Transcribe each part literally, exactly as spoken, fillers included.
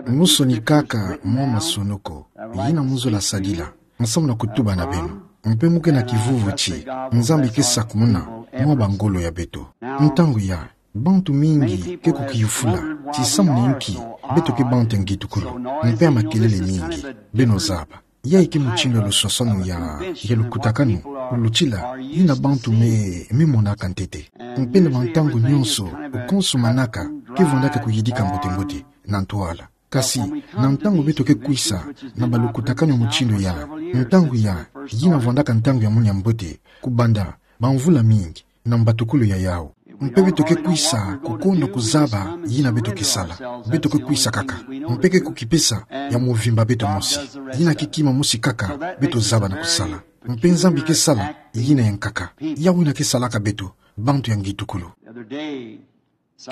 Musoni kaka mwa masonoko yina mu zola sadila, nsamu na kutuba na beno. Mpe mu ke na kivuvu ti Nzambi ke sakumuna mwa bangolo ya beto. Ntangu ya, bantu mingi ke kukiyufula ti samu na inki beto ke bantu ya ngitukulu, mpe ya makelele mingi. Beno zaba, yayi ke mutindu ya lusosono ya, ya lukutakanu, lutila, yina bantu me, me monaka ntete. Mpe na bantangu nyonso, ukonso manaka ke vandaka kuyidika mbote-mbote, na ntwala. Kasi, na ntangu beto ke kwisa na balukutakanu ya mutindu ya, ntangu ya, yina vandaka ntangu ya munu ya mbote, kubanda bamvula mingi, na mbatukulu ya yawu. Mpe beto ke kwisa kukonda kuzaba yina beto ke sala. Beto ke kwisa kaka. Mpe ke kukipesa ya movimba beto mosi. Yina ke kima mosi kaka beto zaba na kusala. Mpe Nzambi ke sala yina ya nkaka. Yawu yina ke salaka beto bantu ya ngitukulu.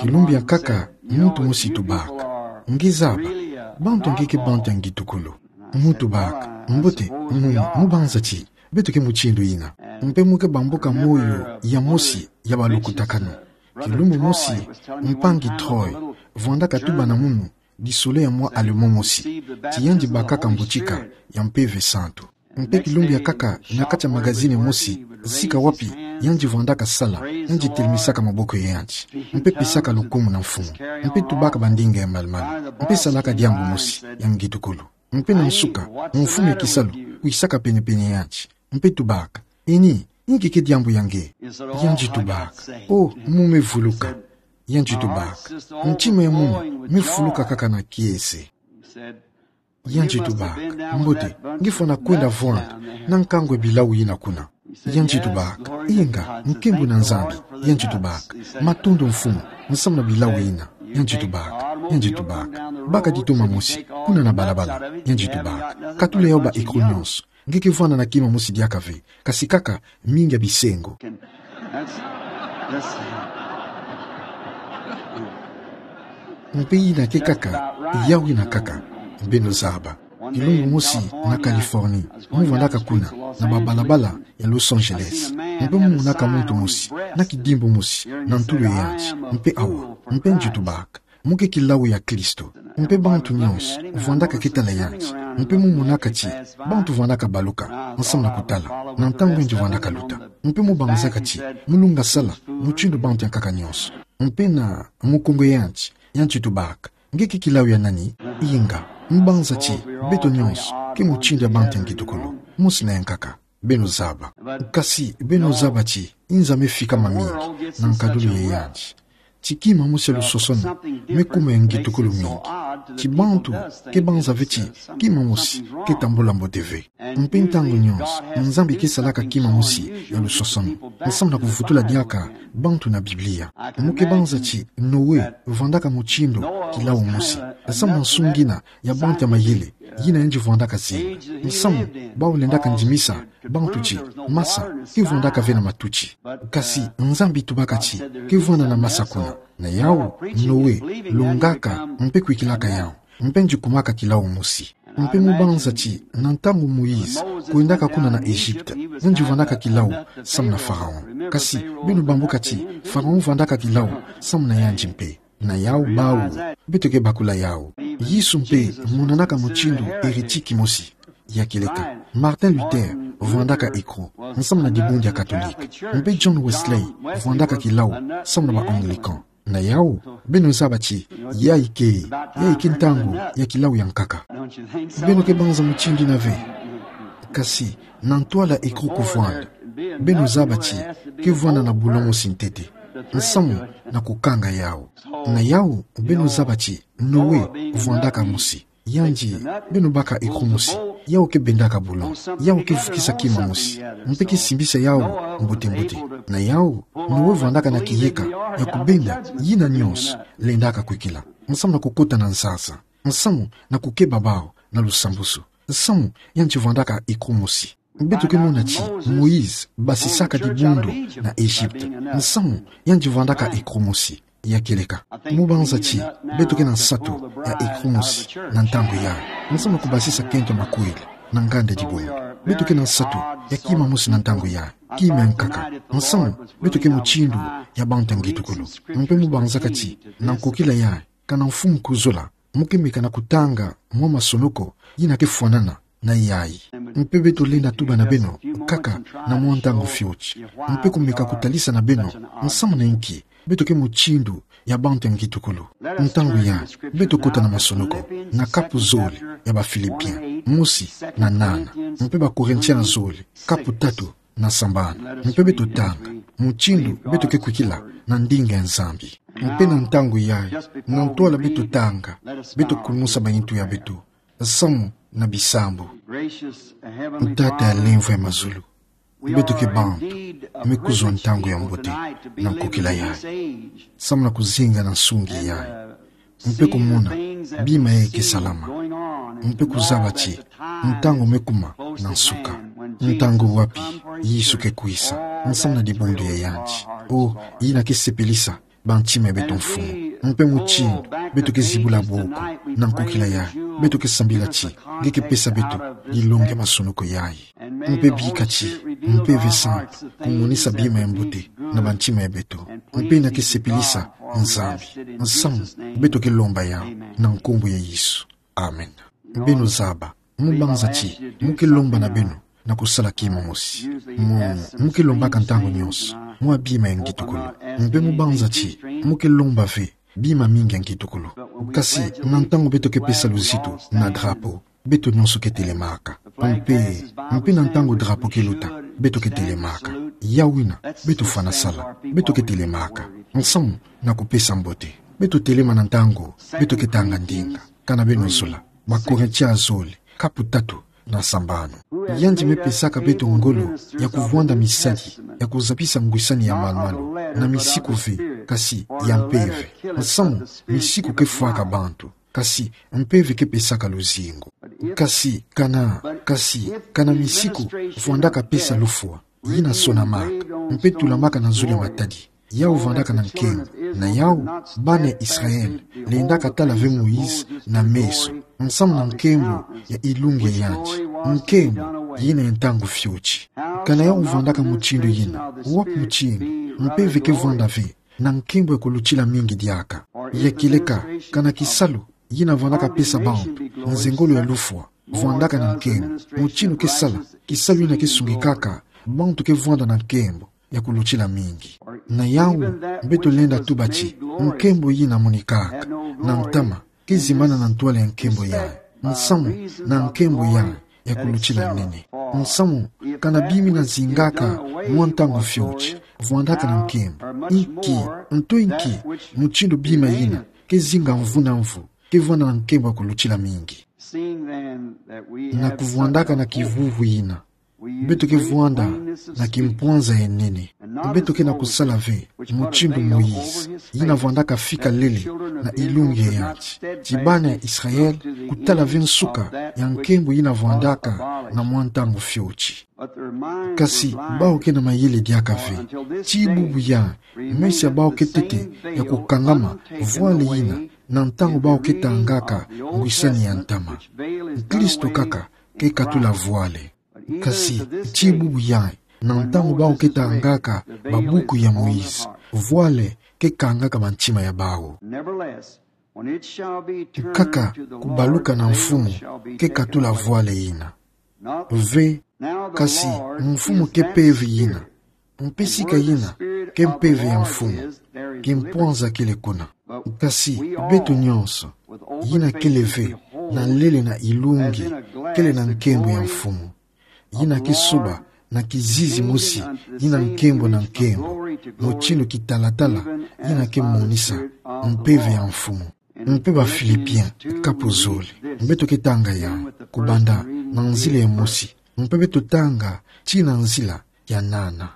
Kilumbu ya nkaka, muntu mosi tubaka: Nge zaba, bantu ya nge ke bantu ya ngitukulu? Mu tubaka: Mbote, mu, mu banza ti beto ke mutindu yina. Mpe mu ke bambuka moyo ya mosi ya balukutakanu. Kilumbu mosi, mpangi Troy vandaka tuba na munu, disolo ya mwa Allemand mosi, ti yandi bakaka mbutika ya Mpeve Santu. Mpe kilumbu ya nkaka, na kati ya magazine mosi, sika wapi yandi vandaka sala, yandi telimisaka maboko ya yandi, mpe pesaka lukumu na Mfumu, mpe tubaka bandinga ya malu-malu, mpe salaka diambu mosi ya ngitukulu. Mpe na nsuka, mfumu ya kisalu kwisaka pene-pene ya yandi, mpe tubaka: Eni, inki ke diambu ya nge? Yandi tubaka: O, mu me vuluka. Yandi tubaka: Ntima ya munu me fuluka kaka na kiese. Yandi tubaka: Mbote, nge fwana kwenda vwanda na nkangu ya bilau yina kuna. Yandi tubaka: Inga, nkembo na Nzambi. Yandi tubaka: Matondo Mfumu, nsamu na bilau yina. Yandi tubaka, yandi tubaka: Baka ditoma mosi kuna na balabala. Yandi tubaka: Katula yawu ba écrou nyonso. Nge ke vwanda na kima mosi diaka ve, kasi kaka mingi ya bisengo. Mpe yina ke kaka, yawu yina kaka. Beno zaba. Kilumbu mosi na Californie, mu vandaka kuna, na babalabala ya Los Angeles. Mpe mu monaka muntu mosi, na kidimbu mosi na ntulu ya yandi, mpe awa, mpe yandi tubaka: Mu ke kilau ya Kristo. Mpe bantu nyonso vandaka ke tala yandi. Mpe mu monaka ti bantu vandaka baluka, nsamu na kutala, na ntangu yandi vandaka luta. Mpe mu banzaka ti mu lunga sala mutindu bantu ya nkaka nyonso. Mpe na mukongo ya yandi, yandi tubaka: Nge ke kilau ya nani? Inga, mu banza ti beto nyonso ke mutindu ya bantu ya ngitukulu, mosi na ya nkaka. Beno zaba. Kasi beno zaba ti nza me fika mamingi na nkadulu ya yandi. Ti kima mosi ya lusosono me kuma ya ngitukulu mingi. Ti bantu ke banza ve ti kima mosi ke tambula mbote ve. Mpe ntangu nyonso, Nzambi ke salaka kima mosi ya lusosono, nsamu na kuvutula diaka bantu na Biblia. Mu ke banza ti Noe vandaka mutindu kilau mosi, nsamu na nsu ngina ya bantu ya mayele, yina yandi vandaka zinga. Nsamu, bawu lendaka ndimisa bantu ti masa ke vandaka ve na matuti. Kasi Nzambi tubaka ti ke vwanda na masa kuna. Na yawu, Noe longaka mpe kwikilaka yawu. Mpe yandi kumaka kilau mosi. Mpe mu banza ti na ntangu Moïse kwendaka kuna na Egypte, yandi vandaka kilau samu na Pharaon. Kasi beno bambuka ti Pharaon vandaka kilau samu na yandi mpe. Na yawu bawu, beto ke bakula yawu. Yesu mpe monanaka mutindu hérétique mosi. Ya kieleka, Martin Luther vandaka écrou, nsamu na dibundu ya Katolika. Mpe John Wesley vandaka kilau samu na ba Anglican. Na yawu, beno zaba ti yayi ke, yayi ke ntangu ya kilau ya nkaka. Beno ke banza mutindu yina ve. Kasi, na ntwala écrou kuvwanda, beno zaba ti ke vwanda na boulon mosi ntete. Nsamu na kukanga yawu. Na yawu, beno zaba ti Noe vwandaka mosi. Yandi, beno baka écrou mosi. Yawu ke bendaka boulon. Yawu ke vukisa kima mosi. Mpe ke simbisa yawu mbote-mbote. Na yawu, Noe vandaka na kiyeka ya kubenda yina nyonso lendaka kwikila, nsamu na kukota na nsasa, nsamu na kukeba bawu na lusambusu. Nsamu yandi vandaka écrou mosi. Beto ke mona ti Moïse basisaka dibundu na Egypte. Nsamu yandi vandaka écrou mosi. Ya kieleka, mu banza ti beto ke na nsatu ya écrou mosi na ntangu yayi, nsamu na kubasisa kento makwela na nganda dibundu. Beto ke na nsatu ya kima mosi na ntangu yayi, kima ya nkaka. Nsamu, beto ke mutindu ya bantu ya ngitukulu. Mpe mu banzaka ti na nkokila yayi, kana mfumu kuzola, Mo ke meka na kutanga mwa masonoko yina ke fwanana na yayi. Mpe beto lenda tuba na beno, kaka na mwa ntangu fioti. Mpe kumeka kutalisa na beno, nsamu na inki beto ke mutindu ya bantu ya ngitukulu. Ntangu yayi, beto kota na masonoko, na kapu zole ya ba Philippiens, mosi na nana, mpe ba Corinthiens zole, kapu tatu na sambanu. Mpe beto tanga mutindu beto ke kwikila na ndinga ya Nzambi. Mpe na ntangu yayi, na ntwala beto tanga, beto kulumusa ba intu ya beto, samu na bisambu. Tata ya lemvo ya mazulu, beto ke bantu me kuzwa ntangu ya mbote na nkokila yayi, samu na kuzinga na nsungi yayi, mpe kumona bima yayi ke salama, mpe kuzaba ti ntangu me kuma na nsuka. Ntangu wapi Yesu ke kwisa, nsamu na dibundu ya yandi? O, yina ke sepelisa bantima ya beto, Mfumu. Mpe mutindu beto ke zibula boko na nkokila yayi, beto ke sambila ti nge ke pesa beto dilongi ya masonoko yayi. Mpe bika ti Mpeve Santu kumonisa bima ya mbote na bantima ya beto, mpe yina ke sepelisa Nzambi, nsamu beto ke lomba yayi na nkumbu ya Yesu. Amen. Beno zaba, mo banza ti mo ke lomba na beno na kusala kima mosi. Mo, mo ke lombaka ntangu nyonso mwa bima ya ngitukulu. Mpe mo banza ti mo ke lomba ve bima mingi ya ngitukulu. Kasi na ntangu beto ke pesa luzitu na drapeau, beto nyonso ke telemaka. Mpe, mpe na ntangu drapeau ke luta, beto ke telemaka. Yawu yina beto fwana sala, beto ke telemaka, nsamu na kupesa mbote. Beto telema na ntangu beto ke tanga ndinga. Kana beno zola, ba Corinthiens zole, kapu tatu na sambanu. Yandi me pesaka beto ngolo ya kuvwanda misali ya kuzabisa ngwisani ya malu-malu na misiku ve, kasi ya mpeve. Nsamu misiku ke fwaka bantu, kasi mpeve ke pesaka luzingu. Kasi kana, kasi kana misiku vwandaka pesa lufwa, yina sonamaka, mpe tulamaka na zulu ya matadi, yawu vandaka na nkembo. Na yawu, bana ya Israël lendaka tala ve Moïse na meso, nsamu na nkembo ya ilungi ya yandi. Nkembo yina ya ntangu fioti. Kana yawu vandaka mutindu yina, wapi mutindu mpeve ke vwanda ve na nkembo ya kulutila mingi diaka? Ya kieleka, kana kisalu yina vandaka pesa bantu nzengolo ya lufwa vwandaka na nkembo, mutindu ke sala kisalu yina ke sungikaka bantu ke vwanda na nkembo ya kulutila mingi. Na yawu, beto lenda tuba ti nkembo yina monikaka na ntama ke zimbana na ntwala ya nkembo yayi, nsamu na nkembo yayi ya kulutila nene. Nsamu kana bima yina zingaka mwa ntangu fioti vwandaka na nkembo, inki, nto inki mutindu bima yina ke zinga mvu na mvu ke vwanda na nkembo ya kulutila mingi? Na kuvwandaka na kivuvu yina, beto ke vwanda na kimpwanza ya nene. Beto ke na kusala ve mutindu Moïse, yina vwandaka fika lele na ilungi ya yandi, ti bana ya Israël kutala ve nsuka ya nkembo yina vwandaka na mwa ntangu fioti. Kasi bawu ke na mayele diaka ve, tii bubu yayi, meso ya bawu ke tete ya kukangama vwale yina, na ntangu bawu ke tangaka ngwisani ya ntama. Kristo kaka ke katula vwale. Kasi tii bubu yayi, na ntangu bawu ke tangaka babuku ya Moïse, vwale ke kangaka bantima ya bawu. Nkaka kubaluka na Mfumu ke katula vwale yina. Ve, kasi Mfumu ke Mpeve yina, mpe sika yina ke Mpeve ya Mfumu, kimpwanza kele kuna. Kasi beto nyonso, yina kele ve na lele na ilungi, kele na nkembo ya Mfumu, yina ke suba na kizizi mosi, yina nkembo na nkembo, mutindu kitalatala yina ke monisa Mpeve ya Mfumu. Mpe ba Philippiens kapu zole, beto ke tanga yawu kubanda na nzila ya mosi, mpe beto tanga tii na nzila ya nana.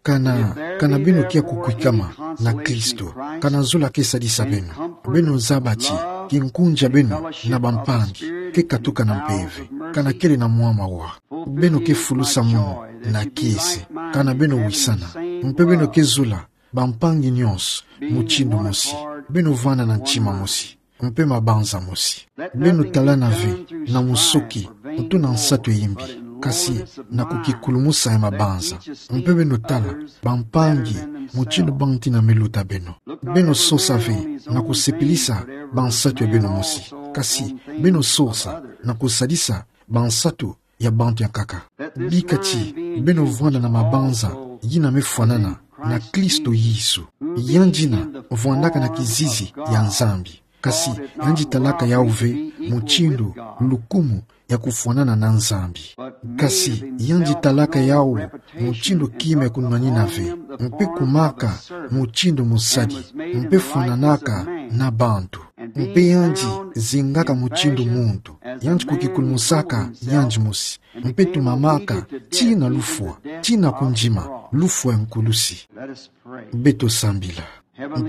Kana, kana beno kia kukwikama na Kristo, kana zola ke sadisa beno, beno zaba ti kinkunzi ya beno na bampangi ke katuka na mpeve, kana kele na mwa mawa. Beno ke fulusa munu na kiese, kana beno wisana, mpe beno ke zola bampangi nyonso mutindu mosi, beno vanda na ntima mosi, mpe mabanza mosi. Beno talana ve na musoki, nto na nsatu ya imbi, kasi na kukikulumusa ya mabanza, mpe beno tala bampangi mutindu bantina me luta beno. Beno sosa ve na kusepelisa bansatu ya beno mosi, kasi beno sosa na kusadisa bansatu ya bantu ya nkaka. Bika ti beno vwanda na mabanza yina mefwanana na Kristo Yesu. Yandi yina vwandaka na kizizi ya Nzambi. Kasi yandi talaka yawu ve mutindu lukumu ya kufwanana na Nzambi. Kasi yandi talaka yawu mutindu kima ya kunwanina ve, mpe kumaka mutindu musadi, mpe fwananaka na bantu. Mpe yandi zingaka mutindu muntu, yandi kukikulmusaka yandi mosi, mpe tumamaka tii na lufwa, tii na kundima, lufwa ya nkulusi. Beto sambila.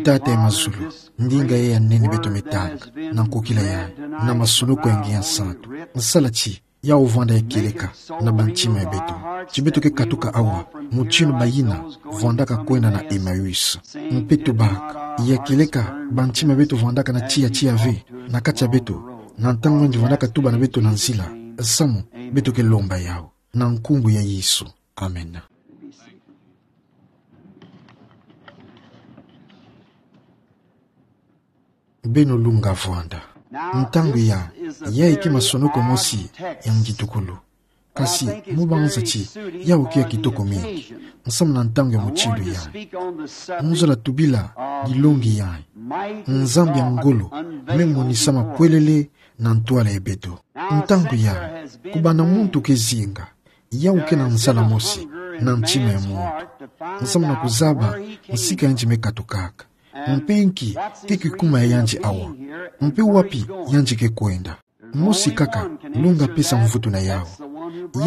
Tata ya mazulu, ndinga yayi ya nene beto me tanga, na nkokila yayi, na masonoko ya nge ya nsantu. Sala ti yawu vwanda ya kieleka na bantima ya beto. Ti beto ke katuka awa, mutindu bayina vwandaka kwenda na Emmaüs. Mpe tubaka, ya kieleka bantima ya beto vwandaka na tiya tiya ve, na kati ya beto, na ntangu yandi vwandaka tuba na beto na nzila, samu beto ke lomba yawu. Na nkumbu ya Yesu. Amen. Beno lunga vwanda. Ntangu ya, yayi ke masonoko mosi ya ngitukulu. Kasi mu banza ti yawu ke ya kitoko mingi, nsamu na ntangu ya mutindu yayi. Mu zola tubila dilongi yayi. Nzambi ya ngolo me monisama pwelele na ntwala ya beto. Ntangu ya, kubana muntu ke zinga, yawu ke na nzala mosi na ntima ya muntu, nsamu na kuzaba nsika yandi me katukaka. Mpe nki ke kikuma ya yandi awa? Mpe wapi yandi ke kwenda? Mosi kaka lunga pesa mvutu na yawu.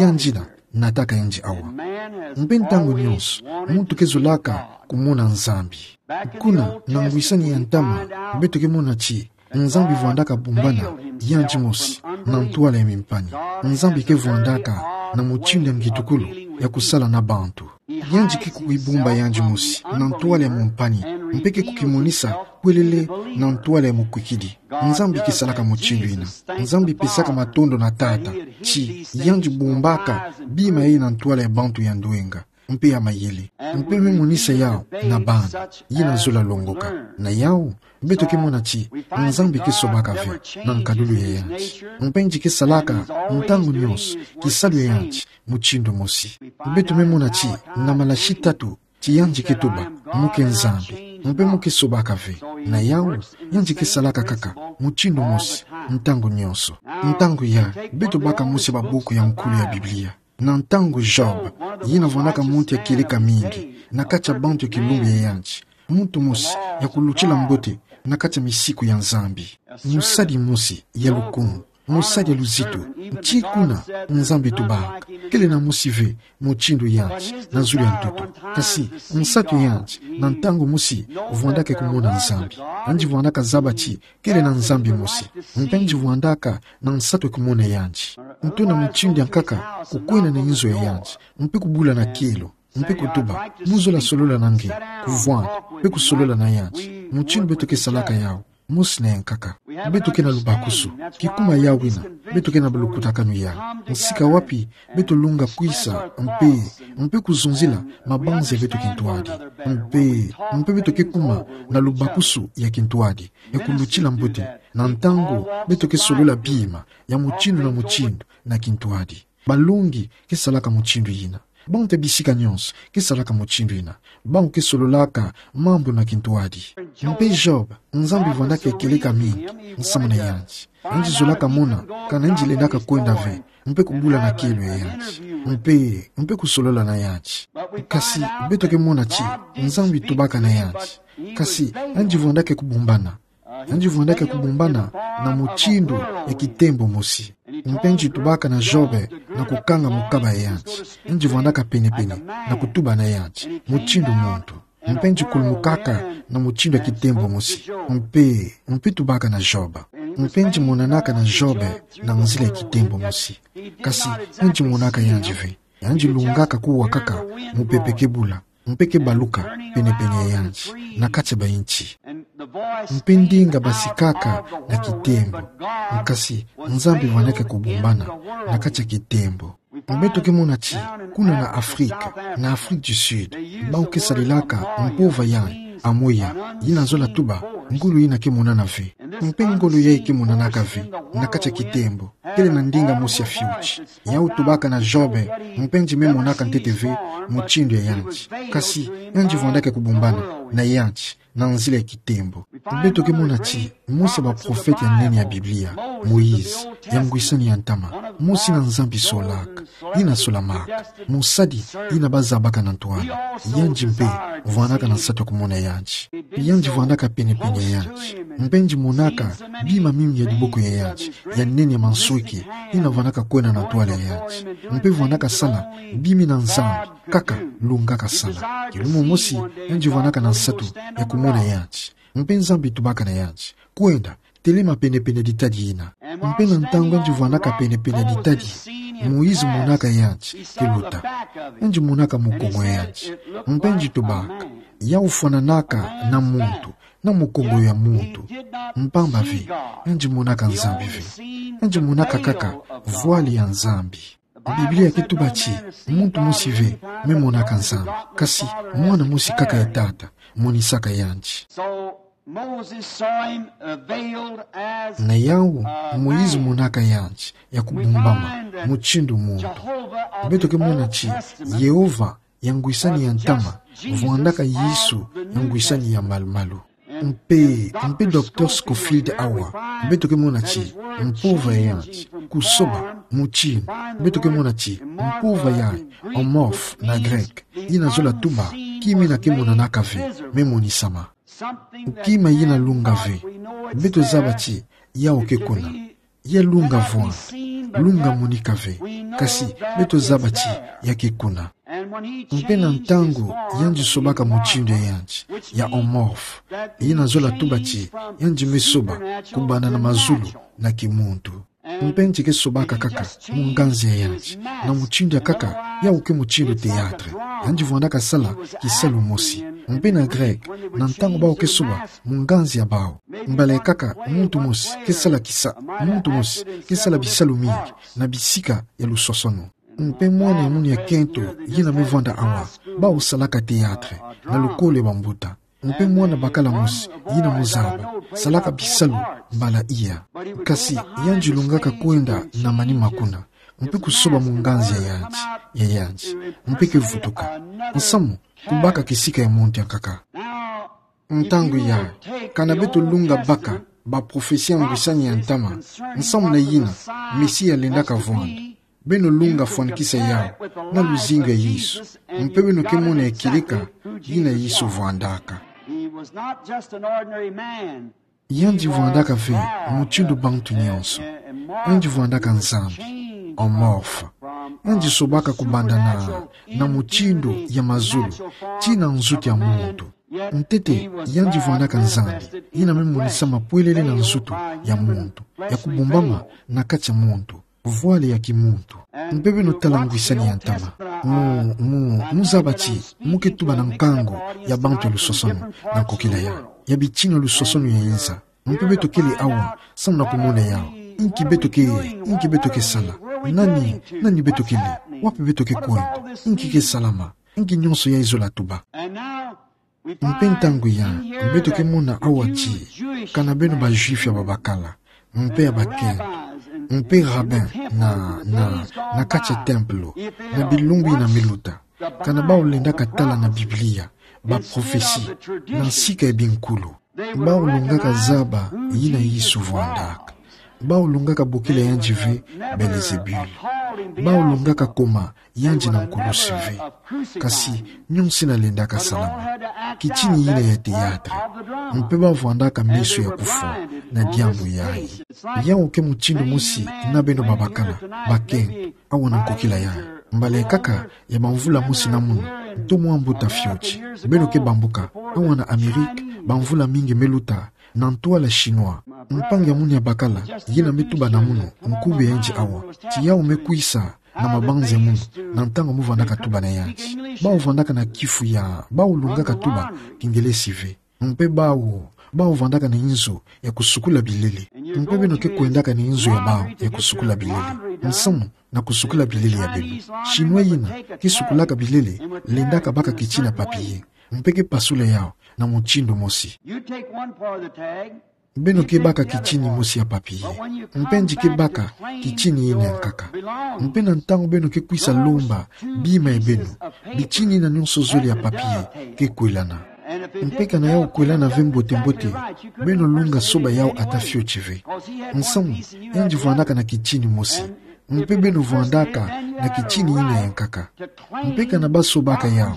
Yandi yina nataka yandi awa. Mpe ntangu nyonso, muntu ke zolaka kumona Nzambi. Kuna na ngwisani ya ntama, beto ke mona ti Nzambi vwandaka bumbana yandi mosi na ntwala ya mimpani. Nzambi ke vwandaka na mutindu ya ngitukulu ya kusala na bantu. Yandi ke kukibumba yandi mosi na ntwala ya mumpani, mpe ke kukimonisa pwelele na ntwala ya mukwikidi. Nzambi ke salaka mutindu yina. Nzambi pesaka matondo na Tata ti yandi bumbaka bima yayi na ntwala ya bantu ya ndwenga mpe ya mayele, mpe me monisa yawu na bana yina zola longoka. Na yawu, beto ke mona ti Nzambi ke sobaka ve na nkadulu ya yandi. Mpe yandi ke salaka ntangu nyonso kisalu ya yandi mutindu mosi. Beto me mona ti na malasi tatu ti yandi ke tuba, mu ke Nzambi, mpe mu ke sobaka ve. Na yawu, yandi ke salaka kaka mutindu mosi ntangu nyonso. Ntangu ya, beto baka mosi babuku ya nkulu ya Biblia. Na ntangu Job, yina vwandaka muntu ya kieleka mingi na kati ya bantu ya kilumbu ya yandi, muntu mosi ya kulutila mbote na kati ya misiku ya Nzambi. Mosadi mosi ya lukumu, mosadi ya luzitu, tii kuna Nzambi tubaka kele na mosi ve mutindu yandi na zulu ya ntoto. Kasi nsatu ya yandi, na ntangu mosi, vwandaka kumona Nzambi. Yandi vwandaka zaba ti kele na Nzambi mosi, mpe yandi vwandaka na nsatu ya kumona yandi. Nto na mutindu ya nkaka, kukwenda na inzo ya yandi, mpe kubula na kielo, mpe kutuba, mu zola solola na nge, kuvwanda, mpe kusolola na yandi. Mutindu beto ke salaka yawu, mosi na ya nkaka. Beto ke na lubakusu, kikuma yawu yina, beto ke na lukutakanu ya nsika wapi beto lunga kwisa, mpe, mpe kuzonzila mabanza ya beto kintwadi. Mpe, mpe beto ke kuma na lubakusu ya kintwadi ya kulutila mbote, na ntangu beto ke solola bima ya mutindu na mutindu na kintwadi. Balongi ke salaka mutindu yina. Bantu ya bisika nyonso ke salaka mutindu yina. Bantu ke sololaka mambu na kintwadi. Mpe Job, Nzambi vwandaka ya kieleka mingi nsamu na yandi. Yandi zolaka mona kana yandi lendaka kwenda ve, mpe kubula na kielo ya yandi, mpe, mpe kusolola na yandi. Kasi beto ke mona ti Nzambi tubaka na yandi. Kasi yandi vwandaka kubumbana. Yandi vwandaka kubumbana na mutindu ya kitembo mosi. Mpe yandi tubaka na Job na kukanga mukaba ya yandi. Yandi vwandaka pene-pene na kutuba na yandi mutindu muntu. Mpe yandi kulumukaka na mutindu ya kitembo mosi. Mpe, mpe tubaka na Job. Mpe yandi monanaka na Job na nzila ya kitembo mosi. Kasi yandi monaka yandi ve. Yandi lungaka kuwa kaka mupepe ke bula, mpe ke baluka pene-pene ya yandi, na kati ya bainti. Mpe ndinga basikaka na kitembo. Kasi Nzambi vwandaka kubumbana na kati ya kitembo. Beto ke mona ti, kuna na Afrika, na Afrique du Sud, bawu ke salelaka mpova yayi, amoya, yina zola tuba ngolo ina ke monana ve. Mpe ngolo yayi ke monanaka ve na kati ya kitembo, kele na ndinga mosi ya fioti. Yau tubaka na Job, mpe nzimbi monaka ntete ve mutindu ya yanzi. Kasi, yanzi vwandaka kubumbana na yanzi na nzila ya kitembo. Beto ke mona ti mosi ya baprofete ya nene ya Biblia, Moïse, ya ngwisani ya ntama, mosi ina Nzambi solaka, ina solamaka, mosadi ina bazabaka na ntwala. Yanzi mpe vwandaka na nsatu ya kumona yanzi. Yanzi vwandaka penepene ya yanzi. Mpe nzi monaka bima mingi ya diboko ya yanzi, ya nene ya mansweke, ina vwandaka kwenda na ntwala ya yanzi. Mpe vwandaka sala bima ina Nzambi, kaka lungaka sala. Kilumo mosi, yanzi vwandaka na nsatu ya kumona yanzi. Mpe Nzambi tubaka na yanzi: Kwenda, telema penepene ya ditadi ina. Mpe na ntangu yanzi vwandaka penepene ya ditadi, Moïse monaka yanzi ke luta. Yanzi monaka mukongo ya yanzi. Mpe nzi tubaka: Yau fwananaka na muntu, na mukongo ya muntu. Mpamba ve, yanzi monaka Nzambi ve. Yanzi monaka kaka voile ya Nzambi. Biblia ke tuba ti muntu mosi ve me monaka Nzambi, kasi mwana mosi kaka ya Tata monisaka yanzi. So Moses saw him, uh, veiled as, na yau, uh, Moïse man, monaka yanzi ya kubumbama, mutindu muntu. Beto ke mona ti Yehova ya ngwisani ya ntama vwandaka Yesu ya ngwisani ya malu-malu. Mpe, mpe Docteur Scofield awa, beto ke mona ti mpova ya yanzi, kusoba, mutindu, beto ke mona ti mpova ya amorphe na grec, ina zola tuba kima ina ke monanaka ve me monisama. Kima ina lunga ve. Beto zaba ti yau ke kuna. Ya lunga vwanda, lunga monika ve, kasi beto zaba ti ya ke kuna. Mpe na ntangu yanzi sobaka mutindu ya yanzi, ya amorphe, ina zola tuba ti yanzi me soba kubanda na mazulu na kimuntu. Mpe nzi ke sobaka kaka mu nganzi ya yanzi, na mutindu ya nkaka, yau ke mutindu théâtre. Yanzi vwandaka sala kisalu mosi. Mpe na grec, na ntangu bau ke soba mu nganzi ya bau, mbala ya nkaka muntu mosi ke sala kisa-, muntu mosi ke sala bisalu mingi na bisika ya lusosono. Mpe mwana ya munu ya kento ina me vwanda awa, bau salaka théâtre na lukolo ya bambuta. Mpe mwana bakala mosi ina mu zaba, salaka bisalu mbala iya. Kasi yanzi lungaka kwenda na manima kuna, mpe kusoba mu nganzi ya yanzi, ya yanzi, mpe ke vutuka. Nsamu kubaka kisika ya muntu ya nkaka. Ntangu yayi, kana beto lunga baka baprofesi ya ngwisani ya ntama nsamu na ina Mesia lendaka vwanda, beno lunga fwanikisa yau na luzingu ya Yesu, mpe beno ke mona ya kieleka ina Yesu vwandaka. He was not just an ordinary man. Yanzi vwandaka ve mutindu bantu nyonso. Yanzi vwandaka Nzambi, amorphe. Yanzi sobaka kubanda na, na mutindu ya mazulu tii na nzutu ya muntu. Ntete, yanzi vwandaka Nzambi ina me monisama pwelele na nzutu ya muntu, ya kubumbama na kati ya muntu, voile ya kimuntu. Mpe beno tala ngwisani ya ntama. Mu, mu, mu zaba ti mu ke tuba na nkangu ya bantu ya lusosono na nkokila yayi, ya bitini ya lusosono ya inza. Mpe beto kele awa samu na kumona yau. Inki beto ke, inki beto ke sala? Nani, nani beto kele? Wapi beto ke kwenda? Inki ke salama? Inki nyonso yayi zola tuba? Mpe ntangu yayi, beto ke mona awa ti kana beno ba Juifs ya babakala, mpe ya bakento, mpe rabbin na, na, na kati ya tempelo, na bilumbu ina me luta, kana bau lendaka tala na Biblia, baprofesi, na nsika ya binkulu, bau lungaka zaba ina Yesu vwandaka. Bau lungaka bokila yanzi ve Belzebul. Bau lungaka koma yanzi na nkulusu ve. Kasi nyonso ina lendaka salama. Kitini ina ya théâtre. Mpe bau vwandaka meso ya kufwa na diambu yayi. Yau ke mutindu mosi na beno babakala, bakento, awa na nkokila yayi. Mbala ya nkaka ya bamvula mosi na munu, nto mwa mbuta fioti, beno ke bambuka awa na Amérique, bamvula mingi me luta, na ntwala chinois. Mpangi ya munu ya bakala ina me tuba na munu, nkube yanzi awa, ti yau me kwisa na mabanza ya munu na ntangu mu vwandaka tuba na yanzi. Bau vwandaka na kifu ya, bau lungaka tuba Kingelesi ve. Mpe bau, bau vwandaka na inzo ya kusukula bilele. Mpe beno ke kwendaka na inzo ya bau ya kusukula bilele. Nsamu na kusukula bilele ya beno? Chinois ina ke sukulaka bilele, lendaka baka kitini ya papier, mpe ke pasula yau na mutindu mosi. You take one part of the tag, beno ke baka kitini mosi ya papier. Mpe nje ke baka kitini ina ya nkaka. Mpe na ntangu beno ke kwisa lomba bima ya beno, bitini ina nyonso zole ya papier ke kwelana. Mpe kana yau kwelana ve mbote-mbote, beno lunga soba yau ata fioti ve. Nsamu, yandi vwandaka na kitini mosi. Mpe beno vwandaka na kitini ina ya nkaka. Mpe kana basobaka yau,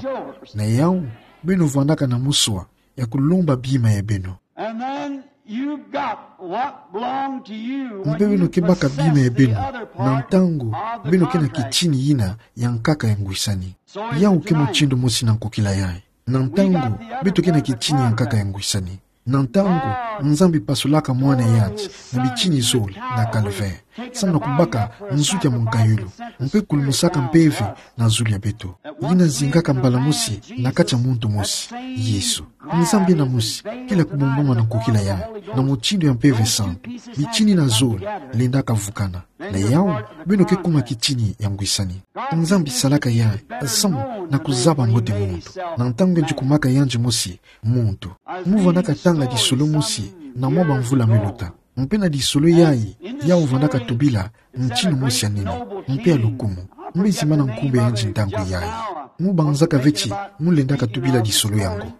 na yau, beno vwandaka na muswa ya kulomba bima ya beno. And then you've got what belonged to you when you possess the other part of the tag. Mpe beno ke baka bima ya beno na ntangu beno ke na kitini ina ya nkaka ya ngwisani. Yau ke mutindu mosi na nkokila yayi. Na ntangu beto ke na kitini ya nkaka ya ngwisani. Na ntangu Nzambi pasulaka mwana yandi na bitini zole na calvaire, samu na kubaka nzuki ya munkayulu, mpe kulumusaka mpeve na zulu ya beto, yina zingaka mbala mosi na kati ya muntu mosi, Yesu. Nzambi yena mosi kele kubombama na nkokila yayi, na mutindu ya Mpeve Santu, bitini ina zole lendaka vukana. Na yau, beno ke kuma kitini ya ngwisani. Nzambi salaka yayi samu na kuzaba mbote muntu, na ntangu yandi kumaka yandi mosi muntu. Mu vwandaka tanga lisolo mosi na mwa bamvula miluta. Mpe na lisolo yayi, yau vwandaka tubila ntinu mosi ya nene, mpe ya lukumu. Mbe zimana nkumbu ya yandi ntangu yayi. Mu banzaka ve ti mu lendaka tubila lisolo yango.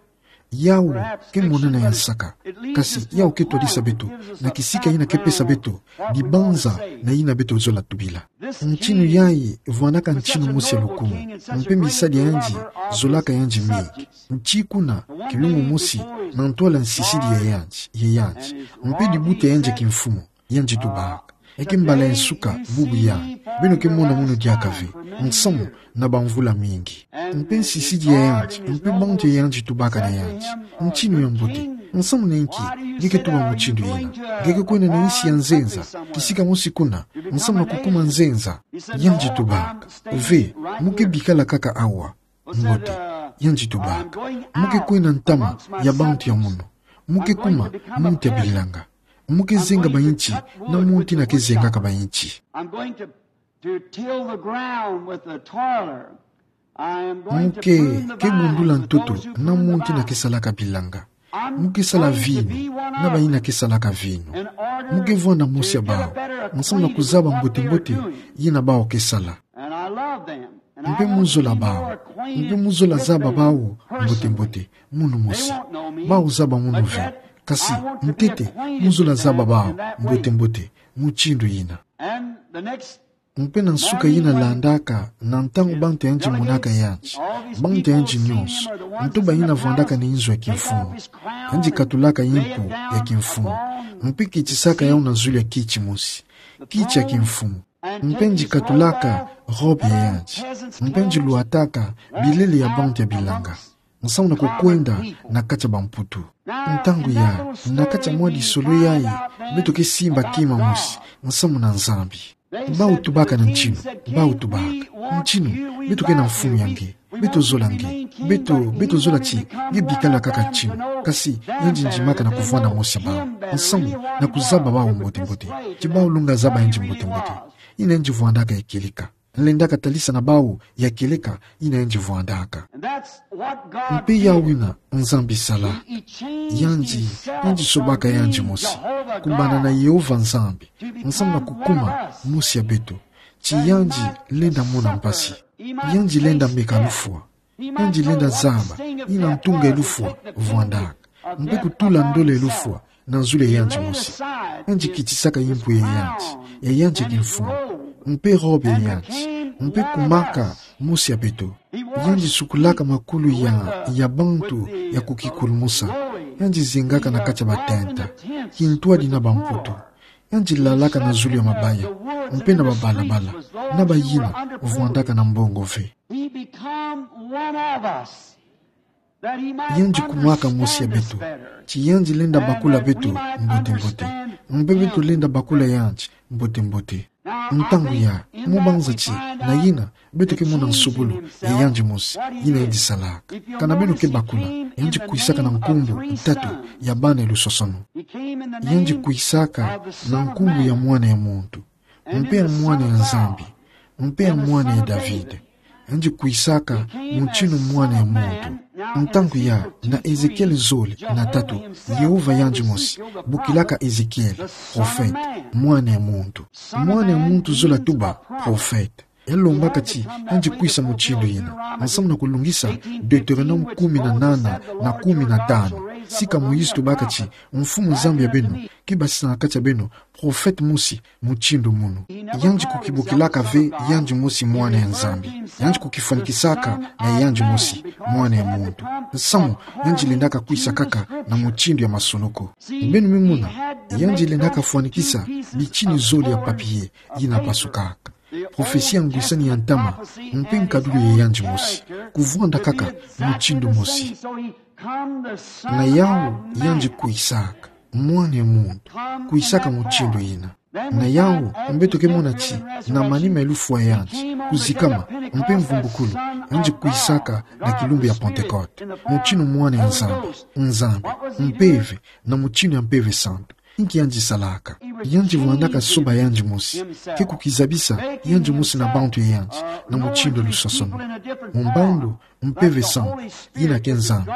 Yau ke monana ya nsaka, kasi yau ke twadisa beto na kisika yina ke pesa beto dibanza na yina beto zola tubila. Ntinu yayi vwandaka ntinu mosi ya lukumu, mpe misadi ya yandi zolaka yandi mingi. Nti kuna, kilungu mosi na ntwala nsisidi ya yandi, ya yandi, mpe dibuta ya yandi ya kimfumu, yandi tubaka. Eke mbala ya nsuka bubu yayi beno ke mona mono diaka ve, nsamu na bamvula mingi. Mpe nsisidi ya yandi, mpe bantu ya yandi tubaka na yandi. Ntinu ya mbote, nsamu na inki nge ke tuba mutindu yina? Nge ke kwenda na insi ya nzenza, kisika mosi kuna, nsamu na kukuma nzenza. Yandi tubaka: Ve, mu ke bikala kaka awa. Mbote, yandi tubaka: Mu ke kwenda ntama ya bantu ya mono. Mu ke kuma muntu ya bilanga. Mu ke zenga bayinti na muntu yina ke zengaka bayinti. I'm going to, to till the ground with the toiler. I am going to prune the vine with those who prune the vine. Mu ke, ke bundula ntoto na muntu yina ke salaka bilanga. Mu ke sala vinu na bayina ke salaka vinu. Mu ke vwanda mosi ya bawu, nsamu na kuzaba mbote-mbote yina bawu ke sala. And I love them. Mpe mu zola bawu, mpe mu zola zaba bawu mbote-mbote, mono mosi. Bawu zaba mono ve, kasi ntete mu zola zaba bawu mbote-mbote, mutindu yina. And the next Mpe na nsuka yina landaka, na ntangu bantu ya yandi monaka yandi, bantu ya yandi nyonso, nto bayina vwandaka na inzo ya kimfumu, yandi katulaka yimpu ya kimfumu, mpe kitisaka yawu na zulu ya kiti mosi, kiti ya kimfumu. Mpe yandi katulaka robe ya yandi, mpe yandi lwataka bilele ya bantu ya bilanga, nsamu na kukwenda na kati ya bamputu. Ntangu yayi, na kati ya mwa lisolo yayi, beto ke simba kima mosi nsamu na Nzambi. Bawu tubaka na ntinu, bawu tubaka: Ntinu, beto ke na mfumu ya nge, beto zola nge, beto, beto zola ti nge bikala kaka ntinu. Kasi yandi ndimaka na kuvwanda mosi ya bawu, nsamu na kuzaba bawu mbote-mbote, ti bawu lunga zaba yandi mbote-mbote. Yina yandi vwandaka ya kieleka. Nlendaka talisa na bawu ya kieleka yina yandi vwandaka. Mpe yawu yina Nzambi sala. Yandi, yandi sobaka yandi mosi, kumbana na Yehova Nzambi, nsamu na kukuma mosi ya beto, ti yandi lenda mona mpasi. Yandi lenda meka lufwa. Yandi lenda zaba yina ntunga ya lufwa vwandaka, mpe kutula ndola ya lufwa na zulu ya yandi mosi. Yandi kitisaka yimpu ya yandi, ya yandi ya kimfumu, mpe robe ya yandi, mpe kumaka mosi ya beto. Yandi sukulaka makulu ya, ya bantu ya kukikulumusa. Yandi zengaka na kati ya batenta, kintwadi na bamputu. Yandi lalaka na zulu ya mabaya, mpe na babalabala, na bayina vwandaka na mbongo ve. He become one of us, that he might understand the things of God. Yandi kumaka mosi ya beto, ti yandi lenda bakula beto mbote-mbote, mpe beto lenda bakula yandi mbote-mbote. Ntangu yayi, mu banza ti na yina beto ke mona nsobolo ya yandi mosi, yina yandi salaka. Kana beno ke bakula, yandi kwisaka na nkumbu tatu ya bana ya lusosono. Yandi kwisaka na nkumbu ya Mwana ya muntu, mpe ya Mwana ya Nzambi, mpe ya Mwana ya David. Yandi kwisaka mutindu Mwana ya muntu. Ntangu ya, na Ezekiele zole na tatu, Yehova yandi mosi bokilaka Ezekiele, prophète, mwana ya muntu. Mwana ya muntu zola tuba, prophète. Yalombaka ti yandi kwisa mutindu yina, nsamu na kulungisa Deutéronome kumi na nana na kumi na tanu. Sika Moïse tubaka ti, Mfumu Nzambi ya beno kibasisa na kati ya beno prophète mosi mutindu munu. Yandi kukibokilaka ve yandi mosi mwana ya Nzambi. Yandi kukifwanikisaka na yandi mosi mwana ya muntu. Nsamu, yandi lendaka kwisa kaka na mutindu ya masolo ko. Beno me mona, yandi lendaka fwanikisa bitini zole ya papier yina pasukaka. Prophetie ya ngwisani ya ntama, mpe nkadulu ya yandi mosi, kuvwanda kaka mutindu mosi. Na yawu yandi kwisaka, mwana ya muntu, kwisaka mutindu yina. Na yawu, beto ke mona ti, na manima ya lufwa ya yandi kuzikama, mpe mvumbukulu, yandi kwisaka na kilumbu ya Pentecôte, mutindu mwana ya Nzambi, Nzambi, Mpeve, na mutindu ya Mpeve Santu. Nki yandi salaka? Yandi vwandaka soba yandi mosi, ke kukizabisa yandi mosi na bantu ya yandi, na mutindu ya lusosono. Mu mbandu, Mpeve Santu, yina ke Nzambi,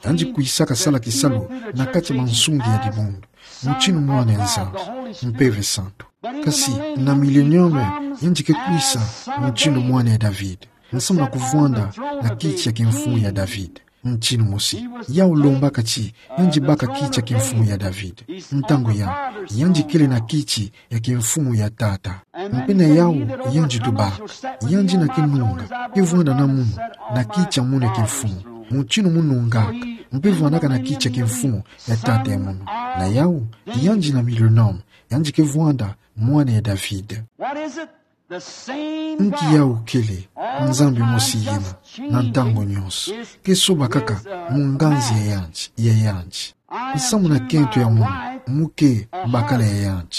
yandi kwisaka sala kisalu na kati ya mansungi ya dibundu, mutindu mwana ya Nzambi, Mpeve Santu. Kasi, na millénium, yandi ke kwisa mutindu mwana ya David, nsamu na kuvwanda na kiti ya kimfumu ya David. Mutindu mosi, yawu lombaka ti yandi baka kiti ya kimfumu ya David. Ntangu ya, yandi kele na kiti ya kimfumu ya Tata. Mpe na yawu yandi tubaka, yandi na kinunga, ke vwanda na munu, na kiti ya munu ya kimfumu, mutindu munungaka, mpe vwandaka na kiti ya kimfumu ya Tata ya munu. Na yawu, yandi na millénium, yandi ke vwanda mwana ya David. Nki yawu kele? Nzambi mosi yina, na ntangu nyonso, ke soba kaka mu nganzi ya yandi, ya yandi. Nsamu na kento ya munu, mu ke bakala ya yandi.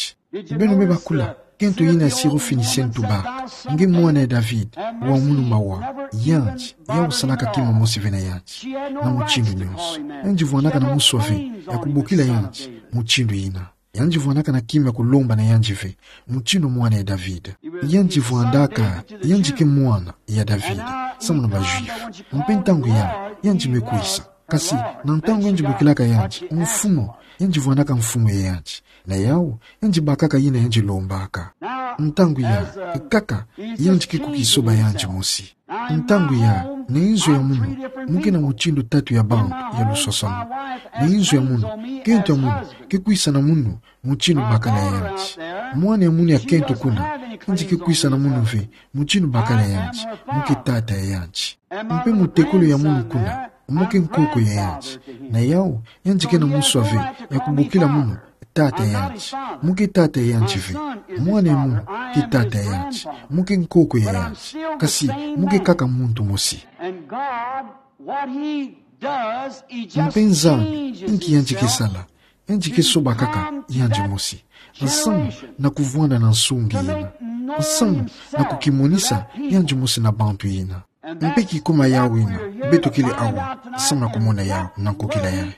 Beno me bakula, kento yina ya Syro-Phénicien tubaka, nge mwana ya David, wa munu mawa, yandi, yawu salaka kima mosi ve na yandi, na mutindu nyonso. Yandi vwandaka na muswa ve ya kubokila yandi mutindu yina. Yandi vwandaka na kima ya kulomba na yandi ve, mutindu mwana ya David. Yandi vwandaka, yandi ke mwana ya David, samu na ba Juifs. Mpe ntangu ya, yandi me kwisa. Kasi, na ntangu yandi bokilaka yandi mfumu, yandi vwandaka mfumu ya yandi. Na yawu, yandi bakaka yina yandi lombaka. Ntangu ya, kaka, yandi ke kukisoba yandi mosi. Ntangu ya, na inzo ya munu, mu ke na mutindu tatu ya bantu ya lusosono. Na inzo ya munu, kento ya munu, ke kwisa na munu, mutindu bakala ya yandi. Mwana ya munu ya kento kuna, yandi ke kwisa na munu ve, mutindu bakala ya yandi, mu ke tata ya yandi. Mpe mutekolo ya munu kuna, mu ke nkoko ya yandi. Na yawu, yandi ke na muswa ve ya kubokila munu, tata ya yandi, mu ke tata ya yandi ve. Mwana ya munu ke tata ya yandi, mu ke nkoko ya yandi. Kasi, mu ke kaka muntu mosi. And God, what he does, he just changes himself. Mpe Nzambi, nki yandi ke sala? Yandi ke soba kaka yandi mosi, nsamu na kuvwanda na nsungi yina, nsamu na kukimonisa yandi mosi na bantu yina. Mpe kikuma yawu yina, beto kele awa, nsamu na kumona yawu na nkokila yayi.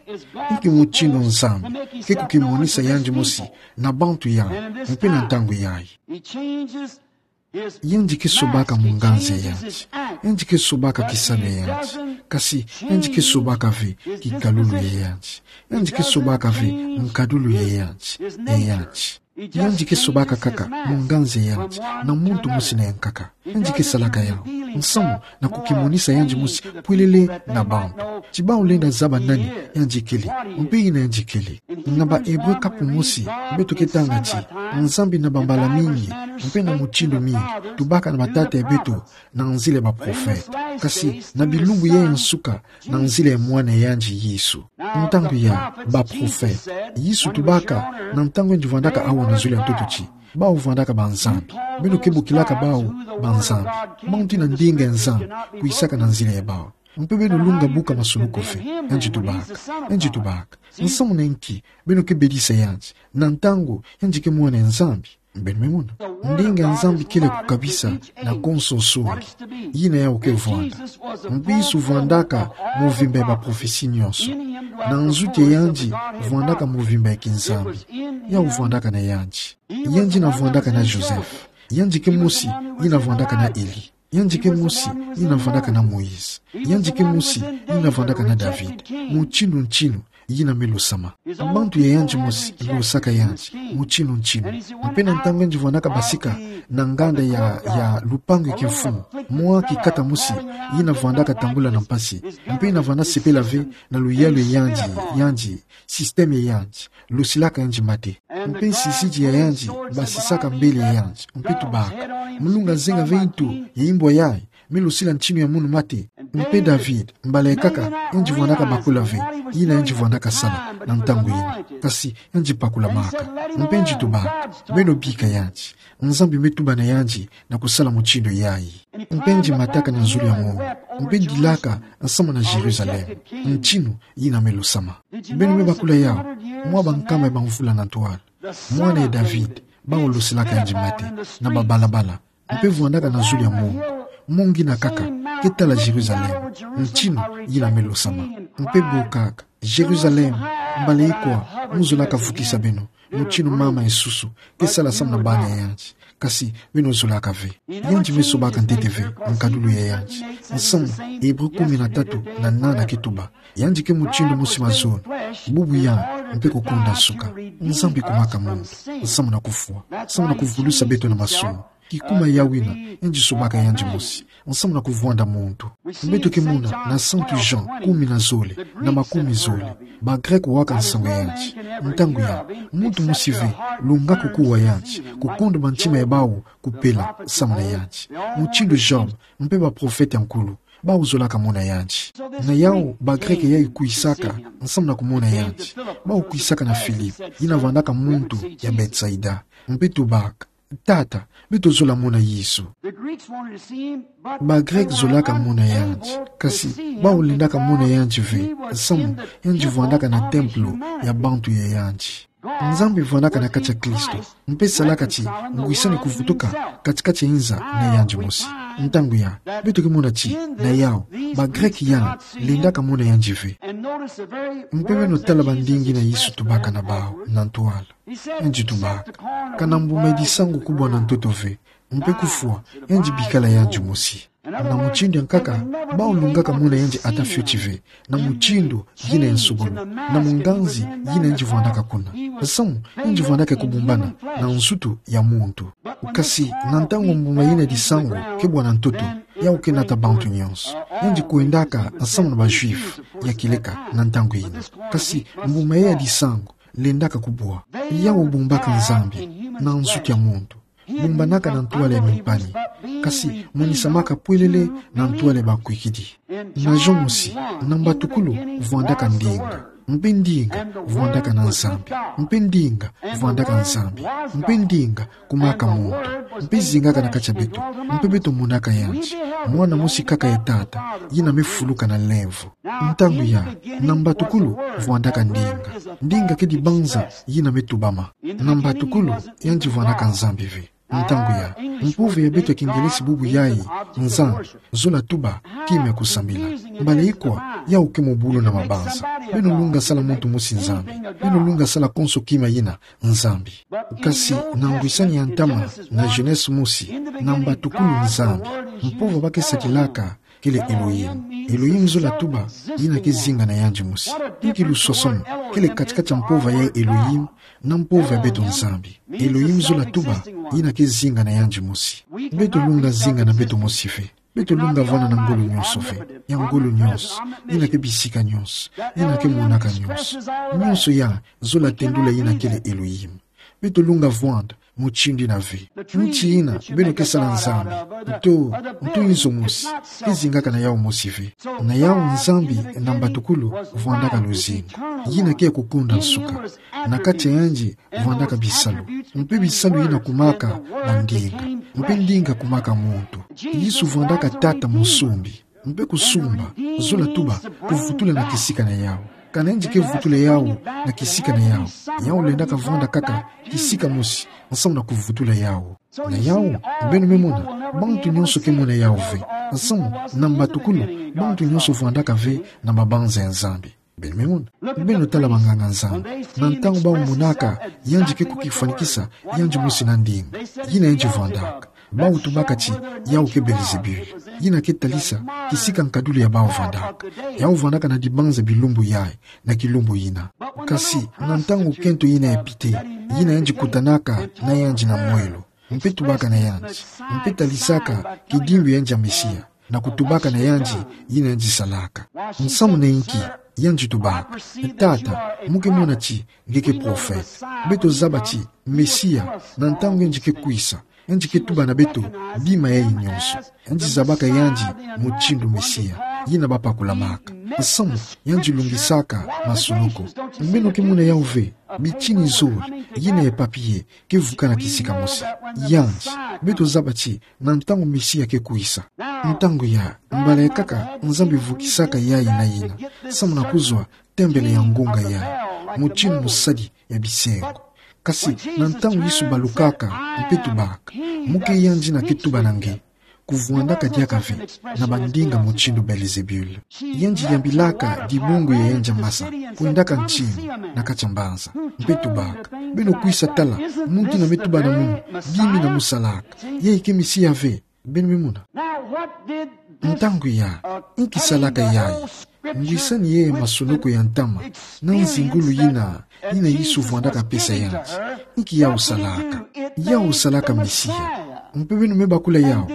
Nki mutindu Nzambi ke kukimonisa yandi mosi na bantu yayi, mpe na ntangu yayi. Yandi ke sobaka mu nganzi ya yandi. Yandi ke sobaka kisalu ya yandi. Kasi, yandi ke sobaka ve kikalulu ya yandi. Yandi ke sobaka ve nkadulu ya yandi, ya yandi. Yandi ke sobaka kaka mu nganzi ya yandi, na muntu mosi na yankaka. Yandi ke salaka yawu, nsamu na kukimonisa yandi mosi pwelele na bantu. Ti bawu lenda zaba nani yandi kele, mpe yina yandi kele. Na ba Hébreux kapu mosi, beto ke tanga ti, Nzambi na bambala mingi, mpe na mutindu mingi, tubaka na batata ya beto, na nzila ya ba prophètes. Kasi, na bilumbu yayi ya nsuka, na nzila ya mwana ya yandi Yesu. Ntangu ya, ba prophètes, Yesu tubaka, na ntangu yandi vwandaka awa na zulu ya ntoto ti, bawu vwandaka banzambi. Beno ke bokilaka bawu banzambi. Bawu nti na ndinga ya Nzambi, kwisaka na nzila ya bawu. Mpe beno lunga buka masuluku ve, yandi tubaka, yandi tubaka. Nsamu na nki beno ke bedisa yandi, na ntangu yandi ke mwana ya Nzambi? Beno me mona. Ndinga ya Nzambi kele kukabisa na konso nsungi. Yina yawu ke vwanda. Mpe Yesu vwandaka muvimba ya ba prophéties nyonso. Na nzuti ya yandi vwandaka muvimba ya kinzambi. Yawu vwandaka na yandi. Yandi na vwandaka na Joseph. Yandi ke mosi yina vwandaka na Élie. Yandi ke mosi yina vandaka na Moïse. Yandi ke mosi yina vandaka na David. Mutindu ntinu yina me losama. Bantu ya yandi mosi losaka yandi mutindu ntinu. Mpe na ntangu yandi vandaka basika na nganda ya, ya lupangu ya kimfumu, mwa kikata mosi yina vandaka tambula na mpasi, mpe yina vanda sepela ve na luyalu ya yandi, yandi, système ya yandi losilaka yandi mate. Mpe nsisidi ya yandi basisaka mbele ya yandi, mpe tubaka: Mulunga azenga ve ntu ya imbwa yayi me losila ntinu ya munu mate? Mpe David, mbala ikaka, yandi vandaka bakula ve yina yandi vandaka sala na ntangu yina, kasi yandi pakulamaka. Mpe yandi tubaka: Beno bika yandi. Nzambi me tuba na yandi na kusala mutindu yayi. Mpe yandi mataka na zulu ya munu, mpe dilaka nsamu na Jérusalem, ntinu yina me losama. Beno me bakula yawu, mwa bankama ya bamvula na ntwala, mwana ya David, bawu losilaka yandi mate na babalabala, mpe vandaka na zulu ya munu, mongi na kaka ke tala Jérusalem, ntinu yina me losama. Mpe bokaka: Jérusalem, mbala ikwa mu zolaka vukisa beno, mutinu mama ya nsusu ke sala samu na bana ya yandi, kasi beno zolaka ve. Yandi me sobaka ntete ve nkadulu ya yandi. Nsamu Hébreu kumi na tatu na nana ke tuba: Yandi ke mutindu mosi mazono, bubu yandi mpe kukonda nsuka. Nzambi kumaka muntu, nsamu na kufwa, nsamu na kuvulusa beto na masumu. Kikuma ya wina yandi sobaka yandi mosi, nsamu na kuvwanda muntu. Beto ke mona na Santu Jean kumi na zole na makumi zole, ba Grec waka nsangu ya yandi. Ntangu ya, muntu mosi ve lunga kukuwa yandi, kukonda bantima ya bawu kupela samu na yandi. Mutindu Job, mpe baprofete ya nkulu, bawu zolaka mona yandi. Na yawu, ba Grec yayi kwisaka nsamu na kumona yandi. Bawu kwisaka na Philippe, yina vandaka muntu ya Bethsaïda, mpe tubaka: Tata, beto zola mona Yesu. Ba Grec zolaka mona yandi, kasi bawu lendaka mona yandi ve, nsamu yandi vandaka na templo ya bantu ya yandi. Nzambi vandaka na kati ya Kristo, mpe salaka ti ngwisani kuvutuka kati-kati ya inza na yandi mosi. Ntangu ya, beto ke mona ti na yawu, ba Grec yandi lendaka mona yandi ve. Mpe beno tala bandingi yina Yesu tubaka na bawu na ntwala. Yandi tubaka: Kana mbuma ya disangu kubwa na ntoto ve, mpe kufwa yandi bikala yandi mosi. Na mutindu ya nkaka, bawu lungaka mona yandi ata fioti ve, na mutindu yina ya nsobolo, na munganzi yina yandi vandaka kuna. Nsamu yandi vandaka kubumbana na nsutu ya muntu. Kasi na ntangu mbuma yina ya disangu ke bwa na ntoto, yawu ke nata bantu nyonso. Yandi kwendaka nsamu na ba Juifs ya kieleka na ntangu yina. Kasi mbuma yayi ya disangu lendaka kubwa. Yawu bumbaka Nzambi na nsutu ya muntu, bumbanaka na ntwala ya mimpani, kasi monisamaka pwelele na ntwala ya bakwikidi. Na Jean mosi, na mbatukulu vwandaka ndinga, mpe ndinga vwandaka na Nzambi, mpe ndinga vwandaka Nzambi, mpe ndinga kumaka muntu, mpe zingaka na kati ya beto, mpe beto monaka yandi, mwana mosi kaka ya Tata, yina me fuluka na lemvo. Ntangu ya, na mbatukulu vwandaka ndinga. Ndinga kedi banza yina me tubama. Na mbatukulu, yandi vwandaka Nzambi ve. Ntangu ya, mpova ya beto ya kingelesi bubu yayi, Nzambi, zola tuba, kima ya kusambila. Mbala ikwa, yawu ke mobulu na mabanza. Beno lunga sala muntu mosi Nzambi. Beno lunga sala konso kima yina Nzambi. Kasi na ngwisani ya ntama na Genèse mosi, na mbatukulu Nzambi, mpova ba ke sadilaka kele Elohim. Elohim zola tuba, yina ke zinga na yandi mosi. Inki lusosomo kele kati-kati ya mpova ya Elohim na mpova ya beto Nzambi? Elohim zola tuba, yina ke zinga na yandi mosi. Beto lunga zinga na beto mosi ve. Beto lunga vwanda na ngolo nyonso ve. Ya ngolo nyonso, yina ke bisika nyonso, yina ke monaka nyonso. Nyonso ya zola tendula yina kele Elohim. Beto lunga vwanda mutindu yina ve. Nti yina beno ke sala Nzambi, nto, nto inzo mosi, ke zingaka na yawu mosi ve. Na yawu Nzambi na mbatukulu vwandaka luzingu. Yina ke ya kukonda nsuka. Na kati ya yandi vwandaka bisalu. Mpe bisalu yina kumaka bandinga. Mpe ndinga kumaka muntu. Yesu vwandaka Tata musumbi. Mpe kusumba, zola tuba, kuvutula na kisika na yawu. Kana yandi ke vutula yawu na kisika na yawu, yawu lendaka vwanda kaka kisika mosi, nsamu na kuvutula yawu. Na yawu, beno me mona, bantu nyonso ke mona yawu ve. Nsamu, na mbatukulu, bantu nyonso vwandaka ve na mabanza ya Nzambi. Beno me mona. Beno tala banganga-Nzambi. Na ntangu bawu monaka yandi ke kukifwanikisa yandi mosi na ndinga, yina yandi vwandaka. Bawu tubaka ti, yawu ke Belzebul, yina ke talisa kisika nkadulu ya bawu vandaka. Yawu vandaka na dibanza bilumbu yayi, na kilumbu yina. Kasi, na ntangu kento yina ya pite, yina yandi kutanaka na yandi na mwelo, mpe tubaka na yandi, mpe talisaka kidimbu ya yandi ya Mesia, na kutubaka na yandi yina yandi salaka. Nsamu na inki? Yandi tubaka: Tata, mu ke mona ti nge ke profeta. Beto zaba ti Mesia, na ntangu yandi ke kwisa, yandi ke tuba na beto bima yayi nyonso. Yandi zabaka yandi mutindu Mesia yina bapakulamaka. Nsamu? Yandi lungisaka masonoko. Beno ke mona yawu ve? Bitini zole, yina ya papier, ke vukana kisika mosi. Yandi, beto zaba ti na ntangu Mesia ke kwisa. Ntangu ya, mbala ya nkaka, Nzambi vukisaka yayi na yina, samu na kuzwa tembele ya ngunga yayi, mutindu musadi ya bisengo. Kasi, na ntangu Yesu balukaka, mpe tubaka, mu ke yandi yina ke tuba na nge, kuvwandaka diaka ve na bandinga mutindu Belzebul. Yandi yambilaka dibungu ya yandi ya masa, kwendaka ntinu na kati ya mbanza, mpe tubaka: Beno kwisa tala muntu yina me tuba na munu bima yina mu salaka. Yayi ke Mesia ve? Beno me mona. Ntangu ya, inki salaka yayi? Ngwisani ye masonoko ya ntama na nzingulu yina, yina Yesu vwandaka pesa yandi. Inki yawu salaka? Yawu salaka Mesia. Mpe beno me bakula yawu,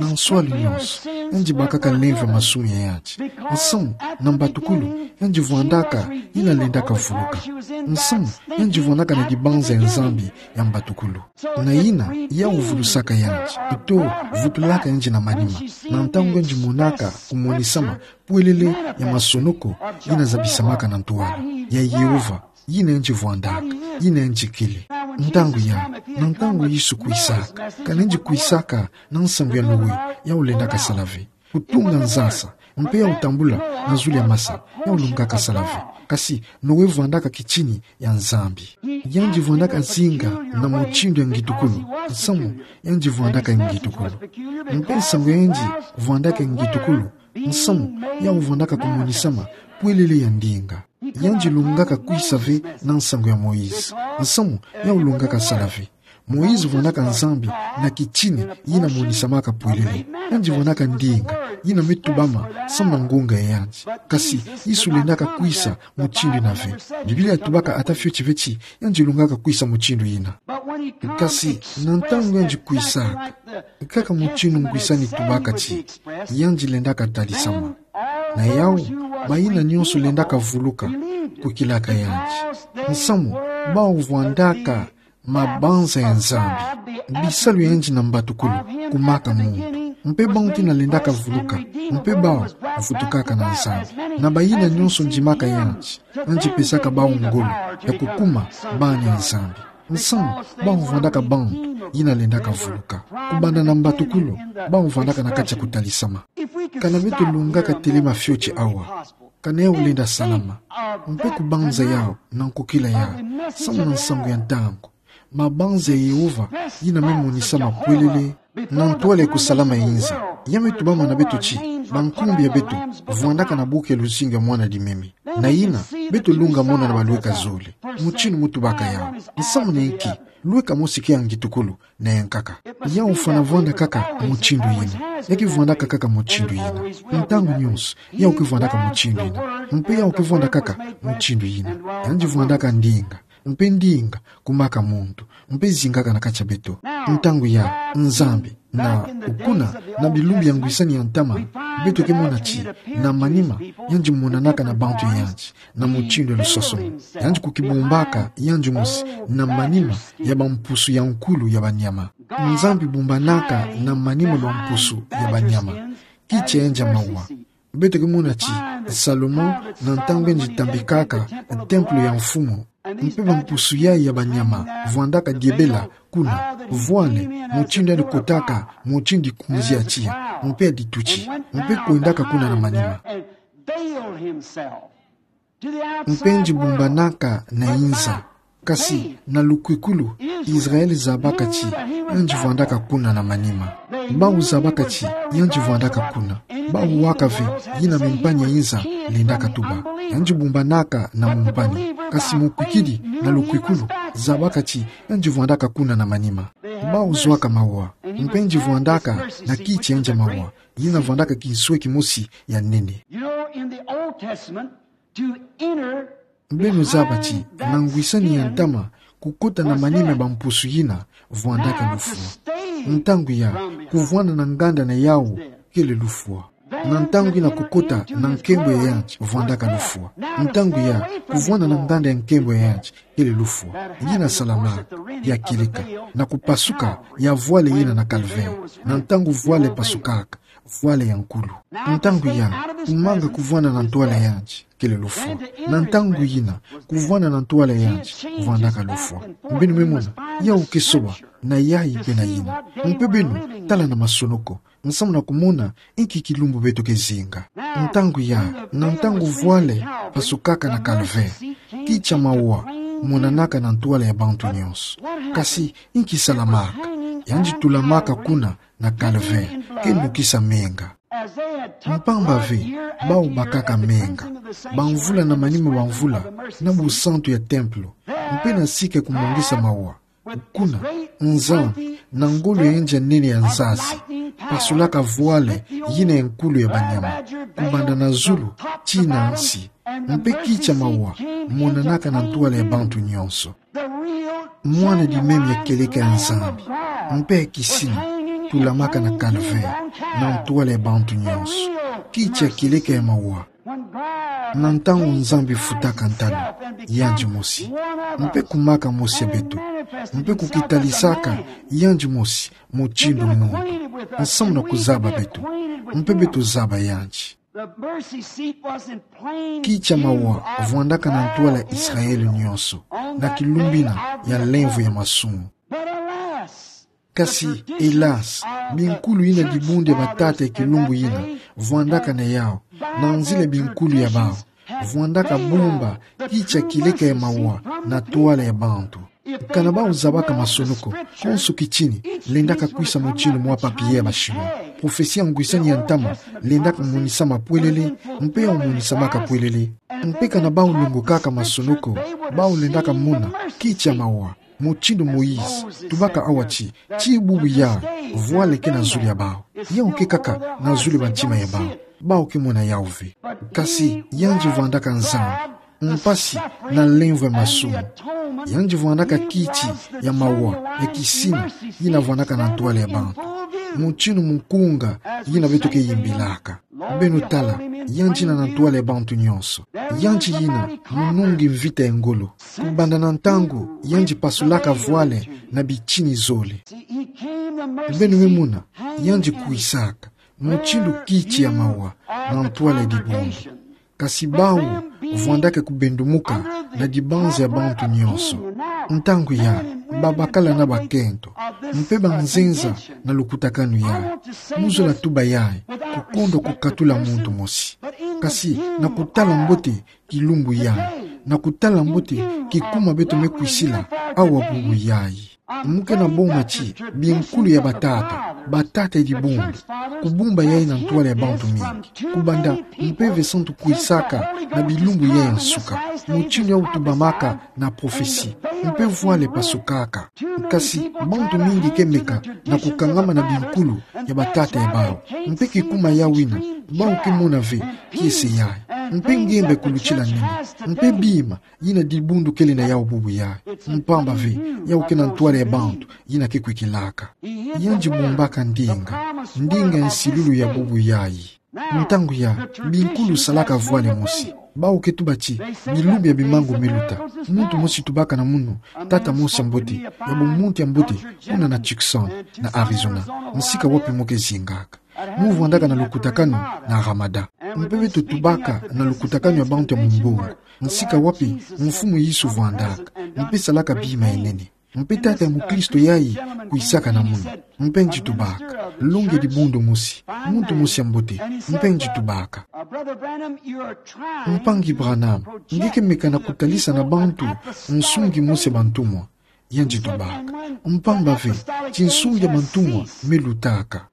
na nswalu nyonso, yandi bakaka lemvo ya masumu ya yandi. Nsamu? Na mbatukulu, yandi vwandaka yina lendaka vuluka. Nsamu? Yandi vwandaka na dibanza ya Nzambi ya mbatukulu. Na yina, yawu vulusaka yandi, to vutulaka yandi na manima, na ntangu yandi monaka kumonisama pwelele ya masonoko yina zabisamaka na ntwala ya Yehova, yina yandi vwandaka, yina yandi kele. Ntangu ya, na ntangu Yesu kwisaka, kana yandi kwisaka na nsangu ya Noe, yawu lendaka sala ve. Kutunga nzasa, mpe yawu tambula na zulu ya masa, yawu lungaka sala ve. Kasi, Noe vwandaka kitini ya Nzambi. Yandi vwandaka zinga na mutindu ya ngitukulu. Nsamu? Yandi vwandaka ngitukulu. Mpe nsangu ya yandi vwandaka ngitukulu. Nsamu? Yawu vwandaka kumonisama pwelele ya ndinga. Yandi lungaka kwisa ve na nsangu ya Moïse. Nsamu? Yawu lungaka sala ve. Moïse vwandaka Nzambi na kitini yina monisamaka pwelele. Yandi vwandaka ndinga yina me tubama samu na ngunga ya yandi. Kasi Yesu lendaka kwisa mutindu yina ve. Biblia tubaka ata fioti ve ti yandi lungaka kwisa mutindu yina. Kasi na ntangu yandi kwisaka, kaka mutindu ngwisani tubaka ti yandi lendaka talisama. Na yawu, bayina nyonso lendaka vuluka, kwikilaka yandi. Nsamu? Bawu vwandaka mabanza ya Nzambi. Bisalu ya yandi na mbatukulu, kumaka muntu. Mpe bantu yina lendaka vuluka, mpe bawu vutukaka na Nzambi. Na bayina nyonso ndimaka yandi, yandi pesaka bawu ngolo ya kukuma bana ya Nzambi. Nsamu? Bawu vwandaka bantu yina lendaka vuluka. Kubanda na mbatukulu, bawu vwandaka na kati ya kutalisama. Kana beto lungaka telema fioti awa, kana yawu lenda salama. Mpe kubanza yawu na nkokila yawu, samu na nsangu ya ntangu, mabanza ya Yehova yina me monisama pwelele na ntwala ya kusalama ya inza. Ya me tubama na beto ti bankumbi ya beto vwandaka na buku ya luzingu ya Mwana Limemi. Na yina, beto lunga mona na balweka zole mutindu mu tubaka yawu. Nsamu na inki? Lweka mosi ke ya ngitukulu na ya nkaka. Yawu fwana vwanda kaka mutindu yina. Ya ke vwandaka kaka mutindu yina. Ntangu nyonso, yawu ke vwandaka mutindu yina. Mpe yawu ke vwanda kaka mutindu yina. Yandi vwandaka ndinga. Mpe ndinga, kumaka muntu. Mpe zingaka na kati ya beto. Ntangu ya, Nzambi, na okuna, na bilumbu ya ngwisani ya ntama, beto ke mona ti na manima, yandi monanaka na bantu ya yandi na mutindu ya lusosomo. Yandi kukibumbaka yandi mosi na manima ya bampusu ya nkulu ya banyama. Nzambi bumbanaka na manima ya bampusu ya banyama. Kiti ya yandi ya mawa. Beto ke mona ti Salomo, na ntangu yandi tambikaka templo ya mfumu, mpe bampusu yayi ya banyama vwandaka diebela kuna, voile, mutindu yandi kotaka, mutindu ikunzi ya tiya, mpe ya dituti, mpe kwendaka kuna na manima. Mpe yandi bumbanaka na inza. Kasi, na lukwikulu, Israël zabaka ti yandi vwandaka kuna na manima. Bawu zabaka ti yandi vwandaka kuna. Bawu waka ve yina mumpani ya inza lendaka tuba. Yandi bumbanaka na mumpani. Kasi mukwikidi na lukwikulu zabaka ti yandi vwandaka kuna na manima. Bawu zwaka mawa. Mpe nji vwandaka na kiti ya nza mawa, yina vwandaka kinswe kimosi ya nene. You know, in the Old Testament, to enter Beno zaba ti, na ngwisani ya ntama, kukota na manima ya bampusu yina, vwandaka lufwa. Ntangu ya, kuvwanda na nganda na yawu, kele lufwa. Na ntangu yina kukota na nkembo ya yandi, vwandaka lufwa. Ntangu ya, kuvwanda na nganda ya nkembo ya yandi, kele lufwa. Yina salamaka, ya kieleka, na kupasuka, ya vwale yina na Calvaire. Na ntangu vwale pasukaka, vwale ya nkulu. Ntangu ya, kumanga kuvwanda na ntwala ya yandi, kele lufwa. Na ntangu yina, kuvwanda na ntwala ya yandi, vwandaka lufwa. Beno me mona, yawu ke soba, na yayi mpe na yina. Mpe beno, tala na masonoko. Nsamu na kumona, inki kilumbu beto ke zinga. Ntangu ya, na ntangu vwale, pasukaka na Calvaire. Kiti ya mawa, monanaka na ntwala ya bantu nyonso. Kasi, inki salamaka. Yandi tulamaka kuna, na Calvaire, ke mokisa menga. Mpamba ve, bawu bakaka menga. Bamvula na manima bamvula, na busantu ya templo. Mpe na sika kumongisa mawa. Kuna, Nzambi, na ngolo ya yandi ya nene ya nzazi, pasulaka vwale, yina ya nkulu ya banyama, kubanda na zulu, tii na nsi. Mpe kiti ya mawa, monanaka na ntwala ya bantu nyonso. Mwana di meme ya kieleka ya Nzambi, mpe ya kisina, tulamaka na Calvaire, na ntwala ya bantu nyonso. Kiti ya kieleka ya mawa. Na ntangu Nzambi futaka ntalu, yandi mosi. Mpe kumaka mosi ya beto. Mpe kukitalisaka, yandi mosi, mutindu muntu. Nsamu na kuzaba beto. Mpe beto zaba yandi. The mercy seat was in plain view of God's people. Kiti ya mawa vwandaka na ntwala ya Israele nyonso, na kilumbu yina ya lemvo ya masumu. But alas, kasi, hélas, binkulu yina dibundu ya batata ya kilumbu yina vwandaka na yawu, na nzila ya binkulu ya bawu, vwandaka bumba kiti ya kieleka ya mawa na ntwala ya bantu. Kana bawu zabaka masonoko, konso kitini lendaka kwisa mutindu mwa papier ya ba Chinois. Prophetie ya ngwisani ya ntama lendaka monisama pwelele, mpe yawu monisamaka pwelele. Mpe kana bawu longokaka masonoko, bawu lendaka mona kiti ya mawa, mutindu Moïse tubaka awa ti, tii bubu yayi, vwale ke na zulu ya bawu. Yawu ke kaka na zulu ya bantima ya bawu. Bawu ke mona yawu ve. Kasi yandi vwandaka Nzambi, mpasi na lemvo ya masumu. Yandi vwandaka kiti ya mawa ya kisina, yina vwandaka na ntwala ya bantu. Mutindu mukunga yina beto ke yimbilaka. Beno tala, yandi yina na ntwala ya bantu nyonso. Yandi yina munungi mvita ya ngolo. Kubanda na ntangu yandi pasulaka vwale na bitini zole. Beno me mona, yandi kwisaka mutindu kiti ya mawa na ntwala ya dibundu. Kasi bawu vwandaka kubendumuka na dibanza ya bantu nyonso. Ntangu yayi, babakala na bakento, mpe banzenza na lukutakanu yayi. Mu zola tuba yayi, kukondwa kukatula muntu mosi. Kasi na kutala mbote kilumbu yayi, na kutala mbote kikuma beto me kwisila awa bubu yayi. Mu ke na boma ti binkulu ya batata, batata ya dibundu, kubumba yayi na ntwala ya bantu mingi. Kubanda Mpeve Santu kwisaka na bilumbu yayi ya nsuka, mutindu yawu tubamaka na prophetie, mpe vwale pasukaka. Kasi bantu mingi ke meka na kukangama na binkulu ya batata ya bawu. Mpe kikuma yawu yina, bawu ke mona ve kiese yayi. Mpe ngembe kulutila nene. Mpe bima yina dibundu kele na yawu bubu yayi. Mpamba ve, yawu ke na ntwala ya bantu yina ke kwikilaka. Yandi bumbaka ndinga, ndinga ya nsilulu ya bubu yayi. Ntangu yayi, binkulu salaka vwale mosi. Bawu ke tuba ti, bilumbu ya bimangu me luta. Muntu mosi tubaka na munu, tata mosi ya mbote, ya bumuntu ya mbote, kuna na Tucson, na Arizona, nsika wapi mo ke zingaka. Mu vwandaka na lukutakanu na Ramadan. Mpe beto tubaka na lukutakanu ya bantu ya mumbongo, nsika wapi Mfumu Yesu vwandaka, mpe salaka bima ya nene. Mpe tata ya mukristo yayi kwisaka na munu. Mpe yandi tubaka, longi ya dibundu mosi, muntu mosi ya mbote, mpe yandi tubaka: Mpangi Branham, nge ke meka na kutalisa na bantu nsungi mosi ya bantumwa. Yandi tubaka: Mpamba ve, tinsungi ya bantumwa me lutaka.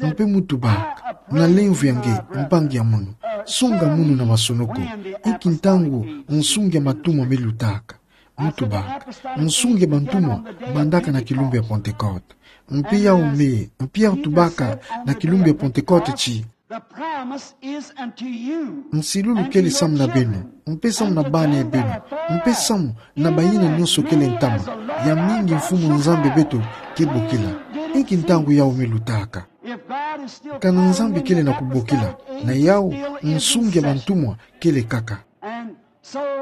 Mpe mu tubaka: Na lemvo ya nge, mpangi ya munu, songa munu na masonoko, inki ntangu nsungi ya bantumwa me lutaka? Mu tubaka: Nsungi ya bantumwa bandaka na kilumbu ya Pentecôte. Mpe yau me, mpe yau tubaka na kilumbu ya Pentecote ti: The promise is unto you. Nsilulu kele samu na beno, mpe samu na bana beno, mpe samu na bayina nyonso kele ntama, ya mingi Mfumu Nzambi beto ke bokila. Inki ntangu yau me lutaka? Kana Nzambi kele na kubokila, na yau nsungi ya bantumwa kele kaka.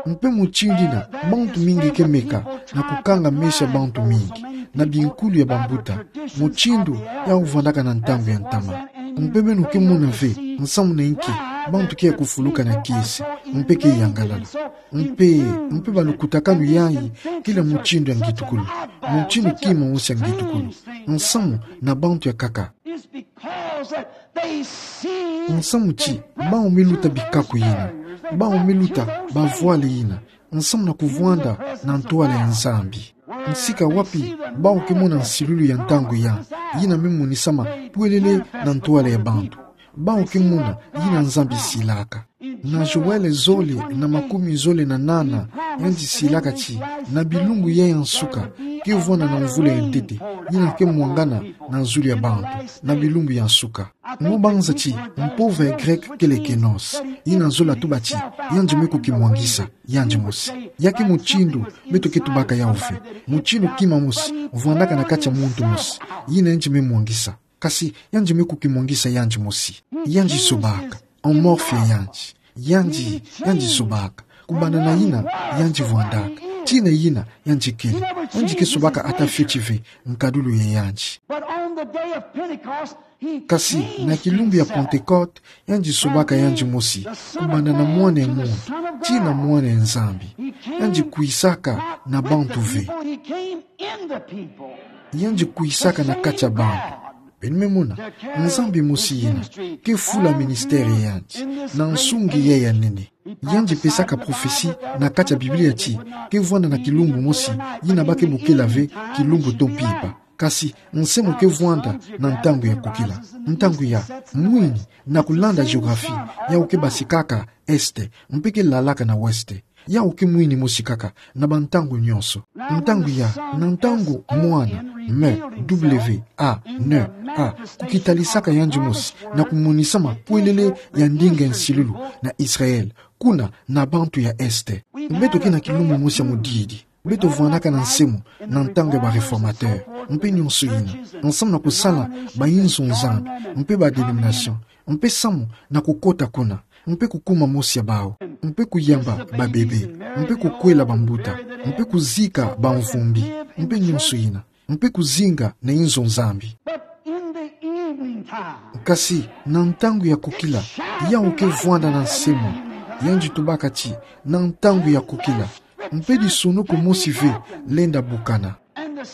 Mpe mutindu yina, bantu mingi ke meka na kukanga meso ya bantu mingi, na binkulu ya bambuta, mutindu yau vandaka na ntangu ya ntama. Mpe beno ke mona ve nsamu na inki bantu ke ya kufuluka na kiese, mpe ke yangalala. Mpe, mpe balukutakanu yayi kele mutindu ya ngitukulu, mutindu kima mosi ya ngitukulu. Nsamu na bantu ya kaka. Is because that they see Nsamu ti, bau me luta bikaku yina, bau me luta bavwale yina, nsamu na kuvwanda na ntwala ya Nzambi. Nsika wapi bau ke mona nsilulu ya ntangu ya, yina me monisama pwelele na ntwala ya bantu? Bau ke mona yina Nzambi silaka. Na Joël zole na makumi zole na nana, yandi silaka ti, na bilumbu ya ya nsuka, ke vwanda na mvula ya ntete, yina ke mwangana na zulu ya bantu, na bilumbu ya nsuka. Ngo banza ti mpova ya Greke kele kenosis, yina zola tuba ti, yandi me kukimwangisa yandi mosi. Ya ke mutindu beto ke tubaka yau ve, mutindu kima mosi vwandaka na kati ya muntu mosi, yina yandi me mwangisa. Kasi yandi me kukimwangisa yandi mosi. Yandi zobaka, amorphe ya yandi. Yandi, yandi zobaka. Kubanda na yina, yandi vwandaka. Tii na yina, yandi kele. Yandi ke zobaka ata fioti ve nkadulu ya yandi. But on the day of Pentecost, he Kasi, came na kilumbu ya himself. Pentecote, yandi zobaka yandi mosi, kubanda na mwana ya muntu, tii na mwana ya Nzambi. Yandi kwisaka na bantu ve. He came in the people. Yandi kwisaka na kati ya bantu. Beno me mona, Nzambi mosi yina ke fula ministère ya yandi na nsungi ya ya nene. Yandi pesaka prophetie na kati ya Biblia ti, ke vwanda na kilumbu mosi, yina ba ke bokila ve kilumbu to mpimpa. Kasi, nsamu ke vwanda na ntangu ya kukila. Ntangu ya, mwini, na kulanda géographie, yau ke basikaka est, mpe ke lalaka na ouest. Yau ke mwini mosi kaka, na bantangu nyonso. Ntangu ya, na ntangu mwana, M, W, A, N, A, kukitalisaka yandi mosi, na kumonisama pwelele ya ndinga ya nsilulu na Israël, kuna na bantu ya est. Beto ke na kilumbu mosi ya mudidi. Beto vwandaka na nsamu, na ntangu ya ba réformateur, mpe nyonso yina, nsamu na kusala ba inzo Nzambi, mpe ba dénomination, mpe samu na kukota kuna, mpe kukuma mosi ya bau, mpe kuyamba babebe, mpe kukwela bambuta, mpe kuzika bamvumbi, mpe nyonso yina, mpe kuzinga na inzo Nzambi. But in the evening time, Kasi, na ntangu ya kukila, yau ke vwanda na nsamu, yandi tubaka ti, na ntangu ya kukila, mpe disonoku mosi ve lenda bukana.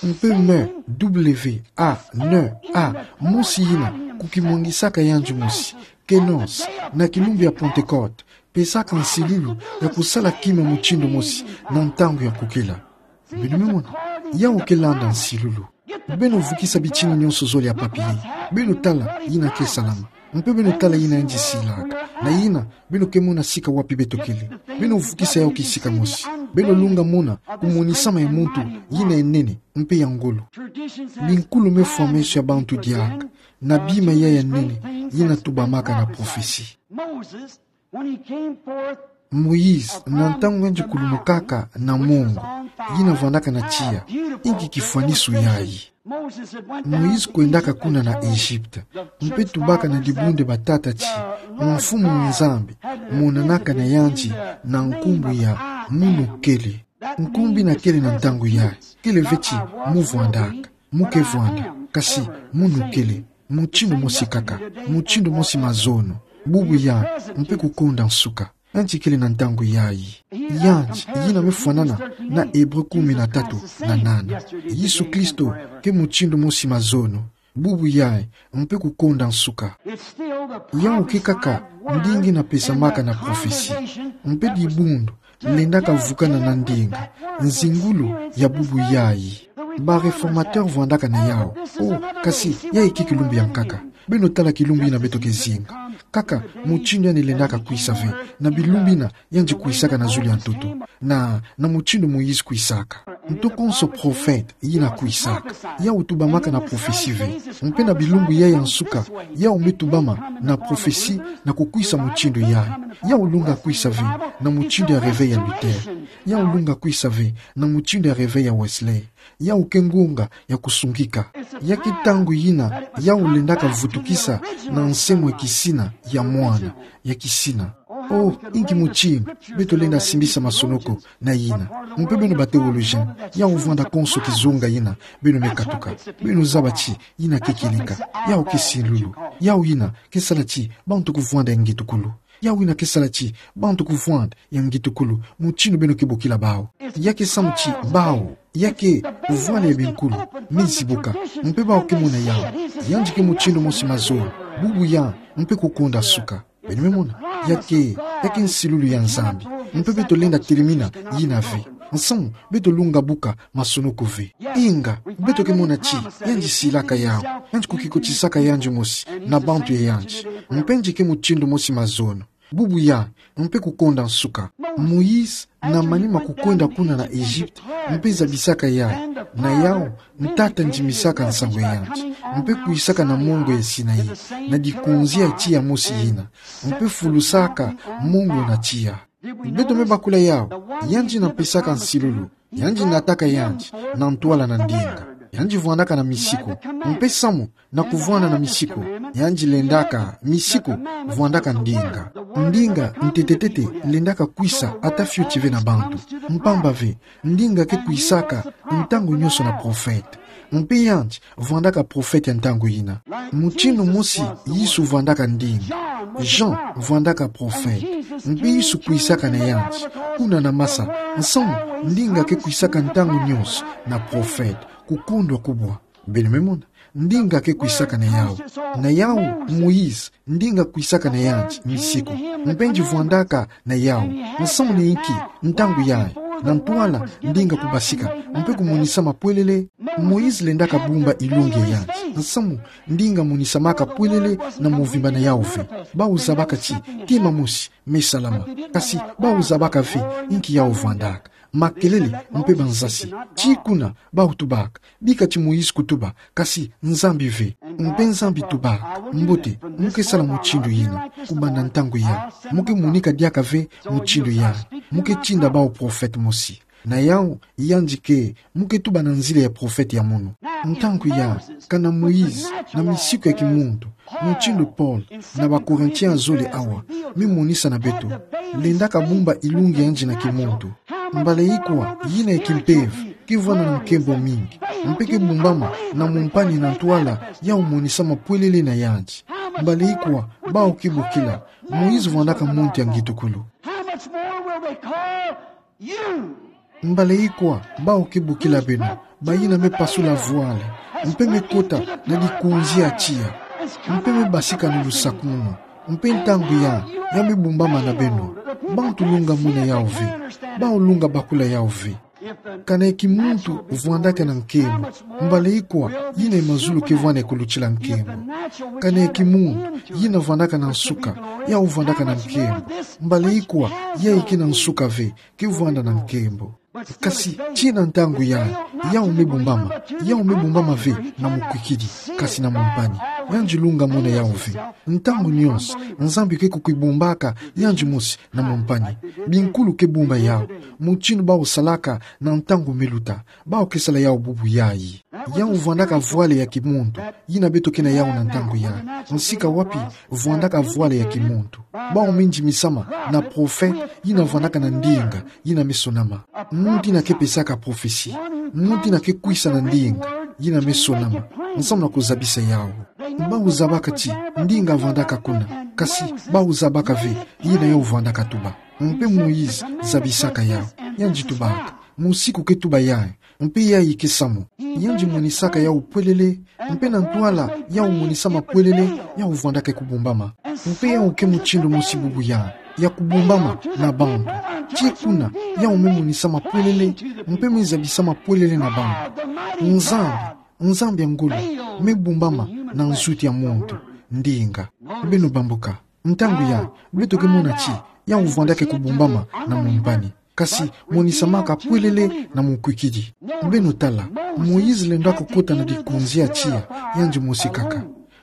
Mpe M, W, A, N, A, mosi yina, kukimwangisaka yandi mosi, kenosis, na kilumbu ya Pentecote, pesaka nsilulu ya kusala kima mutindu mosi, na ntangu ya kukila. Beno me mona, yau ke landa nsilulu. Beno vukisa bitini nyonso zole ya papier. Beno tala yina ke salama. Mpe beno tala yina yandi silaka. Na yina, beno ke mona sika wapi beto kele. Beno vukisa yau kisika mosi. Beno lunga mona kumonisama ya muntu yina ya nene, mpe ya ngolo. Binkulu me fwa meso ya bantu diaka na bima ya ya nene, yina tubamaka na prophetie. Moses, when he came forth Moïse, na ntangu yandi kulumukaka na mongo, yina vwandaka na tiya, inki kifwanisu yayi? Moïse kwendaka kuna na Egypte, mpe tubaka na dibundu batata ti, Mfumu Nzambi monanaka na yandi na nkumbu ya munu kele. Nkumbu yina kele na ntangu yayi, kele ve ti mu vwandaka, mu ke vwanda, kasi munu kele, mutindu mosi kaka, mutindu mosi mazono, bubu yayi, mpe kukonda nsuka. Yandi kele na ntangu yayi. Yandi, yina me fwanana na Hébreu kumi na tatu na nana. Yesu Kristo ke mutindu mosi mazono, bubu yayi, mpe kukonda nsuka. Yau ke kaka ndinga yina pesamaka na prophetie. Mpe dibundu lendaka vukana na ndinga, nzingulu ya bubu yayi. Ba réformateur vwandaka na yau. Oh, kasi, yayi ke kilumbu ya nkaka. Beno tala kilumbu yina beto ke zinga. Kaka, mutindu yandi lendaka kwisa ve. Na bilumbu yina, yandi kwisaka na zulu ya ntoto. Na, na mutindu Moïse kwisaka. Nto konso prophète, yina kwisaka. Yau tubamaka na prophétie ve. Mpe na bilumbu yayi ya nsuka, yau me tubama na prophétie na kukwisa mutindu yayi. Yau lunga kwisa ve, na mutindu ya réveil ya Luther. Yau lunga kwisa ve, na mutindu ya réveil ya Wesley. Yau ke ngonga ya kusungika. Ya ke ntangu yina, yau lendaka vutukisa na nsemwa ya kisina, ya mwana, ya kisina. Oh, inki mutindu, beto lenda simbisa masonoko na yina. Mpe beno ba théologien, yau vwanda konso kizonga yina, beno me katuka. Beno zaba ti, yina ke kieleka. Yau ke nsilulu. Yau yina, ke sala ti, bantu kuvwanda ya ngetukulu. Yau yina ke sala ti, bantu kuvwanda ya ngetukulu, mutindu beno ke bokila bau. Ya ke samu ti, bau. Ya ke, vwala ya binkulu, me zibuka. Mpe bau ke mona yau. Yandi ke mutindu mosi mazono. Bubu yandi, mpe kukonda nsuka. Beno me mona. Ya ke, ya ke nsilulu ya Nzambi. Mpe beto lenda telemina, yina ve. Nsamu, beto lunga buka, masonoko ve. Inga, beto ke mona ti, yandi silaka yau. Yandi kukikotisaka yandi mosi, na bantu ya yandi. Mpe yandi ke mutindu mosi mazono. Bubu yandi, mpe kukonda nsuka. Moïse, na manima kukwenda kuna na Egypte, mpe zabisaka yayi, na yau, ntata ndimisaka nsangu ya yandi, mpe kwisaka na mongo ya Sinaï, na dikunzi ya tiya mosi yina, mpe fulusaka mongo na tiya. Beto me bakula yau, yandi na pesaka nsilulu, yandi nataka yandi, na ntwala na ndinga. Yandi vwandaka na misiku. Mpe samu, na kuvwanda na misiku. Yandi lendaka, misiku, vwandaka ndinga. Ndinga, ntete-tete, lendaka kwisa, ata fioti ve na bantu. Mpamba ve, ndinga ke kwisaka, ntangu nyonso na prophète. Mpe yandi, vwandaka prophète ya ntangu yina. Mutindu mosi, Yesu vwandaka ndinga. Jean, vwandaka prophète. Mpe Yesu kwisaka na yandi. Kuna na masa, nsamu, ndinga ke kwisaka ntangu nyonso, na prophète. Kukondwa kubwa. Beno me mona. Ndinga ke kwisaka na yau. Na yau, Moïse, ndinga kwisaka na yandi, misiku. Mpe yandi vwandaka na yau. Nsamu ni inki, ntangu yayi. Na ntwala, ndinga kubasika. Mpe kumonisa mapwelele. Moïse lendaka bumba ilongi ya yandi. Nsamu, ndinga monisamaka pwelele na mvimba na yau ve. Bau zabaka ti, kima mosi, me salama. Kasi, bau zabaka ve, inki yau vwandaka. Makelele, mpe banzasi. Ti kuna, bau tubaka. Bika ti Moïse kutuba, kasi Nzambi ve. Mpe Nzambi tubaka, mbote, mu ke sala mutindu yina, kubanda ntangu yayi. Mu ke monika diaka ve mutindu yayi. Mu ke tinda bau prophète mosi. Na yau, yandi ke, mu ke tuba na nzila ya prophète ya munu. Ntangu yayi, kana Moïse, na misiku ya kimuntu, mutindu Paul, na ba Corinthiens ya zole awa, me monisa na beto. Lendaka bumba ilongi ya yandi na kimuntu. Mbala ikwa, yina ya kimpeve, ke vwanda na nkembo mingi. Mpe ke bumbama, na mumpani na ntwala, yau monisa mapwelele na yandi. Mbala ikwa, bau ke bokila, Moïse vwandaka muntu ya ngitukulu. How much more will they call you? Mbala ikwa, bau ke bokila beno, bayina me pasula vwala, mpe me kota na dikunzi ya tiya, mpe me basika na lusakumuno, mpe ntangu yayi, ya me bumbama na beno, bantu lunga mona yau ve, bau lunga bakula yau ve. Kana ya kimuntu vwandaka na nkembo, mbala ikwa, yina ya mazulu ke vwanda ya kulutila nkembo. Kana ya kimuntu, yina vwandaka na nsuka, yau vwandaka na nkembo. Mbala ikwa, yayi ke na nsuka ve, ke vwanda na nkembo. Kasi, tii na ntangu yayi, yau me bumbama, yau me bumbama ve na mukwikidi, kasi na mumpani. Yandi lunga mona yau ve. Ntangu nyonso, Nzambi ke kukibumbaka, yandi mosi na mumpani. Binkulu ke bumba yau, mutindu bau salaka na ntangu me luta, bau ke sala yau bubu yayi. Yau vwandaka vwala ya kimuntu, yina beto ke na yau na ntangu yayi. Nsika wapi, vwandaka vwala ya kimuntu. Bau me ndimisama, na prophète, yina vwandaka na ndinga, yina me sonama. Muntu yina ke pesaka prophétie. Muntu yina ke kwisa na ndinga, yina me sonama. Nsamu na kuzabisa yau. Bau zabaka ti, ndinga vwandaka kuna. Kasi, bau zabaka ve, yina yau vwandaka tuba. Mpe Moïse, zabisaka yau. Yandi tubaka. Musiku ke tuba yayi. Mpe yayi ke samu. Yandi monisaka yau pwelele. Mpe na ntwala, yau monisa mapwelele, yau vwandaka kubumbama. Mpe yau ke mutindu mosi bubu yayi. Ya kubumbama, na bantu. Tii kuna, yawu me monisa mapwelele, mpe me zabisa mapwelele na bambu. Nzambi, Nzambi ya ngolo, me bumbama na nzuti ya muntu, ndinga. Beno bambuka. Ntangu yayi, beto ke mona ti, yawu vwandaka kubumbama na mumpani. Kasi, monisamaka pwelele na mukwikidi. Beno tala, Moïse lendaka kota na dikunzi ya tiya, yandi mosi kaka.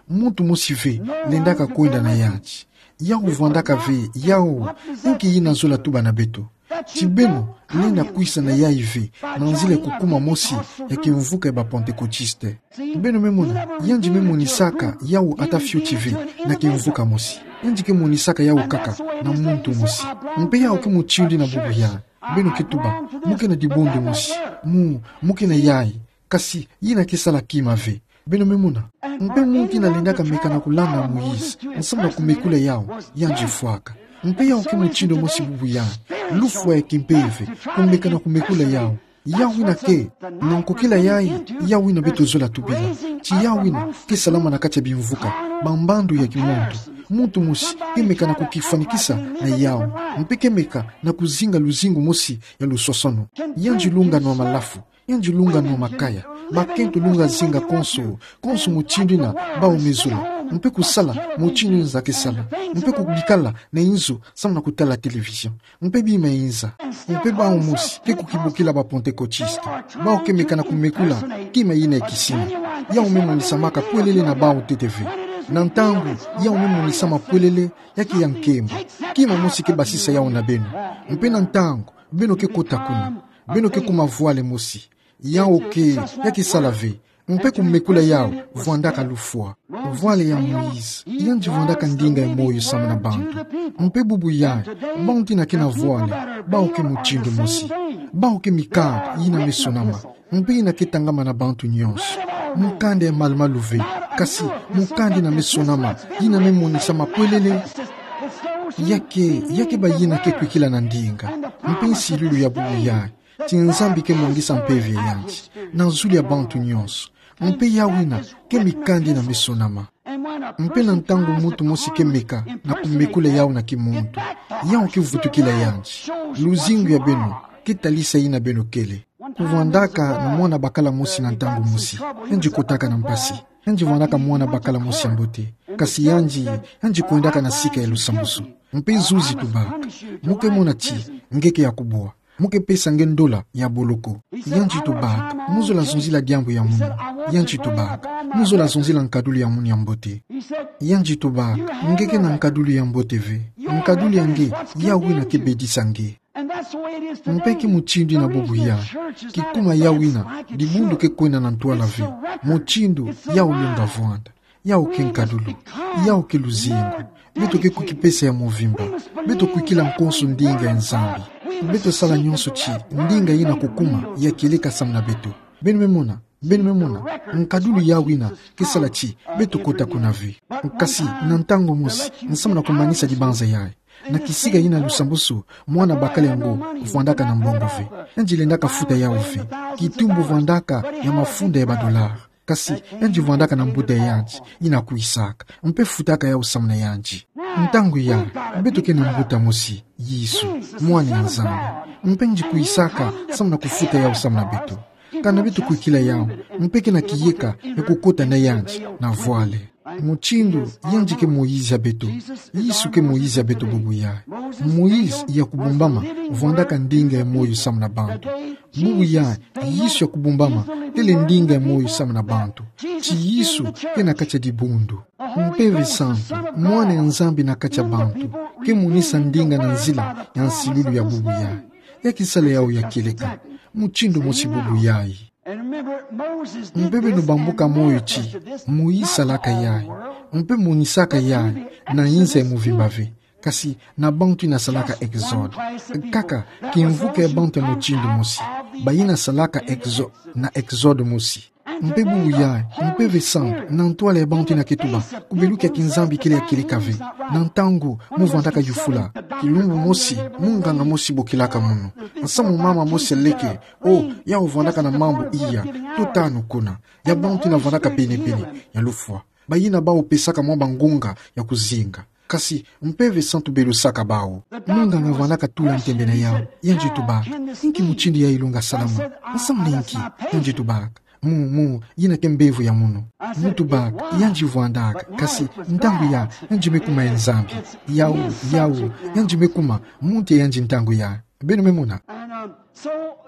Muntu mosi ve, lendaka kwenda na yandi. Yawu vwandaka ve, yawu, inki yina zola tuba na beto. Ti beno, lenda kwisa na yayi ve, na nzila ya kukuma mosi, ya kimvuka ya ba Pantekotiste. Beno me mona, yandi me monisaka, yawu ata fioti ve, na kimvuka mosi. Yandi ke monisaka yawu kaka, na muntu mosi. Mpe yawu ke mutindu ina bubu yayi. Beno ke tuba, mu ke na dibundu mosi. Mu, mu ke na yayi. Kasi, yina ke sala kima ve. Beno me mona. Mpe muntu ina lendaka meka na kulanda Moïse, nsamu na kumekula yawu, yandi fwaka. Mpe yawu ke mutindu mosi bubu yayi. Lufwa ya kimpeve, kumeka na kumekula yawu. Yawu ina ke, na nkokila yayi, yawu ina beto zola tubila. Ti yawu ina, ke salama na kati ya bimvuka, bambandu ya kimuntu. Muntu mosi, ke meka na kukifwanikisa na yawu. Mpe ke meka na kuzinga luzingu mosi ya lusosono. Yandi lunga nwa malafu. Yandi lunga nwa makaya. Bakento lunga zinga konso, konso mutindu ina, bawu me zola. Mpe kusala, mutindu ina za ke sala. Mpe kubikala na inzo, samu na kutala télévision. Mpe bima inza. Mpe bawu mosi, ke kukibukila ba Pantekotiste. Bawu ke meka na kumekula, kima yina ya kisima. Yawu me monisamaka pwelele na bawu ntete ve. Na ntangu, yawu me monisama pwelele, ya ke ya nkembo. Kima mosi ke basisa yawu na beno. Mpe na ntangu, beno ke kota kuna. Beno ke kuma vwale mosi. Yawu ke, ya ke sala ve. Mpe kumekula yawu, vwandaka lufwa. Vwale ya Moïse, yandi vwandaka ndinga ya moyo samu na bantu. Mpe bubu yayi, bantu ina ke na vwale, bawu ke mutindu mosi. Bawu ke mikanda, yina me sonama. Mpe yina ke tangama na bantu nyonso. Mukanda ya malu-malu ve, kasi mukanda yina me sonama, yina me monisama pwelele. Ya ke, ya ke bayina ke kwikila na ndinga. Mpe nsilulu ya bubu yayi. Ti Nzambi ke mwangisa mpeve ya yandi, na zulu ya bantu nyonso. Mpe yawu ina, ke mikanda yina me sonama. Mpe na ntangu muntu mosi ke meka, na kumekula yawu na kimuntu. Yawu ke vutukila yandi. Luzingu ya beno, ke talisa yina beno kele. Kuvwandaka na mwana bakala mosi na ntangu mosi. Yandi kotaka na mpasi. Yandi vwandaka mwana bakala mosi ya mbote. Kasi yandi, yandi kwendaka na sika ya lusambusu. Mpe zuzi tubaka. Mu ke mona ti, nge ke ya kubwa. Mu ke pesa nge ndola ya boloko. Yandi tubaka, mu zola zonzila diambu ya munu. Yandi tubaka, mu zola zonzila nkadulu ya munu ya mbote. Yandi tubaka, nge ke na nkadulu ya mbote ve. Nkadulu ya nge, yawu ina ke bedisa nge. Mpe ke mutindu ina bubu yayi. Kikuma yawu ina, dibundu ke kwenda na ntwala ve. Mutindu, yawu lunga vwanda. Yawu ke nkadulu. Yawu ke luzingu. Beto ke kukipesa ya muvimba. Beto kwikila konso ndinga ya Nzambi. Beto sala nyonso ti, ndinga yina kukuma, ya kieleka samu na beto. Beno me mona, beno me mona, nkadulu yawu ina, ke sala ti, beto kota kuna ve. Kasi, na ntangu mosi, nsamu na kumanisa dibanza yayi. Na kisika yina lusambusu, mwana bakala yango, vwandaka na mbongo ve. Yandi lendaka futa yawu ve. Kitumbu vwandaka ya mafunda ya ba dollars. Kasi, yandi vwandaka na mbuta ya yandi, yina kwisaka. Mpe futaka yawu samu na yandi. Ntangu yayi, beto ke na mbuta mosi, Yesu, mwana ya Nzambi. Mpe yandi kwisaka, samu na kufuta yawu samu na beto. Kana beto kwikila yawu, mpe ke na kiyeka, ya kukota na yandi, na vwale. Mutindu, yandi ke Moïse ya beto. Yesu ke Moïse ya beto bubu yayi. Moïse ya kubumbama, vwandaka ndinga ya moyo samu na bantu. Bubu yayi, Yesu ya kubumbama, tele ndinga ya moyo samu na bantu. Ti Yesu, ke na kati ya dibundu. Mpeve Santu, mwana ya Nzambi na kati ya bantu, ke monisa ndinga na nzila ya nsilulu ya bubu yayi. Ya ke sala yawu ya kieleka. Mutindu mosi bubu yayi. Mpe beno bambuka moyo ti, Moïse salaka yayi. Mpe monisaka yayi, na inza ya muvimba ve. Kasi, na bantu yina salaka exode. Kaka, kimvuka ya bantu ya mutindu mosi. Bayina salaka exo-, na exode mosi. Mpe bubu yayi, Mpeve Santu, na ntwala ya bantu yina ke tuba, kubeluka ya kinzambi kele ya kieleka ve. Na ntangu, mu vwandaka yufula. Kilumbu mosi, munganga mosi bokilaka munu. Nsamu mama mosi leke, oh, yawu vwandaka na mambu iya, tutanu kuna. Ya bantu yina vwandaka pene-pene, ya lufwa. Bayina bawu pesaka mwa bangunga, ya kuzinga. Kasi mpeve santu belusaka bawu. Munganga vwandaka tula ntembe na yawu, yandi tubaka: Inki mutindu yayi ilunga salama? Nsamu na inki? Yandi tubaka: Mu, mu, yina ke mbevo ya munu. Mu tubaka: Yandi vwandaka, kasi ntangu ya, yandi me kuma ye Nzambi. Yawu, yawu, yandi me kuma, muntu ya yandi ntangu ya. Beno me mona?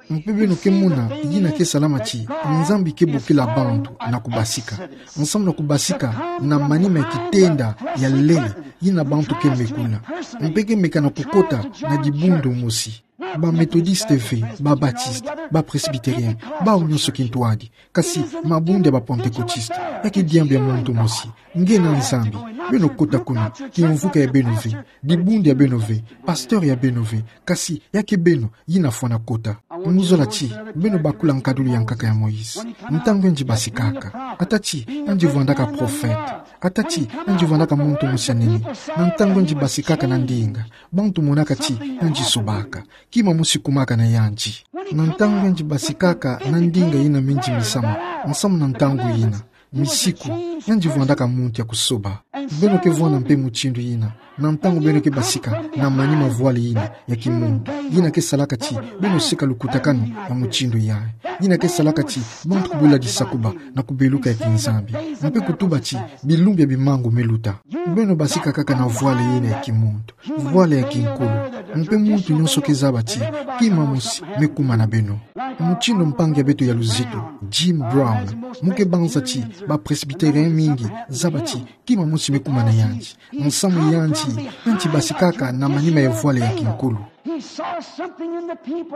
Mpe beno ke mona yina ke salama ti Nzambi ke bokila bantu na kubasika. Nsamu na kubasika na manima ya kitenda ya lele, yina bantu ke mekula. Mpe ke meka na kukota na dibundu mosi. Ba Methodiste ve, ba Baptiste, ba Presbytérien, bawu nyonso kintwadi. Kasi mabundu ya ba Pentecôtiste, ya ke diambu ya muntu mosi. Nge na Nzambi, beno kota kuna, kimvuka ya beno ve, dibundu ya beno ve, pasteur ya beno ve, kasi ya ke beno, yina fwana kota. Muzola ti beno bakula nkadulu ya nkaka ya Moïse. Ntangu yandi basikaka, ata ti yandi vwandaka prophète, ata ti yandi vwandaka muntu mosi ya nene, na ntangu yandi basikaka na ndinga, bantu monaka ti yandi sobaka. Kima mosi kumaka na yandi. Na ntangu yandi basikaka na ndinga yina mindi misamu, nsamu na ntangu yina, misiku, yandi vwandaka muntu ya kusoba. Beno ke vwanda mpe mutindu yina na ntangu beno ke basika na manima voile yina ya kimuntu, yina ke salaka ti beno seka lukutakanu ya mutindu yayi. Yina ke salaka ti bantu kubula disakuba na kubeluka ya kiNzambi, mpe kutuba ti bilumbu ya bimangu meluta. Beno basika kaka na voile yina ya kimuntu, voile ya kinkulu. Mpe muntu nyonso ke zaba ti kima mosi me kuma na beno. Mutindu mpangi ya beto ya luzitu, Jim Brown, mu ke banza ti ba Presbytérien mingi zaba ti kima mosi me kuma na yandi. Nsamu yandi, yandi basikaka na manima ya voile ya kinkulu.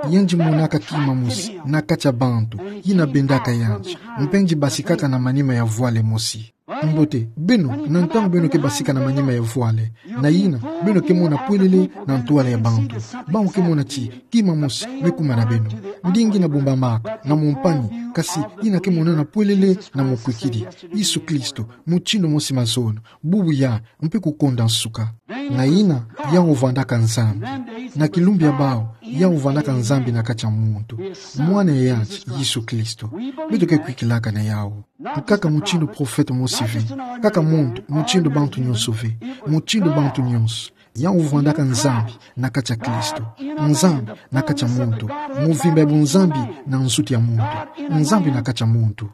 Yandi monaka kima mosi na kati ya bantu, yina bendaka yandi. Mpe yandi basikaka na manima ya voile mosi. Mbote, beno, na ntangu beno ke basika na manima ya voile, na yina, beno ke mona pwelele na ntwala ya bantu. Bawu ke mona ti kima mosi me kuma na beno. Ndinga yina bombamaka na mompani, kasi yina ke monana pwelele na mokwikidi. Yesu Kristo, mutindu mosi mazono, bubu ya, mpe kukonda nsuka. Na yina, yawu vwandaka Nzambi. Na kilumbu ya bawu, yawu vwandaka Nzambi na kati ya muntu. Mwana ya yandi, Yesu Kristo. Beto ke kwikilaka na yawu. Kaka mutindu prophète mosi ve, kaka muntu, mutindu bantu nyonso ve, mutindu bantu nyonso. Yawu vwandaka Nzambi na kati ya Kristo. Nzambi na kati ya muntu. Muvimba ya buNzambi na nzutu ya muntu. Nzambi na kati ya muntu.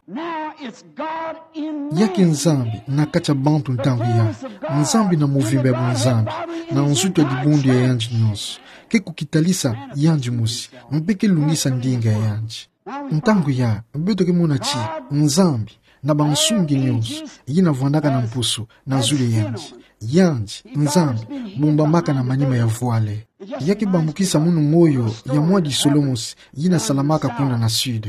Ya ke Nzambi na kati ya bantu ntangu ya. Nzambi na muvimba ya buNzambi, na nzutu ya dibundu ya yandi nyonso. Ke kukitalisa yandi mosi, mpe ke lungisa ndinga ya yandi. Ntangu ya, beto ke mona ti Nzambi, na bansungi nyonso, yina vwandaka na mpusu, na zulu ya yandi. Yandi, Nzambi, bombamaka na manima ya voile. Ya ke bambukisa munu moyo ya mwa disolo mosi, yina salamaka kuna na Sud.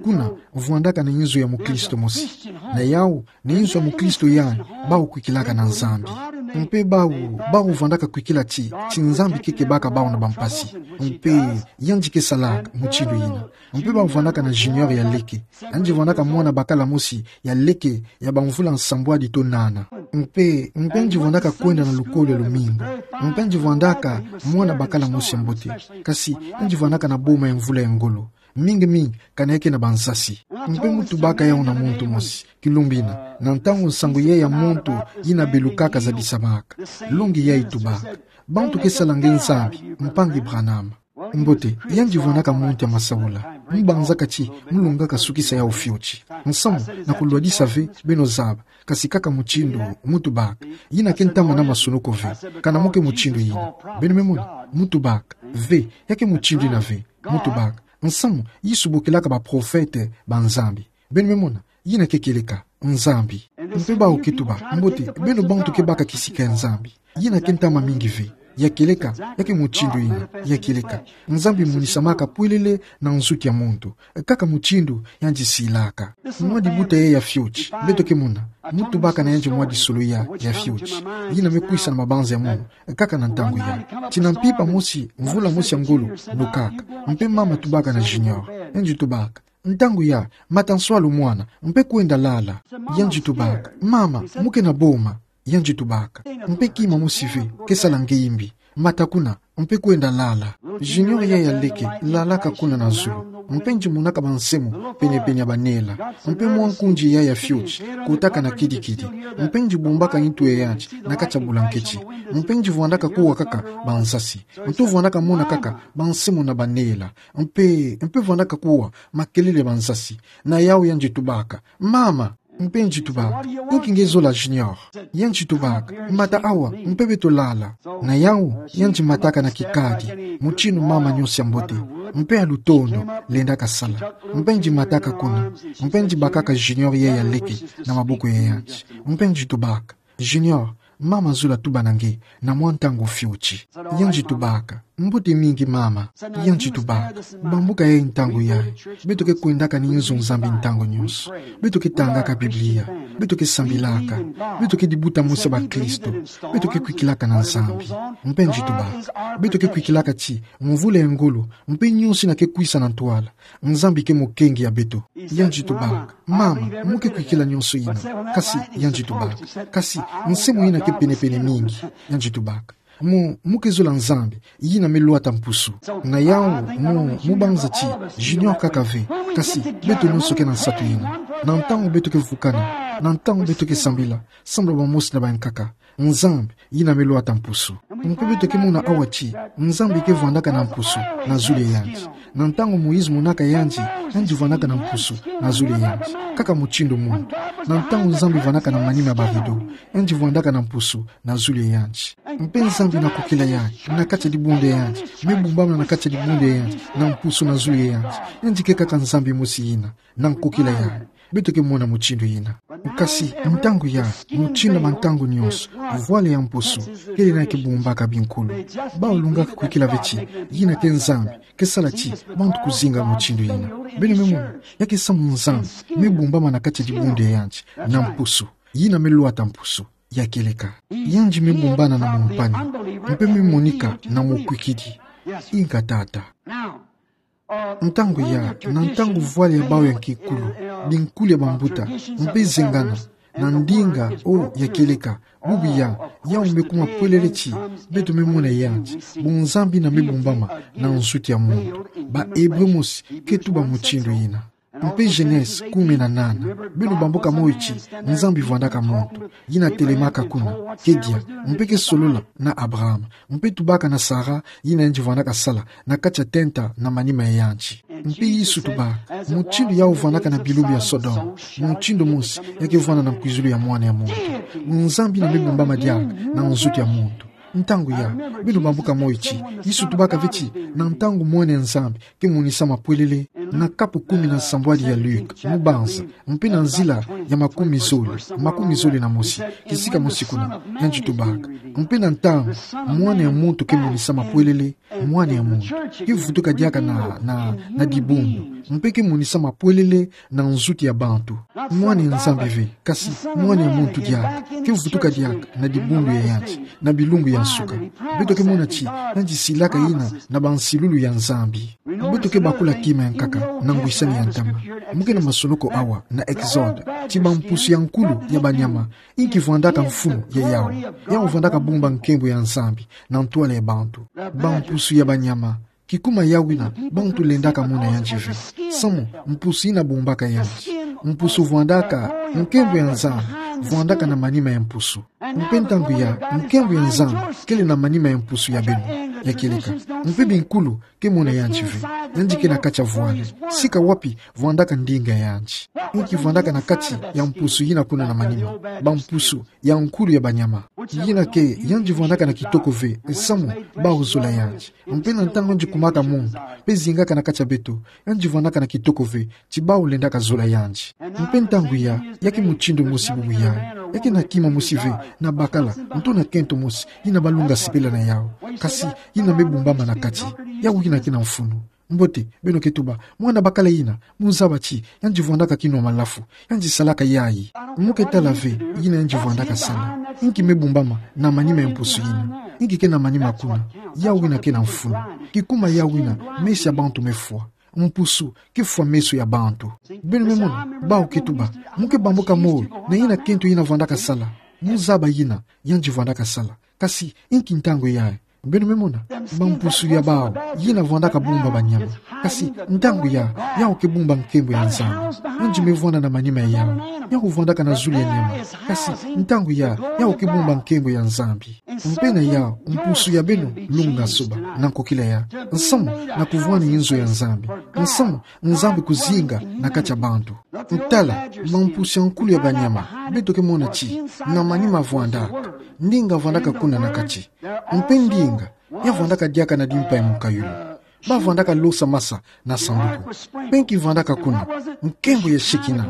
Kuna, vwandaka na inzo ya mukristo mosi. Na yawu, na inzo ya mukristo yandi, bawu kwikilaka na Nzambi. Mpe bawu, bawu vwandaka kwikila ti, ti Nzambi ke kebaka bawu na bampasi. Mpe, yandi ke salaka, mutindu yina. Mpe bawu vwandaka na Junior ya leke. Yandi vwandaka mwana bakala mosi ya leke ya bamvula nsambwadi to nana. Mpe, mpe yandi vwandaka kwenda na lukolo ya lumingu. Mpe yandi vwandaka mwana bakala mosi ya mbote. Kasi, yandi vwandaka na boma ya mvula ya ngolo. Mingi mingi, kana ya ke na bansasi. Mpe mu tubaka yawu na muntu mosi, kilumbu yina, na ntangu nsangu yayi ya muntu yina belukaka zabisamaka. Longi yayi tubaka: Bantu ke sala nge Nzambi, mpangi Branham. Mbote, yandi vwandaka muntu ya masaula. Mu banzaka ti mu lungaka sukisa yawu fioti. Nsamu, na kulwadisa ve, beno zaba, kasi kaka mutindu mu tubaka. Yina ke ntama na masunuko ve, kana mu ke mutindu yina. Beno me mona, mu tubaka, ve, ya ke mutindu yina ve, mu tubaka. Nsamu, Yesu bokilaka baprofete ba Nzambi. Beno me mona, yina ke kieleka, Nzambi. Mpe bawu ke tuba: Mbote, beno bantu ke baka kisika ya Nzambi. Yina ke ntama mingi ve. Ya kieleka, ya ke mutindu yina, ya kieleka. Nzambi monisamaka pwelele na nzutu ya muntu. Kaka mutindu yandi silaka. Mwa dibuta yayi ya fioti, beto ke mona. Mu tubaka na yandi mwa disolo ya, ya fioti. Yina me kwisa na mabanza ya munu, kaka na ntangu ya. Tina mpimpa mosi, mvula mosi ya ngolo, nokaka. Mpe mama tubaka na Junior. Yandi tubaka: Ntangu ya, mata nswalu mwana, mpe kwenda lala. Yandi tubaka: Mama, mu ke na boma. Yandi tubaka: Mpe kima mosi ve, ke sala nge yimbi. Mata kuna, mpe kwenda lala. Junior yayi ya leke, lalaka kuna na zulu. Mpe ngimonaka bansemo penepene ya banela. Mpe mwa nkundi yayi ya fioti, kotaka na kidikidi. Mpe ngibombaka ntu ya yanti na kati ya bulanketi. Mpe ngivwandaka kuwa kaka bansasi. Nto vwandaka mona kaka bansemo na banela. Mpe, mpe vwandaka kuwa makelele ya bansasi. Na yawu ya ngitubaka: Mama! Mpe ngitubaka: Inki nge zola, Junior? Ya ngitubaka: Mata awa, mpe beto lala. Na yawu ya ngimataka na kikadi, mutindu mama nyonso ya mbote, mpe ya lutondo, lendaka sala. Mpe ngimataka kuna, mpe ngibakaka Junior yayi ya leke na maboko ya yanti. Mpe ngitubaka: Junior, mama zola tuba na nge na mwa ntangu fioti. Ya ngitubaka: Mbote mingi, mama. Ya ngitubaka: Bambuka yayi ntangu yayi. Beto ke kwendaka na inzo Nzambi ntangu nyonso. Beto ke tangaka Biblia. Beto ke sambilaka. Beto ke dibuta mosi ya bakristo. Beto ke kwikilaka na Nzambi. Mpe ngitubaka: Beto ke kwikilaka ti mvula ya ngolo, mpe nyonso yina ke kwisa na ntwala, Nzambi ke mukengi ya beto. Ya ngitubaka: Mama, mu ke kwikila nyonso yina. Kasi ya ngitubaka: Kasi, nsemo yina ke penepene mingi. Ya ngitubaka: Mu, mu ke zola Nzambi, yina me lwata mpusu. Na yawu, mu, mu banza ti Junior kaka ve, kasi beto nyonso ke na nsatu yina. Na ntangu beto ke vukana, na ntangu beto ke sambila, sambila bamosi na bayankaka, Nzambi, yina me lwata mpusu. Mpe beto ke mona awa ti Nzambi ke vwandaka na mpusu na zulu ya yanti. Na ntangu Moïse monaka yandi, yandi vwandaka na mpusu na zulu ya yanti, kaka mutindu muntu. Na ntangu Nzambi vwandaka na manima ya barido, yandi vwandaka na mpusu na zulu ya yanti. Mpe Nzambi na kokila yayi, na kati ya dibundu ya yandi, me bumbamana na kati ya dibundu ya yandi, na mpusu na zulu ya yanti. Yandi ke kaka Nzambi mosi yina, na kokila yayi. Beto ke mona mutindu yina. Kasi ntangu yayi, mutindu na bantangu nyonso, vwala ya mpusu kele na ya ke bumbaka binkulu. Bawu lungaka kwikila ve ti yina ke Nzambi ke sala ti bantu kuzinga mutindu yina. Beno me mona, ya ke samu Nzambi me bumbamana na kati ya dibundu ya yandi na mpusu. Yina me lwata mpusu ya kieleka. Yandi me bumbana na mumpani, mpe me monika na mukwikidi. Inga tata. Ntangu yayi, na ntangu vwala ya bawu ya kinkulu, binkulu ya bambuta, mpe zengana na ndinga, o, ya kieleka, bubu yawu, yawu me kuma pwelele ti beto me mona yandi, bunzambi yina me bumbama na nsuti ya muntu. Ba Hébreu mosi ke tuba mutindu yina. Mpe Genèse kumi na nana, beno bambuka moyo ti Nzambi vwandaka muntu, yina telemaka kuna, ke dia, mpe ke solola na Abraham, mpe tubaka na Sara, yina yandi vwandaka sala na kati ya tenta na manima ya yandi. Mpe Yesu tubaka, mutindu yawu vwandaka na bilumbu ya Sodome, mutindu mosi ya ke vwanda na nkwizulu ya Mwana ya muntu. Bunzambi yina me bumbama diaka na nsuti ya muntu. Ntangu yayi, beno bambuka moyo ti Yesu tubaka ve ti na ntangu Mwana ya Nzambi ke monisama pwelele, na kapu kumi na nsambwadi ya Luc, mu banza, mpe na nzila ya makumi zole, makumi zole na mosi, kisika mosi kuna, yandi tubaka. Mpe na ntangu Mwana ya muntu ke monisama pwelele, Mwana ya muntu ke vutuka diaka na, na, na dibundu, mpe ke monisama pwelele na nsuti ya bantu. Mwana ya Nzambi ve, kasi Mwana ya muntu diaka, ke vutuka diaka na dibundu ya yandi, na bilumbu ya nsuka. Beto ke mona ti yandi silaka yina na bansilulu ya Nzambi. Beto ke bakula kima ya nkaka na ngwisani ya ntama. Mu ke na masonoko awa na Exode, ti bampusu ya nkulu ya banyama, inki vwandaka mfunu ya yawu? Yawu vwandaka bumba nkembo ya Nzambi na ntwala ya bantu. Bampusu ya banyama, kikuma yawu yina bantu lendaka mona yandi ve. Samu mpusu yina bumbaka yandi. Mpusu vwandaka, nkembo ya Nzambi vwandaka na manima ya mpusu. Mpe ntangu yayi, nkembo ya Nzambi kele na manima ya mpusu ya beno, ya kieleka. Mpe binkulu ke mona yandi ve. Yandi ke na kati ya vwala. Sika wapi vwandaka ndinga ya yandi? Inki vwandaka na kati ya mpusu yina kuna na manima? Bampusu ya nkulu ya banyama. Yina ke, yandi vwandaka na kitoko ve, samu bawu zola yandi. Mpe na ntangu yandi kumaka muntu, mpe zingaka na kati ya beto, yandi vwandaka na kitoko ve, ti bawu lendaka zola yandi. Mpe ntangu yayi, ya ke mutindu mosi bubu yayi, ya ke na kima mosi ve, na bakala, nto na kento mosi, yina balunga sepela na yawu. Kasi yina me bumbama na kati, yawu yina ke na mfunu. Mbote, beno ke tuba, mwana bakala yina, mu zaba ti yandi vwandaka kinwa malafu, yandi salaka yayi. Mu ke tala ve yina yandi vwandaka sala. Inki me bumbama na manima ya mpusu yina? Inki ke na manima kuna? Yawu yina ke na mfunu. Kikuma yawu yina, meso ya bantu me fwa. Mpusu ke fwa meso ya bantu. Beno me mona, bawu ke tuba, mu ke bambuka moyo na yina kento yina vwandaka sala. Mu zaba yina yandi vwandaka sala. Kasi inki ntangu yayi? Beno me mona, bampusu ya bawu, yina vwandaka bumba banyama. Kasi, ntangu ya, yawu ke bumba nkembo ya Nzambi. Yonzi me vwanda na manima ya yawu. Yawu vwandaka na zulu ya nyama. Kasi, ntangu ya, yawu ke bumba nkembo ya Nzambi. Mpe na yawu, mpusu ya beno, lunga soba, na nkokila ya. Nsamu, na kuvwani nzo ya Nzambi. Nsamu, Nzambi kuzinga, na kati ya bantu. Tala, bampusu ya nkulu ya banyama, beto ke mona ti, na manima vwandaka. Ndinga vwandaka kuna na kati. Mpe ndinga, ya vwandaka diaka na dimpa ya mukayulu. Ba vwandaka losa masa na sanduku. Mpe nki vwandaka kuna, nkembo ya Shekinah,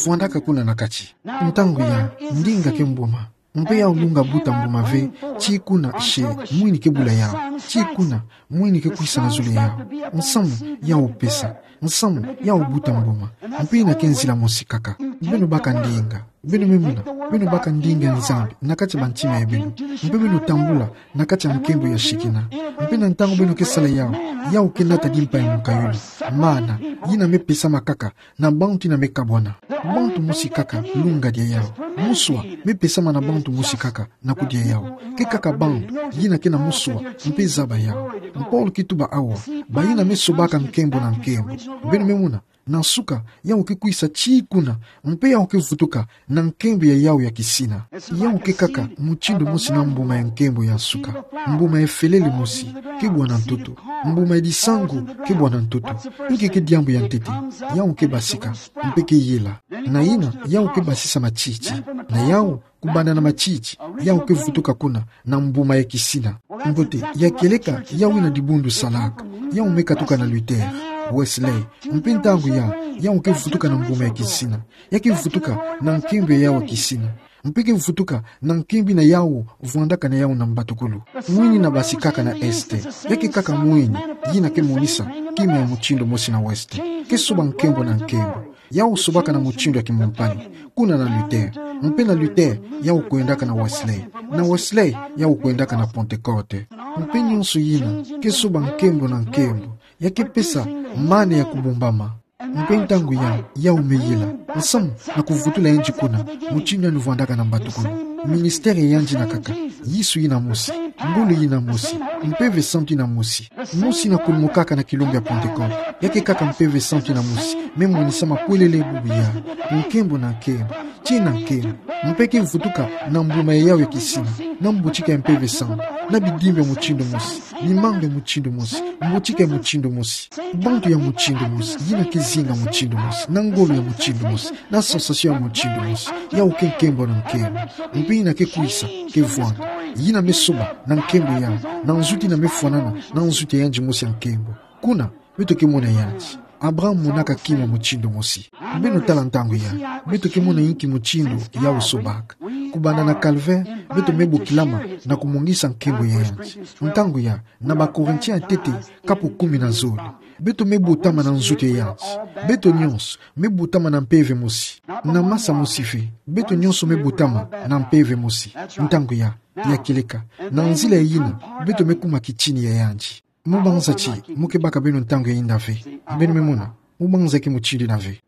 vwandaka kuna na kati. Ntangu ya, ndinga ke mbuma. Mpe yawu lunga buta mbuma ve, tii kuna she, mwini ke bula yawu. Tii kuna, mwini ke kwisa na zulu yawu. Nsamu, yawu pesa. Nsamu, yawu buta mbuma. Mpe yina ke nzila mosi kaka. Beno baka ndinga. Beno me mona, beno baka ndinga ya Nzambi, na kati ya bantima ya beno. Mpe beno tambula, na kati ya nkembo ya Shekinah. Mpe na ntangu beno ke sala yawu, yawu ke nata dimpa ya mukayulu. Mana, yina me pesama kaka, na bantu yina me kabwana. Bantu mosi kaka, lunga dia yawu. Muswa, me pesama na bantu mosi kaka, na kudia yawu. Ke kaka bantu, yina ke na muswa, mpe zaba yawu. Mpolo ke tuba awa, bayina me sobaka nkembo na nkembo. Beno me mona, na nsuka, yawu ke kwisa tii kuna, mpe yawu ke vutuka, na nkembo ya yawu ya kisina. Yawu ke kaka, mutindu mosi na mbuma ya nkembo ya nsuka. Mbuma ya felele mosi, ke bwana ntoto. Mbuma ya disangu, ke bwana ntoto. Nki ke diambu ya ntete, yawu ke basika, mpe ke yela. Na yina, yawu ke basisa matiti. Na yawu, kubanda na matiti, yawu ke vutuka kuna, na mbuma ya kisina. Mbote, ya kieleka, yawu yina dibundu salaka. Yawu me katuka na Luther, Wesley, mpe ntangu ya, yawu ke vutuka na mbuma ya kisina. Ya ke vutuka, na nkembo ya yawu ya kisina. Mpe ke vutuka, na nkembo yina yawu, vwandaka na yawu na mbatukulu. Mwini na basi kaka na Est. Ya ke kaka mwini, yina ke monisa, kima ya mutindu mosi na Ouest. Ke soba nkembo na nkembo. Yawu sobaka na mutindu ya kimumpani. Kuna na Luther. Mpe na Luther, yawu kwendaka na Wesley. Na Wesley, yawu kwendaka na Pentecôte. Mpe nyonso yina, ke soba nkembo na nkembo. Ya ke pesa, mana ya kubumbama. Mpe ntangu ya, yawu me yela. Nsamu, na kuvutula yandi kuna, mutindu yandi vwandaka na mbatukulu. Ministère ya yandi yina kaka. Yesu yina mosi. Ngolo yina mosi. Mpeve Santu yina mosi. Mosi yina kulumukaka na kilumbu ya Pentecôte. Ya ke kaka Mpeve Santu yina mosi. Me monisama kwelele bubu ya. Nkembo na nkembo. Tii na nkembo. Mpe ke vutuka na mbuma ya yawu ya kisina. Na mbutika ya Mpeve Santu. Na bidimbu ya mutindu mosi. Mimangu ya mutindu mosi. Mbutika ya mutindu mosi. Bantu ya mutindu mosi. Yina ke zinga mutindu mosi. Na ngolo ya mutindu mosi. Na sensation ya mutindu mosi. Yawu ke nkembo na nkembo. Mpe yina ke kwisa, ke vwanda. Yina me soba, na nkembo ya, na nzuti yina me fwanana, na nzuti ya yandi mosi ya nkembo. Kuna, beto ke mona yandi. Abraham monaka kima mutindu mosi. Beno tala ntangu ya, beto ke mona inki mutindu yawu sobaka. Kubanda na Calvaire, beto me bokilama na kumongisa nkembo ya yandi. Ntangu ya, na ba Corinthiens ya ntete, kapu kumi na zole. Beto me botama na nzuti ya yandi. Beto nyonso, me botama na mpeve mosi. Na masa mosi ve, beto nyonso me botama na mpeve mosi. Ntangu ya, ya kieleka. Na nzila yina, beto me kuma kitini ya yandi. Mu banza ti, mu ke baka beno ntangu ya yinda ve. Beno me mona, mu banza ke mutindu yina ve.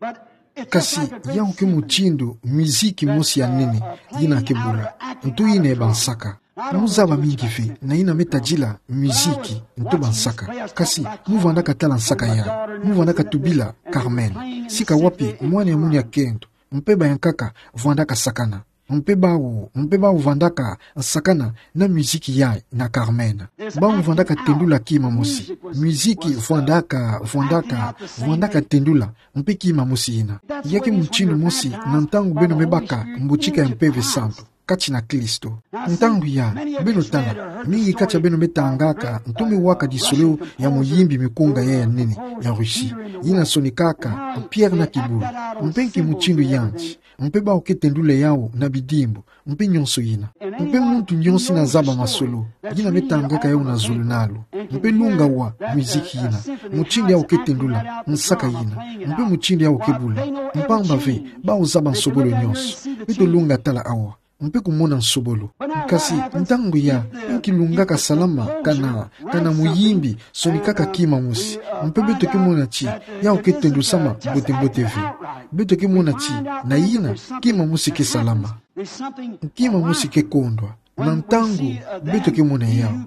Kasi, yawu ke mutindu, miziki mosi ya nene, yina ke bula. Nto yina e ba nsaka. Mu zaba mingi ve, na yina me tadila, miziki, nto ba nsaka. Kasi, mu vwandaka tala nsaka ya. Mu vwandaka tubila, Carmen. Sika wapi, mwana ya munu ya kento. Mpe bayankaka, vwandaka sakana. Mpe bawu, mpe bawu vwandaka sakana na miziki ya na Carmen. Bawu vwandaka tendula kima mosi. Miziki vwandaka, vwandaka, vwandaka tendula, mpe kima mosi yina. Ya ke mutindu mosi na ntangu beno me baka mbutika ya Mpeve Santu, kati na Kristo. Ntangu ya, beno tala, mingi kati ya beno me tangaka, nto me waka disoleo ya muyimbi mikunga ya ya nene, ya Russie. Yina sonikaka, Pierre na Kibulu. Mpe nki mutindu yandi. Mpe bawu ke tendula yawu na bidimbu, mpe nyonso yina. Mpe muntu nyonso yina zaba masolo, yina me tangaka yawu na zulu nalu. Mpe lunga wa, miziki yina. Mutindu yawu ke tendula, nsaka yina. Mpe mutindu yawu ke bula. Mpamba ve, bawu zaba nsobolo nyonso. Beto lunga tala awa. Mpe kumona nsobolo. Kasi, ntangu ya, nki lungaka salama, kana, kana muyimbi, sonikaka kima mosi. Mpe beto ke mona ti, yawu ke tendusama, mbote mbote ve. Beto ke mona ti, na yina, kima mosi ke salama. Kima mosi ke kondwa. Na ntangu beto ke mona yawu,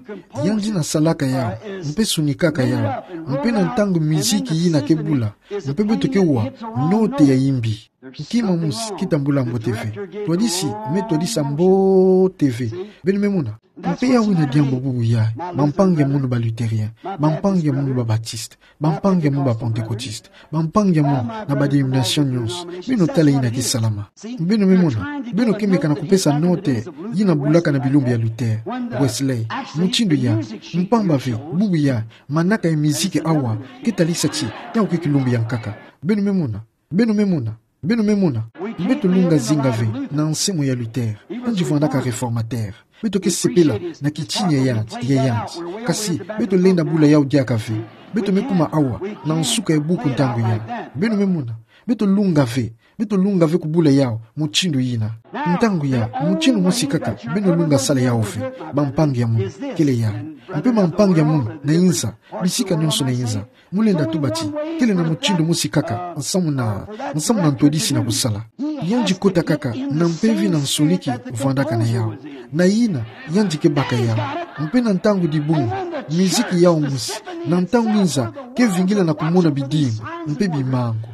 yandi na salaka yawu, mpe sonikaka yawu, mpe na ntangu miziki yina ke bula, mpe beto ke wa note ya imbi. Kima mosi ke tambula mbote ve. Ntwadisi me ntwadisa mbote ve. Beno me mona. Mpe yawu ina diambu bubu yayi. Bampangi ya munu ba Lutherien, bampangi ya munu ba Baptiste, bampangi ya munu ba Pentecôtiste, bampangi ya munu na ba dénomination nyonso. Beno tala yina ke salama. Beno me mona. Beno ke meka na kupesa note yina bulaka na bilumbu ya Luther, Wesley, mutindu yayi. Mpamba ve, bubu yayi, manaka ya miziki awa ke talisa ti yawu ke kilumbu ya nkaka. Beno me mona. Beno me mona. Beno me mona. Beto lunga zinga ve na nsemo ya Luther, yandi vwandaka réformateur. Beto ke sepela na kitindu ya yandi, ya yandi. Kasi beto lenda bula yawu diaka ve. Beto me kuma awa na nsuka ya buku ntangu yayi. Beno me mona. Beto lunga ve. Beto lunga ve kubula yawu mutindu yina. Ntangu yayi, mutindu mosi kaka beno lunga sala yawu ve, bampangi ya munu, kele yayi. Mpe bampangi ya munu na inza, bisika nyonso na inza, mu lenda tuba ti kele na mutindu mosi kaka nsamu na, nsamu na ntwadisi na kusala. Yandi kota kaka na mpeve na nsoniki vwandaka na yawu. Na yina, yandi ke baka yawu. Mpe na ntangu dibungu, miziki yawu mosi, na ntangu inza, ke vingila na kumona bidimbu mpe bimangu.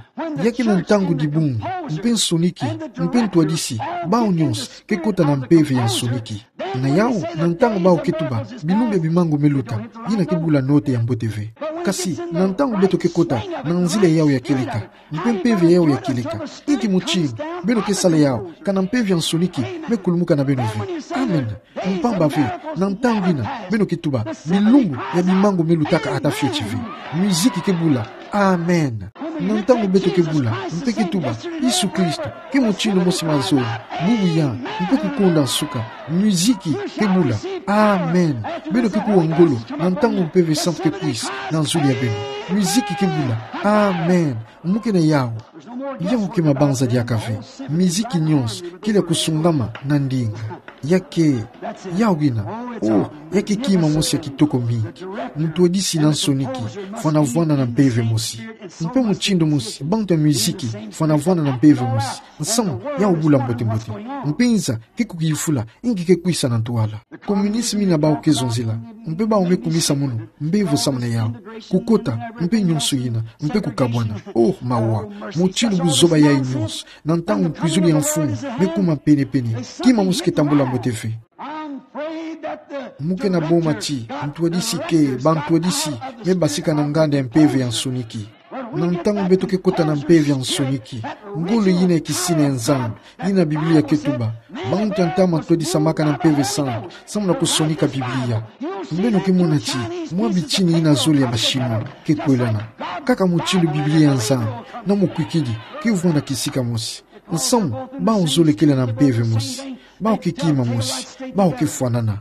Ya ke na ntangu dibungu, mpe nsoniki, mpe ntwadisi, bawu nyonso ke kota na mpeve ya nsoniki. Na yawu, na ntangu bawu ke tuba bilumbu ya bimangu me luta, yina ke bula note ya mbote ve. Kasi na ntangu beto ke kota na nzila yawu ya kieleka, mpe mpeve yawu ya kieleka, inki mutindu beno ke sala yawu, ka na mpeve ya nsoniki me kulumuka na beno ve. Amen. Mpamba ve, na ntangu yina beno ke tuba bilumbu ya bimangu me lutaka ata fioti ve. Miziki ke bula. Amen. Na ntangu beto ke bula mpe ke tuba Yesu Kristo ke mutindu mosi mazono, bubu yayi, mpe kukonda nsuka, miziki ke bula. Amen. Beno ke kuwa ngolo na ntangu Mpeve Santu ke kwisa na nzuli ya beno. Miziki ke bula. Amen. Mu ke na yawu. Yawu ke mabanza diaka ve. Miziki nyonso kele ya kusungama na ndinga. Ya ke, yawu ina. Oh, ya ke kima mosi ya kitoko mingi. Ntwadisi na nsoniki fwanavwana na mpeve mosi. Mpe mutindu mosi, bantu ya miziki fwanavwana na mpeve mosi. Nsamu yawu bula mbote-mbote. Mpe inza ke kukifula inki ke kwisa na ntwala. Communisme ina bawu ke zonzila. Mpe bawu me kumisa munu mbevo samu na yawu. Kukota, mpe nyonso yina, mpe kukabwana. Oh, mawa. Mutindu buzoba yayi nyonso, na ntangu nkwizulu ya mfumu me kuma pene-pene, kima mosi ke tambula mbote ve. Mu ke na boma ti ntwadisi ke, bantwadisi me basika na nganda ya mpeve ya nsoniki. Na ntangu beto ke kota na mpeve ya nsoniki, ngolo yina ya kisini ya Nzambi, yina Biblia ke tuba, bantu ya ntama ntwadisamaka na Mpeve Santu samu na kusonika Biblia. Beno ke mona ti mwa bitini yina zole ya ba Chinois ke kwelana. Kaka mutindu Biblia ya Nzambi na mukwikidi ke vwanda kisika mosi. Nsamu, bawu zole kele na mpeve mosi. Bawu ke kima mosi. Bawu ke fwanana.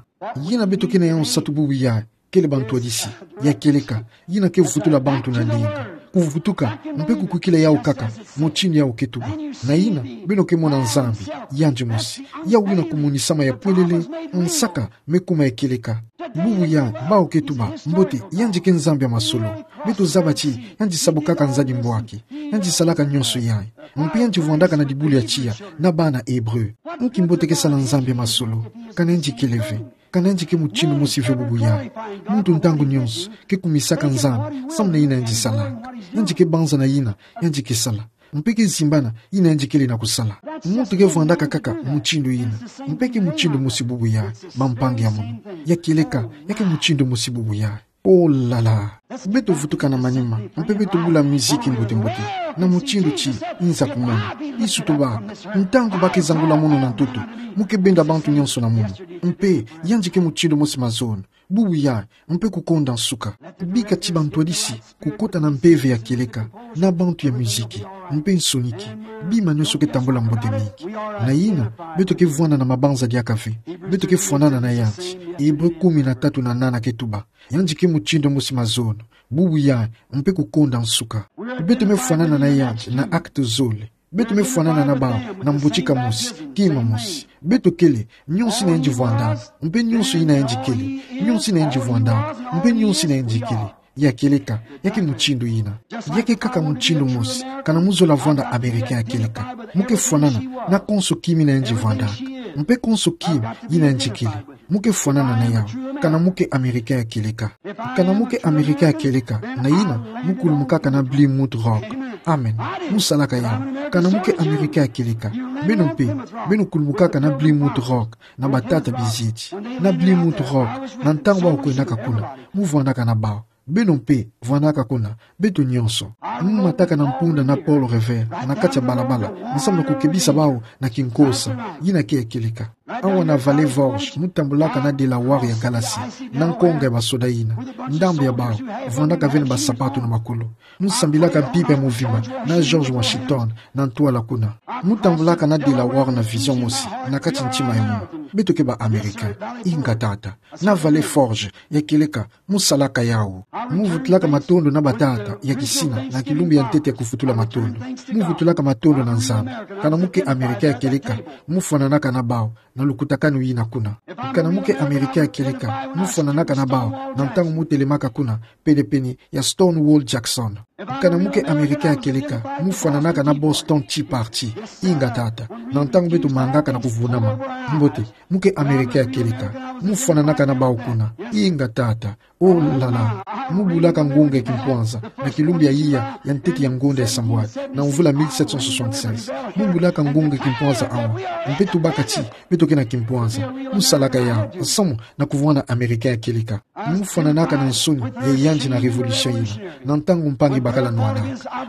Yina beto ke na yawu nsatu bubu yayi kele bantwadisi ya kieleka, yina ke vutula bantu na ndinga, kuvutuka mpe kukwikila yawu kaka mutindu yawu ke tuba. Na yina, beno ke mona Nzambi, yandi mosi. Yawu ina kumonisama ya pwelele, nsaka me kuma ya kieleka. Bubu yayi, bawu ke tuba mbote, yandi ke Nzambi ya masolo. Beto zaba ti yandi sabukaka nzadi mbwaki. Yandi salaka nyonso yayi. Mpe yandi vwandaka na dibulu ya tiya na bana Hébreu. Nki mbote ke sala Nzambi ya masolo? Ka na yandi kele ve. Ka na yandi ke mutindu mosi ve bubu yayi. Muntu ntangu nyonso ke kumisaka Nzambi samu na yina yandi salaka. Yandi ke banza na yina yandi ke sala. Mpe ke zimbana yina yandi kele na kusala. Muntu ke vwandaka kaka mutindu yina. Mpe ke mutindu mosi bubu yayi, bampangi ya munu. Ya kieleka, ya ke mutindu mosi bubu yayi. Oh là là. Beto vutuka na manima, mpe beto bula miziki mbote-mbote, na mutindu ti inza kumona. Yesu tobaka, ntangu ba ke zangula munu na ntoto, mu ke benda bantu nyonso na munu. Mpe yandi ke mutindu mosi mazono, bubu yayi, mpe kukonda nsuka. Bika ti bantwadisi kukota na mpeve ya kieleka, na bantu ya miziki, mpe nsoniki, bima nyonso ke tambula mbote mingi. Na yina, beto ke vwanda na mabanza diaka ve. Beto ke fwanana na yandi. Hébreu kumi na tatu na nana ke tuba, yandi ke mutindu mosi mazono, bubu yayi, mpe kukonda nsuka. Beto me fwanana na yandi na acte zole. Beto me fwanana na bawu na mbotika mosi, kima mosi. Beto kele nyonso yina yandi vwandaka, mpe nyonso yina yandi kele. Nyonso yina yandi vwandaka, mpe nyonso yina yandi kele. Ya kieleka, ya ke mutindu yina. Ya ke kaka mutindu mosi, ka na mu zola vwanda Américain ya kieleka. Mu ke fwanana na konso kima yina yandi vwandaka. Mpe konso kima yina yandikele, mu ke fwanana na yawu. Kana mu ke Americain ya kieleka. Kana mu ke Americain ya kieleka, na yina mu kulumukaka na Plymouth Rock. Amen. Mu salaka yawu. Kana mu ke Americain ya kieleka, beno mpe, beno kulumukaka na Plymouth Rock, na batata bizieti. Na Plymouth Rock, na ntangu bawu kwendaka kuna, mu vwandaka na bawu. Beno mpe, vwandaka kuna, beto nyonso. Mu mataka na mpunda na Paul Revere, na kati ya balabala, nsamu na kukebisa bawu na kinkosa, yina ke ya kieleka. Awa na Vallée Vosges, mu tambulaka na Delaware ya Galatie, na nkonga ya basoda yina. Ndambu ya bawu, vwandaka ve na basapatu na makulu. Mu sambilaka mpimpa ya muvimba, na George Washington, na ntwala kuna. Mu tambulaka na Delaware na vision mosi, na kati ntima ya munu. Beto ke ba Americain, inga tata. Na Vallée Vosges, ya kieleka, mu salaka yawu. Mu vutulaka matondo na batata ya kisina, na kilumbu ya ntete ya kuvutula matondo. Mu vutulaka matondo na Nzambi. Kana mu ke Americain ya kieleka, mu fwananaka na bawu, na lukutakanu yina kuna. Kana mu ke Americain ya kieleka, mu fwananaka na bawu, na ntangu mu telemaka kuna, penepene ya Stonewall Jackson. Kana mu ke Americain ya kieleka, mu fwananaka na Boston Tea Party. Inga tata. Na ntangu beto mangaka na kuvunama. Mbote, mu ke Americain ya kieleka, mu fwananaka na bawu kuna. Inga tata. Oh là là. Mu bulaka ngunga ya kimpwanza, na kilumbu ya iya ya ntete ya ngonda ya sambwadi, na mvula mille sept cent soixante-seize. Mu bulaka ngunga ya kimpwanza awa. Mpe tubaka ti, beto ke na kimpwanza. Mu salaka yawu, nsamu na kuvwanda Americain ya kieleka. Mu fwananaka na nsoni ya yandi na révolution yina, na ntangu mpangi bakala nwana.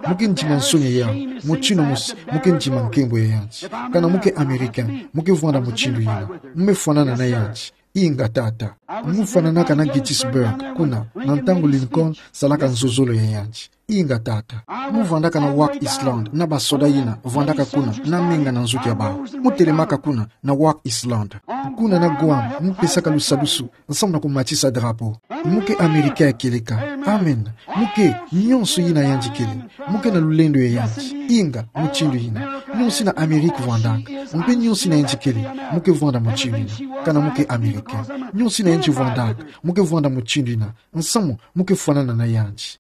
Mu ke ndima nsoni ya yawu, mutindu mosi, mu ke ndima nkembo ya yandi. Kana mu ke Americain, mu ke vwanda mutindu yina. Mu me fwanana na yandi. Inga tata. Mu fwananaka na Gettysburg, kuna, na ntangu Lincoln salaka nzozolo ya yandi. Inga tata. Mu vwandaka na Wake Island, na basoda yina vwandaka kuna, na menga na nzoto ya bawu. Mu telemaka kuna, na Wake Island. Kuna na Guam, mu pesaka lusadusu, nsamu na kumatisa drapeau. Mu ke Americain ya kieleka. Amen. Mu ke, nyonso yina yandikele. Mu ke na lulendo ya yandi. Inga, mutindu yina. Nyonso yina Amérique vwandaka. Mpe nyonso yina yandikele. Mu ke vwanda mutindu yina. Kana mu ke Americain. Nyonso yina yandi vwandaka. Mu ke vwanda mutindu yina. Nsamu, mu ke fwanana na yandi.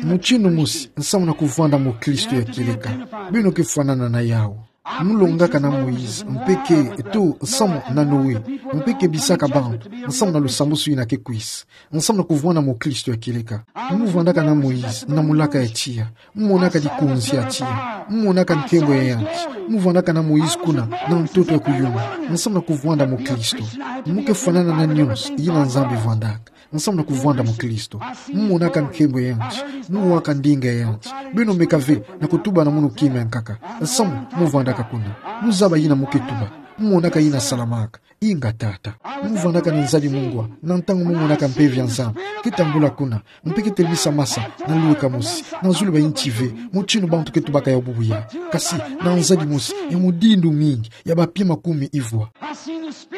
Mutindu mosi, nsamu na kuvwanda mukristo ya kieleka. Beno ke fwanana na yawu. Mu longaka na Moïse, mpe ke, eto, nsamu na Noé, mpe kebisaka bantu, nsamu na lusambusu yina ke kwisa. Nsamu na kuvwanda mukristo ya kieleka. Mu vwandaka na Moïse, na mulaka ya tiya. Mu monaka dikonzi ya tiya. Mu monaka nkembo ya yandi. Mu vwandaka na Moïse kuna, na ntoto ya kuyuma. Nsamu na kuvwanda mukristo. Mu ke fwanana na nyonso yina Nzambi vwandaka. Nsamu na kuvwanda mukristo. Mu monaka nkembo ya yandi. Mu waka ndinga ya yandi. Beno meka ve na kutuba na munu kima ya nkaka. Nsamu, mu vwandaka kuna. Mu zaba yina mu ke tuba. Mu monaka yina salamaka. Inga tata. Mu vwandaka na nzadi mungwa, na ntangu mu monaka mpeve ya Nzambi ke tambula kuna, mpe ke telemisa masa na lweka mosi, na zulu ba inti ve, mutindu bantu ke tubaka yawu bubu yayi. Kasi, na nzadi mosi, ya mudindu mingi, ya bapie makumi ivwa.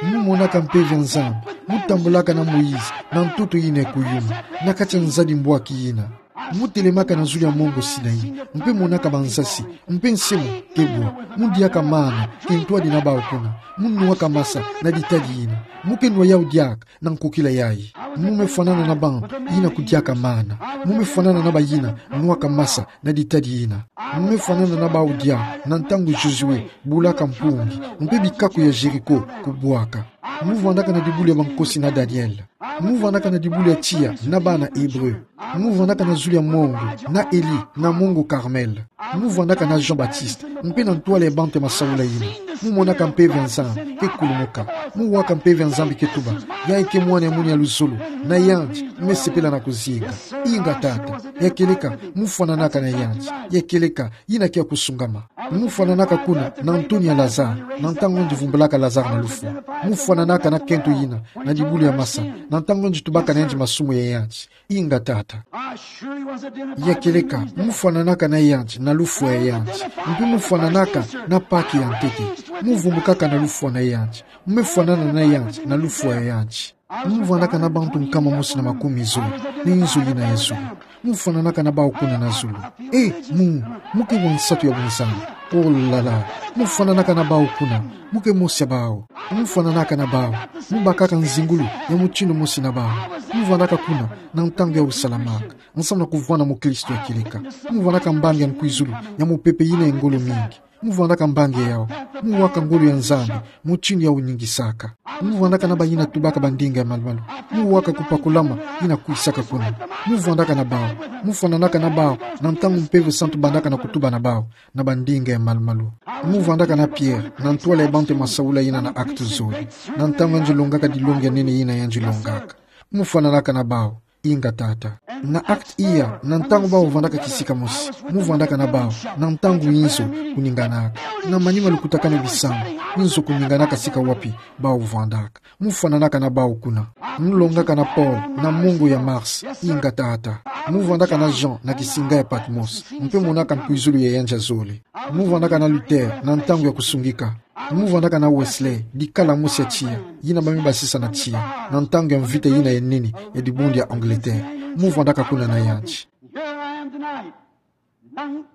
Mu monaka mpeve ya Nzambi, mu tambulaka na Moïse, na ntoto yina ya kuyuma, na kati ya nzadi mbwaki yina. Mu telemaka na zulu ya mongo Sinaï, mpe monaka bansasi, mpe nsemo ke bwa, mu diaka mana, kintwadi na bawu kuna, mu nwaka masa na ditadi yina. Mu ke nwa yawu diaka na nkokila yayi. Mu me fwanana na bantu yina kudiaka mana. Mu me fwanana na bayina nwaka masa na ditadi yina. Mu me fwanana na bawu diaka na ntangu Josué bulaka mpungi, mpe bikaku ya Jéricho kubwaka. Mu vwandaka na dibulu ya bankosi na Daniel. Mu vwandaka na dibulu ya tiya na bana Hébreu. Mu vwandaka na zulu ya mongo na Élie na mongo Carmel. Mu vwandaka na Jean-Baptiste, mpe na ntwala ya bantu ya masaula yina. Mu monaka mpeve ya Nzambi ke kulumuka. Mu waka mpeve ya Nzambi ke tuba: Yayi ke mwana ya munu ya luzolo, na yandi mu me sepela na kuzinga. Inga tata. Ya kieleka, mu fwananaka na yandi. Ya kieleka, yina ke ya kusungama. Mu fwananaka kuna na ntoni ya Lazare, na ntangu yandi vumbulaka Lazare na lufwa. Mu fwananaka na kento yina, na dibulu ya masa, na ntangu yandi tubaka na yandi masumu ya yandi. Inga tata. Ya kieleka, mu fwananaka na yandi na lufwa ya yandi. Mpe mu fwananaka na Pâques ya ntete. Mu vumbukaka na lufwa na yandi. Mu me fwanana na yandi na lufwa ya yandi. Mu vwandaka na bantu nkama mosi na makumi zole na inzo yina ya zulu. Mu fwananaka na bawu kuna na zulu. E, mu, mu ke wa nsatu ya bunzani. Oh là là. Mu fwananaka na bawu kuna. Mu ke mosi ya bawu. Mu fwananaka na bawu. Mu bakaka nzingulu ya mutindu mosi na bawu. Mu vwandaka kuna na ntangu yawu salamaka. Nsamu na kuvwanda mukristo ya kieleka. Mu vwandaka mbangi ya nkwizulu ya mupepe yina ya ngolo mingi. Mu vwandaka mbangi ya yau. Mu waka ngolo ya Nzambi, mutindu yau ningisaka. Mu vwandaka na bayina tubaka bandinga ya malumalu. Mu waka kupakulama yina kwisaka kuna. Mu vwandaka na bawu. Mu fwananaka na bawu, na ntangu Mpeve Santu bandaka na kutuba na bawu na bandinga ya malumalu. Mu vwandaka na Pierre, na ntwala ya bantu ya masaula yina na Actes zole. Na ntangu yandi longaka dilongi ya nene yina yandi longaka. Mu fwananaka na bawu, inga Tata. Na Actes iya, na ntangu bawu vwandaka kisika mosi. Mu vwandaka na bawu, na ntangu inzo kuninganaka. Na manima lukutakanu bisambu, inzo kuninganaka sika wapi bawu vwandaka. Mu fwananaka na bawu kuna. Mu longaka na Paul, na mungu ya Mars, inga Tata. Mu vwandaka na Jean, na kisinga ya Patmos. Mpe monaka nkwizulu ya yandi ya zole. Mu vwandaka na Luther, na ntangu ya kusungika. Mu vwandaka na Wesley, dikala mosi ya tiya, yina ba mi basisa na tiya, na ntangu ya mvita yina ya nene, ya dibundu ya Angleterre. Mu vwandaka kuna na yandi.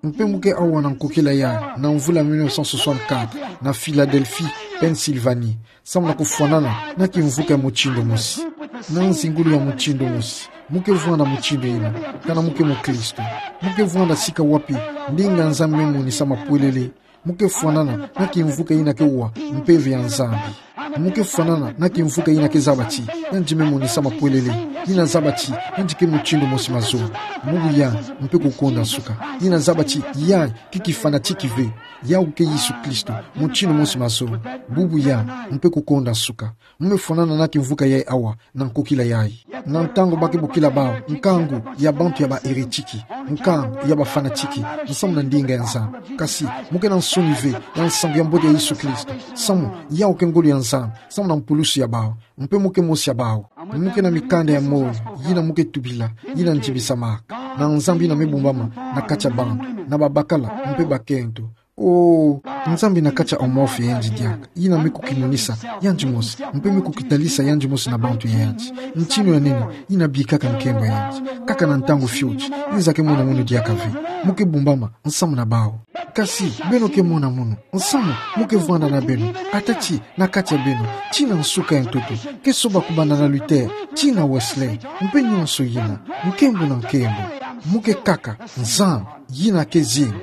Mpe mu ke awa na nkokila yayi, na mvula mille neuf cent soixante-quatre, na Philadelphie, Pennsylvanie, samu na kufwanana na kimvuka ya mutindu mosi, na nzingulu ya mutindu mosi. Mu ke vwanda mutindu yina, kana mu ke mukristu. Mu ke vwanda sika wapi ndinga ya Nzambi me monisa mapwelele. Mu ke fwanana na kimvuka yina ke wa mpeve ya Nzambi. Mu ke fwanana na kimvuka yina ke zaba ti yandi me monisa mapwelele. Yina zaba ti yandi ke mutindu mosi mazono. Bubu yayi, mpe kukonda nsuka. Yina zaba ti yayi ke kifanatiki ve. Yawu ke Yesu Kristo, mutindu mosi mazono. Bubu yayi, mpe kukonda nsuka. Mu me fwanana na kimvuka yayi awa, na nkokila yayi. Na ntangu ba ke bokila bawu nkangu ya bantu ya ba hérétique, nkangu ya ba fanatique, nsamu na ndinga ya Nzambi. Kasi, mu ke na nsoni ve ya nsangu ya mbote ya Yesu Kristo, samu yawu ke ngolo ya Nzambi, samu na mpulusu ya bawu, mpe mu ke mosi ya bawu. Mu ke na mikanda ya moyo, yina mu ke tubila, yina ndibisamaka na Nzambi yina me bumbama na kati ya bantu, na babakala, mpe bakento. O, Nzambi na kati ya Amorphe ya yandi diaka, yina me kukimonisa yandi mosi, mpe me kukitalisa yandi mosi na bantu ya yandi. Ntinu ya nene, yina bikaka nkembo ya yandi. Kaka na ntangu fioti, nza ke mona munu diaka ve. Mu ke bumbama nsamu na bawu. Kasi, beno ke mona munu, nsamu mu ke vwanda na beno, atati, na kati ya beno, tii na nsuka ya ntoto, ke soba kubanda na Luther, tii na Wesley, mpe nyonso yina, nkembo na nkembo. Mu ke kaka Nzambi yina ke zinga,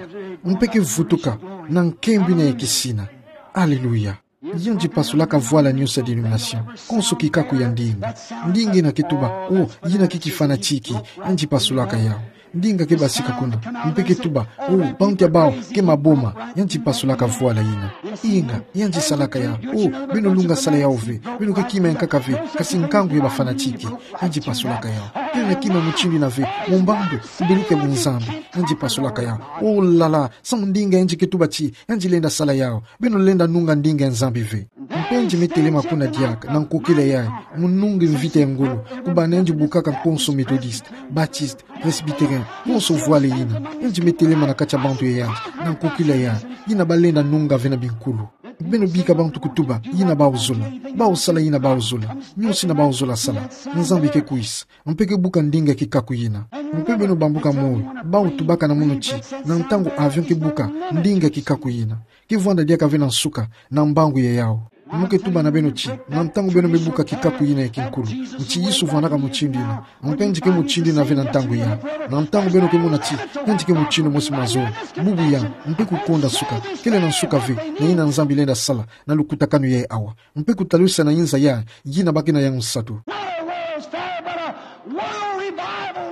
mpe ke vutuka na nkembo yina ya kisina. Aleluya. Yandi pasulaka vwala nyonso ya dénomination, konso kikaku ya ndinga. Ndinga yina ke tuba, o, yina ke kifanatique, yandi pasulaka yawu. Ndinga ke basika kuna, mpe ke tuba, o, bantu ya bawu ke maboma, yandi pasulaka vwala yina. Inga, yandi salaka yawu. O, beno lunga sala yawu ve, beno ke kima ya nkaka ve, kasi nkangu ya ba fanatique. Yandi pasulaka yawu. Beno ke kima mutindu yina ve, mu mbandu, kubeluka bunzambi. Yandi pasulaka yawu. O la la, samu ndinga yandi ke tuba ti yandi lenda sala yawu. Beno lenda nunga ndinga ya Nzambi ve. Mpe yandi me telema kuna diaka, na nkokila yayi, mu nungi mvita ya ngolo, kubanda yandi bukaka konso Methodiste, Baptiste, Presbytérien, konso vwala yina. Yandi me telema na kati ya bantu ya yandi, na nkokila yayi, yina ba lenda nunga ve na binkulu. Beno bika bantu kutuba yina bawu zola, bawu sala yina bawu zola, nyonso yina bawu zola sala. Nzambi ke kwisa, mpe ke buka ndinga kikaku yina. Mpe beno bambuka moyo, bawu tubaka na munu ti, na ntangu avion ke buka ndinga kikaku yina, ke vwanda diaka ve na nsuka, na mbangu ya yawu. Mu ke tuba na beno ti, na ntangu beno me buka kikaku yina ya kinkulu, nti Yesu vwandaka mutindu yina, mpe yandi ke mutindu yina ve na ntangu yayi. Na ntangu beno ke mona ti yandi ke mutindu mosi mazono, bubu yayi, mpe kukonda nsuka, kele na nsuka ve na yina Nzambi lenda sala na lukutakanu yayi awa. Mpe kutalisa na inza yayi, yina ba ke na yawu nsatu.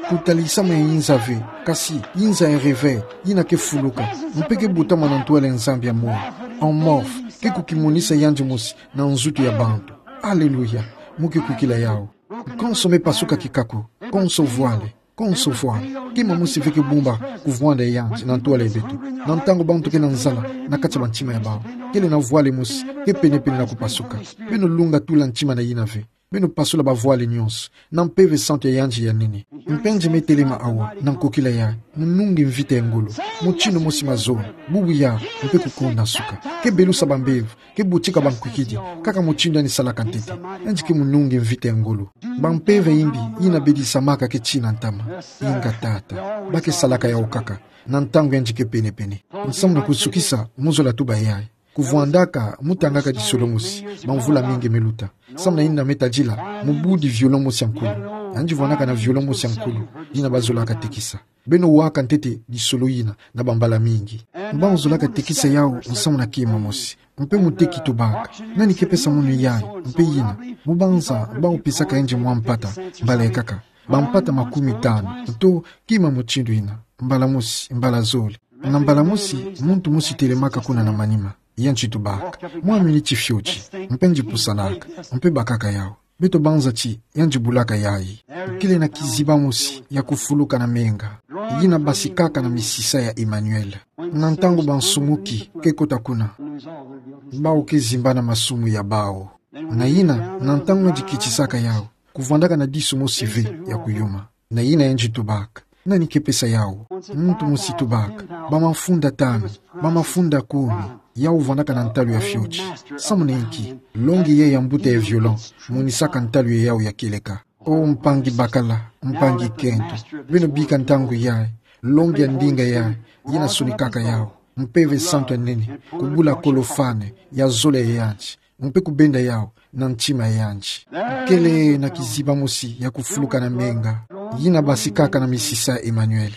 Kutalisa mo ya inza ve, kasi inza ya réveil, yina ke fuluka, mpe ke butama na ntwala ya Nzambi ya moyo. Amorphe, ke kukimonisa yandi mosi na nzutu ya bantu. Aleluya, mu ke kukila yawu. Konso me pasuka kikaku, konso vwala, konso vwala. Kima mosi ve ke bumba kuvwanda ya yandi na ntwala ya beto. Na ntangu bantu ke na nzala na kati ya bantima ya bawu, kele na vwala mosi ke pene-pene na kupasuka. Beno lunga tula ntima na yina ve. Beno pasula bavwala nyonso na mpeve santu ya yandi ya nene. Mpe yandi me telema awa na nkokila yayi, mu nungi mvita ya ngolo, mutindu mosi mazono, bubu yayi, mpe kukonda nsuka. Ke belusa bambevo, ke butika bankwikidi, kaka mutindu yandi salaka ntete. Yandi ke mu nungi mvita ya ngolo. Bampeve yimbi yina bedisamaka ke tina ntama. Inga Tata, ba ke salaka yawu kaka na ntangu yandi ke pene-pene. Nsamu na kusukisa, mu zola tuba yayi. Kuvwandaka mu tangaka disolo mosi bamvula mingi me luta, samu na yina me tadila mu budi violon mosi ya nkulu. Yandi vwandaka na violon mosi ya nkulu, yina bazolaka tekisa. Beno waka ntete lisolo yina na bambala mingi. Bau zolaka tekisa yau nsamu na kima mosi. Mpe muteki tubaka: Nani ke pesa mono yayi? Mpe yina, mubanza bau pesaka yandi mwa mpata, mbala ekaka, bampata makumi tanu, to kima mutindu yina, mbala mosi, mbala zole. Na mbala mosi, muntu mosi telemaka kuna na manima. Yandi tubaka: Mwa miniti fioti. Mpe yandi pusanaka. Mpe bakaka yau. Beto banza ti yandi bulaka yayi. Kele na kiziba mosi ya kufuluka na menga, yina basikaka na misisa ya Emmanuel. Na ntangu bansumuki ke kota kuna, bau ke zimbana masumu ya bau. Na yina, na ntangu yandi kitisaka yau, kuvwandaka na disu mosi ve ya kuyuma. Na yina yandi tubaka: Nani ke pesa yau? Muntu mosi tubaka: Bamafunda tanu, bamafunda kumi. Yau vwandaka na ntalu ya fioti. Samu na inki? Longi yayi ya mbuta ya violon monisaka ntalu ya yau ya kieleka. O mpangi bakala, mpangi kento, beno bika ntangu yayi, longi ya ndinga yayi, yina sonikaka yau, Mpeve Santu ya nene, kubula kolofane ya zole ya yandi, mpe kubenda yau na ntima ya yandi. Kele na kiziba mosi ya kufuluka na menga, yina basikaka na misisa ya Emmanuel.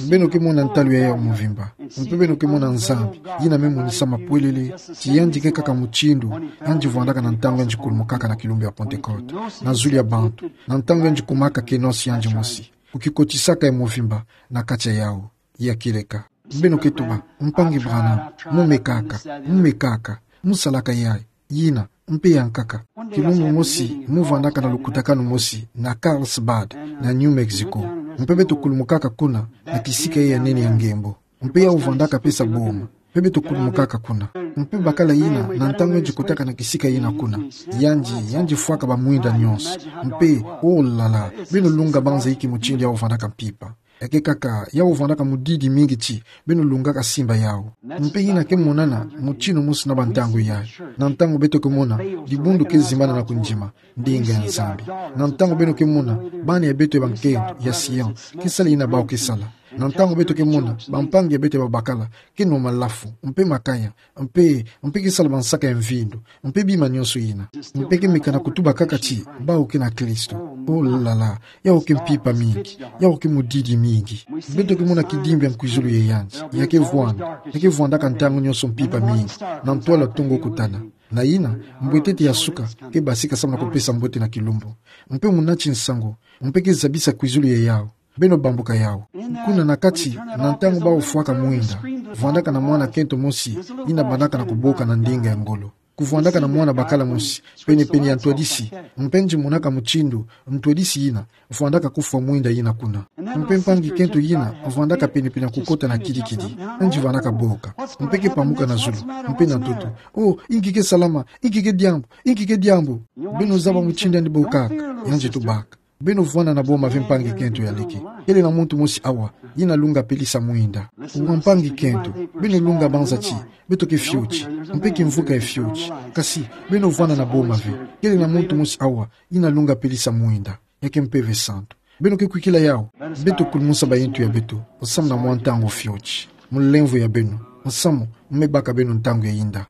Beno ke mona ntalu ya yau mvimba. Mpe beno ke mona Nzambi, yina me monisa mapwelele ti yandi ke kaka mutindu yandi vwandaka na ntangu yandi kulumukaka na kilumbu ya Pentecote, na zulu ya bantu, na ntangu yandi kumaka kenosi yandi mosi, kukikotisaka ya mvimba na kati ya yau ya kieleka. Beno ke tuba: Mpangi Branham, mu me kaka, mu me kaka, musalaka yayi, yina, mpe ya nkaka. Kilumbu mosi, mu vwandaka na lukutakanu mosi na Carlsbad, na New Mexico. Mpe beto kulumukaka kuna na kisika yayi ya nene ya ngembo. Mpe yau vwandaka pesa boma. Mpe beto kulumukaka kuna. Mpe bakala yina, na ntangu yandi kotaka na kisika yina kuna, yandi, yandi fwaka bamwinda nyonso. Mpe, oh là là, beno lunga banza inki mutindu yau vwandaka mpimpa. Ya ke kaka, yau vwandaka mudidi mingi ti beno lungaka simba yau. Mpe yina ke monana mutindu mosi na bantangu yayi. Na ntangu beto ke mona dibundu ke zimbana na kundima ndinga ya Nzambi. Na ntangu beno ke mona bana ya beto ya bankento ya Sion ke sala yina bau ke sala. Na ntangu beto ke mona bampangi ya beto ya babakala ke nwa malafu, mpe makaya, mpe, mpe ke sala bansaka ya mvindu, mpe bima nyonso yina. Mpe ke meka na kutuba kaka ti bau ke na Kristo. Oh là là, yau ke mpimpa mingi, yau ke mudidi mingi. Beto ke mona kidimbi ya nkwizulu ya yandi, ya ke vwanda, ya ke vwandaka ntangu nyonso mpimpa mingi, na ntwala tongo kutana. Na yina, mbwetete ya suka ke basika samu na kupesa mbote na kilumbu. Mpe munati nsangu, mpe ke zabisa kwizulu ya yau. Beno bambuka yau. Kuna na kati, na ntangu bau fwaka mwinda, vwandaka na mwana kento mosi, yina bandaka na kuboka na ndinga ya ngolo. Kuvwandaka na mwana bakala mosi, pene-pene ya ntwadisi, mpe yandi monaka mutindu ntwadisi yina vwandaka kufwa mwinda yina kuna. Mpe mpangi kento yina vwandaka pene-pene ya kukota na kidi-kidi, yandi vwandaka boka, mpe ke pamuka na zulu, mpe na ntoto: Oh, inki ke salama, inki ke diambu, inki ke diambu? Beno zaba mutindu yandi bokaka? Yandi tubaka: Beno vwanda na boma ve, mpangi kento ya leke. Kele na muntu mosi awa yina lunga pelisa mwinda. Wa mpangi kento, beno lunga banza ti beto ke fioti, mpe kimvuka ye fioti. Kasi, beno vwanda na boma ve. Kele na muntu mosi awa yina lunga pelisa mwinda. Ya ke Mpeve Santu. Beno ke kwikila yau. Beto kulumusa bayintu ya beto, nsamu na mwa ntangu fioti. Mu lemvo ya beno, nsamu me baka beno ntangu ya yinda.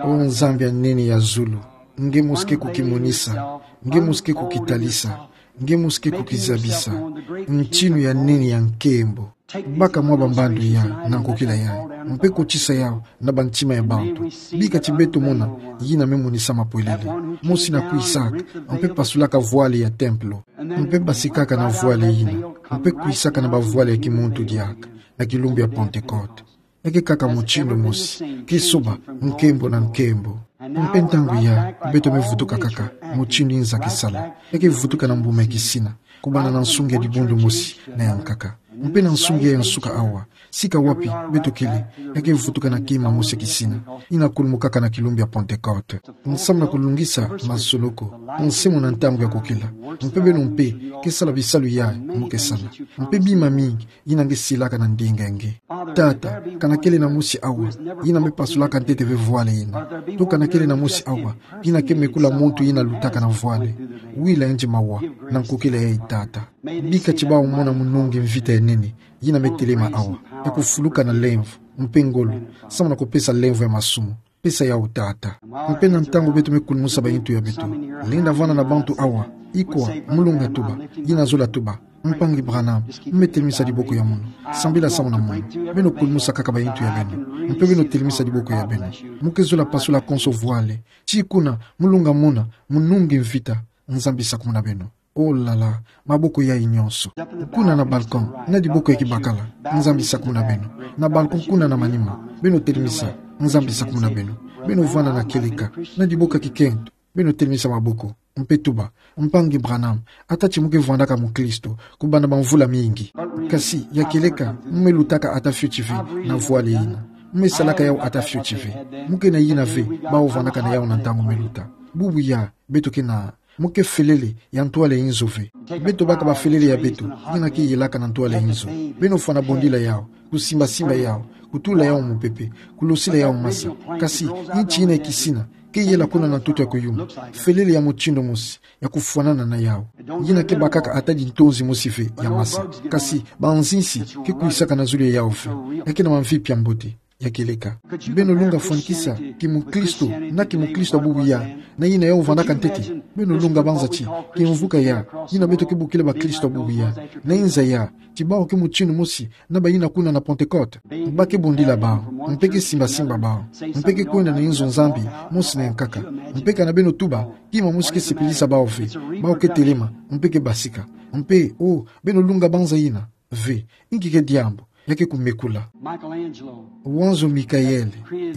O Nzambi ya nene ya zulu, nge mosi ke kukimonisa, nge mosi ke kukitalisa, nge mosi ke kukizabisa ntinu ya nene ya nkembo. Baka mwa bambandu ya na nkokila yayi, mpe kotisa yau na bantima ya bantu. Bika ti beto mona yina me monisa mapwelele. Mosi na kwisaka, mpe pasulaka vwale ya templo, mpe basikaka na vwale yina, mpe kwisaka na bavwale ya kimuntu diaka, na kilumbu ya Pentecote. Ya ke kaka mutindu mosi, kisoba, nkembo na nkembo. Mpe ntangu yayi, beto me vutuka kaka mutindu nza ke sala. Ya ke vutuka na mbuma ya kisina, kubanda na nsunga ya dibundu mosi na ya nkaka. Mpe na nsunga ya nsuka awa, sika wapi beto kele, ya ke vutuka na kima mosi ya kisina, yina kulumukaka na kilumbu ya Pentecote. Nsamu na kulungisa masoloku, nse muna ntangu ya kokila. Mpe beno mpe, ke sala bisalu yayi mu ke sala. Mpe bima mingi yina nge silaka na ndinga nge. Tata, kana kele na mosi awa yina me pasulaka ntete ve vwale yina. To kana kele na mosi awa yina ke mekula muntu yina lutaka na vwale. Wila yandi mawa na nkokila yayi, Tata. Bika ti bau mona munungi mvita ya nene yina me telema awa, ya kufuluka na lemvo mpe ngolo, samu na kupesa lemvo ya masumu. Pesa yawu, Tata. Mpe na ntangu beto me kulumusa bayintu ya beto, lenda vana na bantu awa, ikwa, mulunga tuba, yina zola tuba: Mpangi Branham, me telimisa diboko ya mono. Sambila samu na mono. Beno kulumusa kaka bayintu ya beno, mpe beno telimisa diboko ya beno. Muke zola pasula konso vwale. Ti kuna, mulunga mona, munungi mvita. Nzambi sakumuna beno. Oh là là, maboko yayi nyonso. Kuna na balcon, na diboko ya kibakala. Nzambi sakumuna beno. Na balcon kuna na manima. Beno telimisa. Nzambi sakumuna beno. Beno vwanda na kieleka, na diboko ya kikento. Beno telimisa maboko, mpe tuba: Mpangi Branham, ata ti muke vwandaka mukristo kubanda bamvula mingi, kasi ya kieleka, mu me lutaka ata fioti ve na vwale yina. Mu me salaka yawu ata fioti ve. Muke na yina ve bawu vwandaka na yawu na ntangu me luta. Bubu ya, beto ke na, muke felele ya ntwala inzo ve. Beto baka bafelele ya beto, yina ke yelaka na ntwala inzo. Beno fwana bondila yawu, kusimba-simba yawu, kutula yawu mupepe, kulosila yawu masa. Kasi, inti yina ya kisina ke yela kuna na ntoto ya kuyuma. Felele ya mutindu mosi, ya kufwanana na yawu. Yina ke bakaka ata di ntonzi mosi ve ya masa. Kasi, banzinsi ke kwisaka na zulu ya yawu ve. Ya ke na mamvipi ya mbote, ya kieleka. Beno lunga fwanikisa kimukristo na kimukristo ya bubu ya, na yina yawu vwandaka ntete? Beno lunga banza ti kimvuka ya, yina beto ke bokila bakristo ya bubu ya, na inza ya, ti bawu ke mutindu mosi na bayina kuna na Pentecôte. Ba ke bondila bawu, mpe ke simba-simba bawu, mpe ke kwenda na inzo Nzambi mosi na yankaka. Mpe kana beno tuba, kima mosi ke sepelisa bawu ve. Bawu ke telema, mpe ke basika. Mpe, oh, beno lunga banza yina ve. Inki ke diambu? Ya ke kumekula. Michelangelo. Wanzo Mickaël,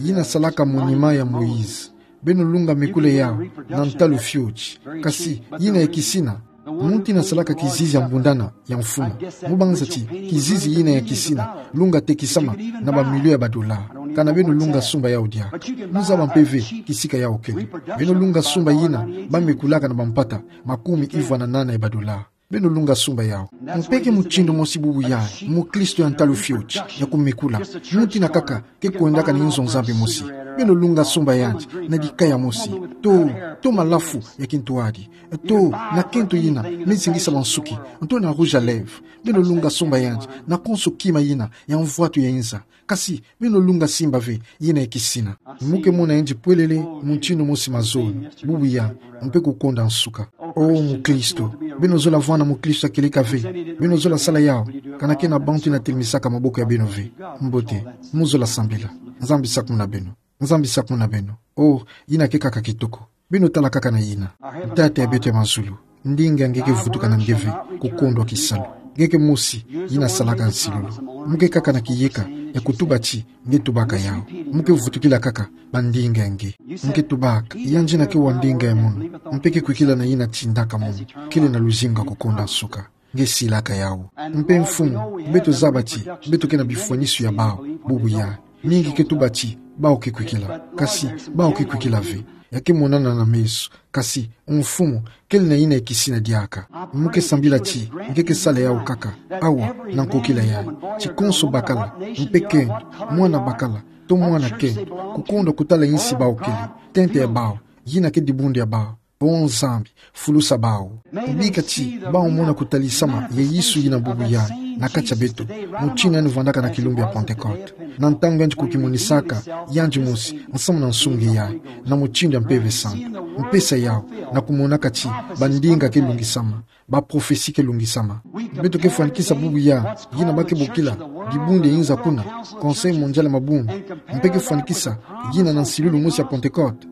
yina salaka monument ya Moïse. Beno lunga mekula yawu na ntalu fioti. Kasi, yina ya kisina, muntu yina salaka kizizi ya mbundana ya mfumu, mu banza ti kizizi yina ya kisina lunga tekisama na bamilio ya badola. Kana beno lunga sumba yawu diaka. Mu zaba mpe ve kisika yawu kele. Beno lunga sumba yina ba mekulaka na bampata makumi ivwa na nana ya badola. Beno lunga sumba yawu. Mpe ke mutindu mosi bubu ya, mukristo ya ntalu fioti, ya kumekula. Muntu yina kaka ke kwendaka na inzo Nzambi mosi. Beno lunga sumba yandi na dikaya mosi, to, to malafu ya kintwadi, to na kento yina me zingisa bansuki, to na rouge à lèvres. Beno lunga sumba yandi na konso kima yina ya mvwatu ya inza. Kasi, beno lunga simba ve yina ya kisina. Mu ke mona yandi pwelele mutindu mosi mazono, bubu ya, mpe kukonda nsuka. Oh, mukristo, beno zola vwanda mukristo ya kieleka ve? Beno zola sala yawu? Kana ke na bantu yina telimisaka maboko ya beno ve? Mbote, mu zola sambila. Nzambi sakumuna beno. Nzambi sakumuna beno. Oh, yina ke kaka kitoko. Beno tala kaka na yina. Tata ya beto ya mazulu, ndinga nge ke vutuka na nge ve kukondwa kisalu. Nge ke mosi yina salaka nsilulu. Mu ke kaka na kiyeka ya kutuba ti nge tubaka yawu. Mu ke vutukila kaka bandinga nge. Nge tubaka, yandi yina ke wa ndinga ya munu, mpe ke kwikila na yina tindaka munu, kele na luzingu ya kukonda nsuka. Nge silaka yawu. Mpe Mfumu, beto zaba ti beto ke na bifwanisu ya bawu bubu ya. Mingi ke tuba ti bawu ke kwikila. Kasi bawu ke kwikila ve. Ya ke monana na meso. Kasi Mfumu, kele na yina ya kisina diaka. Mu ke sambila ti nge ke sala yawu kaka, awa, na nkokila yayi, ti konso bakala, mpe kento, mwana bakala, to mwana kento, kukondwa kutala insi bawu kele, tente ya bawu, yina ke dibundu ya bawu. Oh Nzambi, fulusa bawu. Bika ti bawu mona kutalisama ya Yesu yina bubu ya na kati ya beto, mutindu yandi vwandaka na kilumbu ya Pentecôte, na ntangu yandi kukimonisaka yandi mosi nsamu na nsungi yayi, na mutindu ya Mpeve Santu. Mpesa yawu na kumonaka ti bandinga ke lungisama, baprophetie ke lungisama. Beto ke fwanikisa bubu ya yina ba ke bokila dibundu ya inza kuna, Conseil Mondial ya Mabundu. Mpe ke fwanikisa yina na nsilulu mosi ya Pentecôte.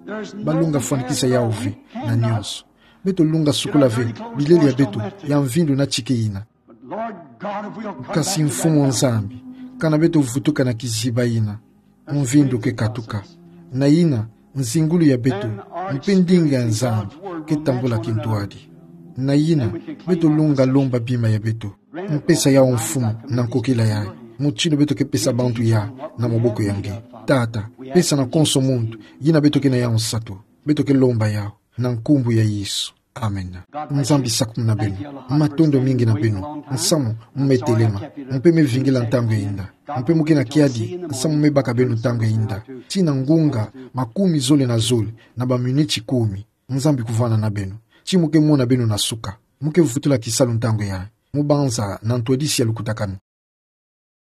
Balunga fwanikisa yawu ve na nyonso. Beto lunga sukula ve bilele ya beto ya mvindu na tike yina. Kasi Mfumu Nzambi, kana beto vutuka na kiziba yina, mvindu ke katuka. Na yina, nzingulu ya beto, mpe ndinga ya Nzambi ke tambula kintwadi. Na yina, beto lunga lomba bima ya beto. Mpesa yawu Mfumu na nkokila yayi, mutindu beto ke pesa bantu yayi na maboko ya nge. Tata, pesa na konso muntu yina beto ke na yawu nsatu. Beto ke lomba yawu na nkumbu ya Yesu. Amen. Nzambi sakumuna beno. Matondo mingi na beno nsamu mu me telema, mpe me vingila ntangu ya inda. Mpe mu ke na kiadi nsamu mu me baka beno ntangu ya inda, tii na ngunga makumi zole na zole na baminiti kumi. Nzambi kuvwanda na beno. Ti mu ke mona beno na suka. Mu ke vutula kisalu ntangu yayi. Mu banza na ntwadisi ya lukutakanu.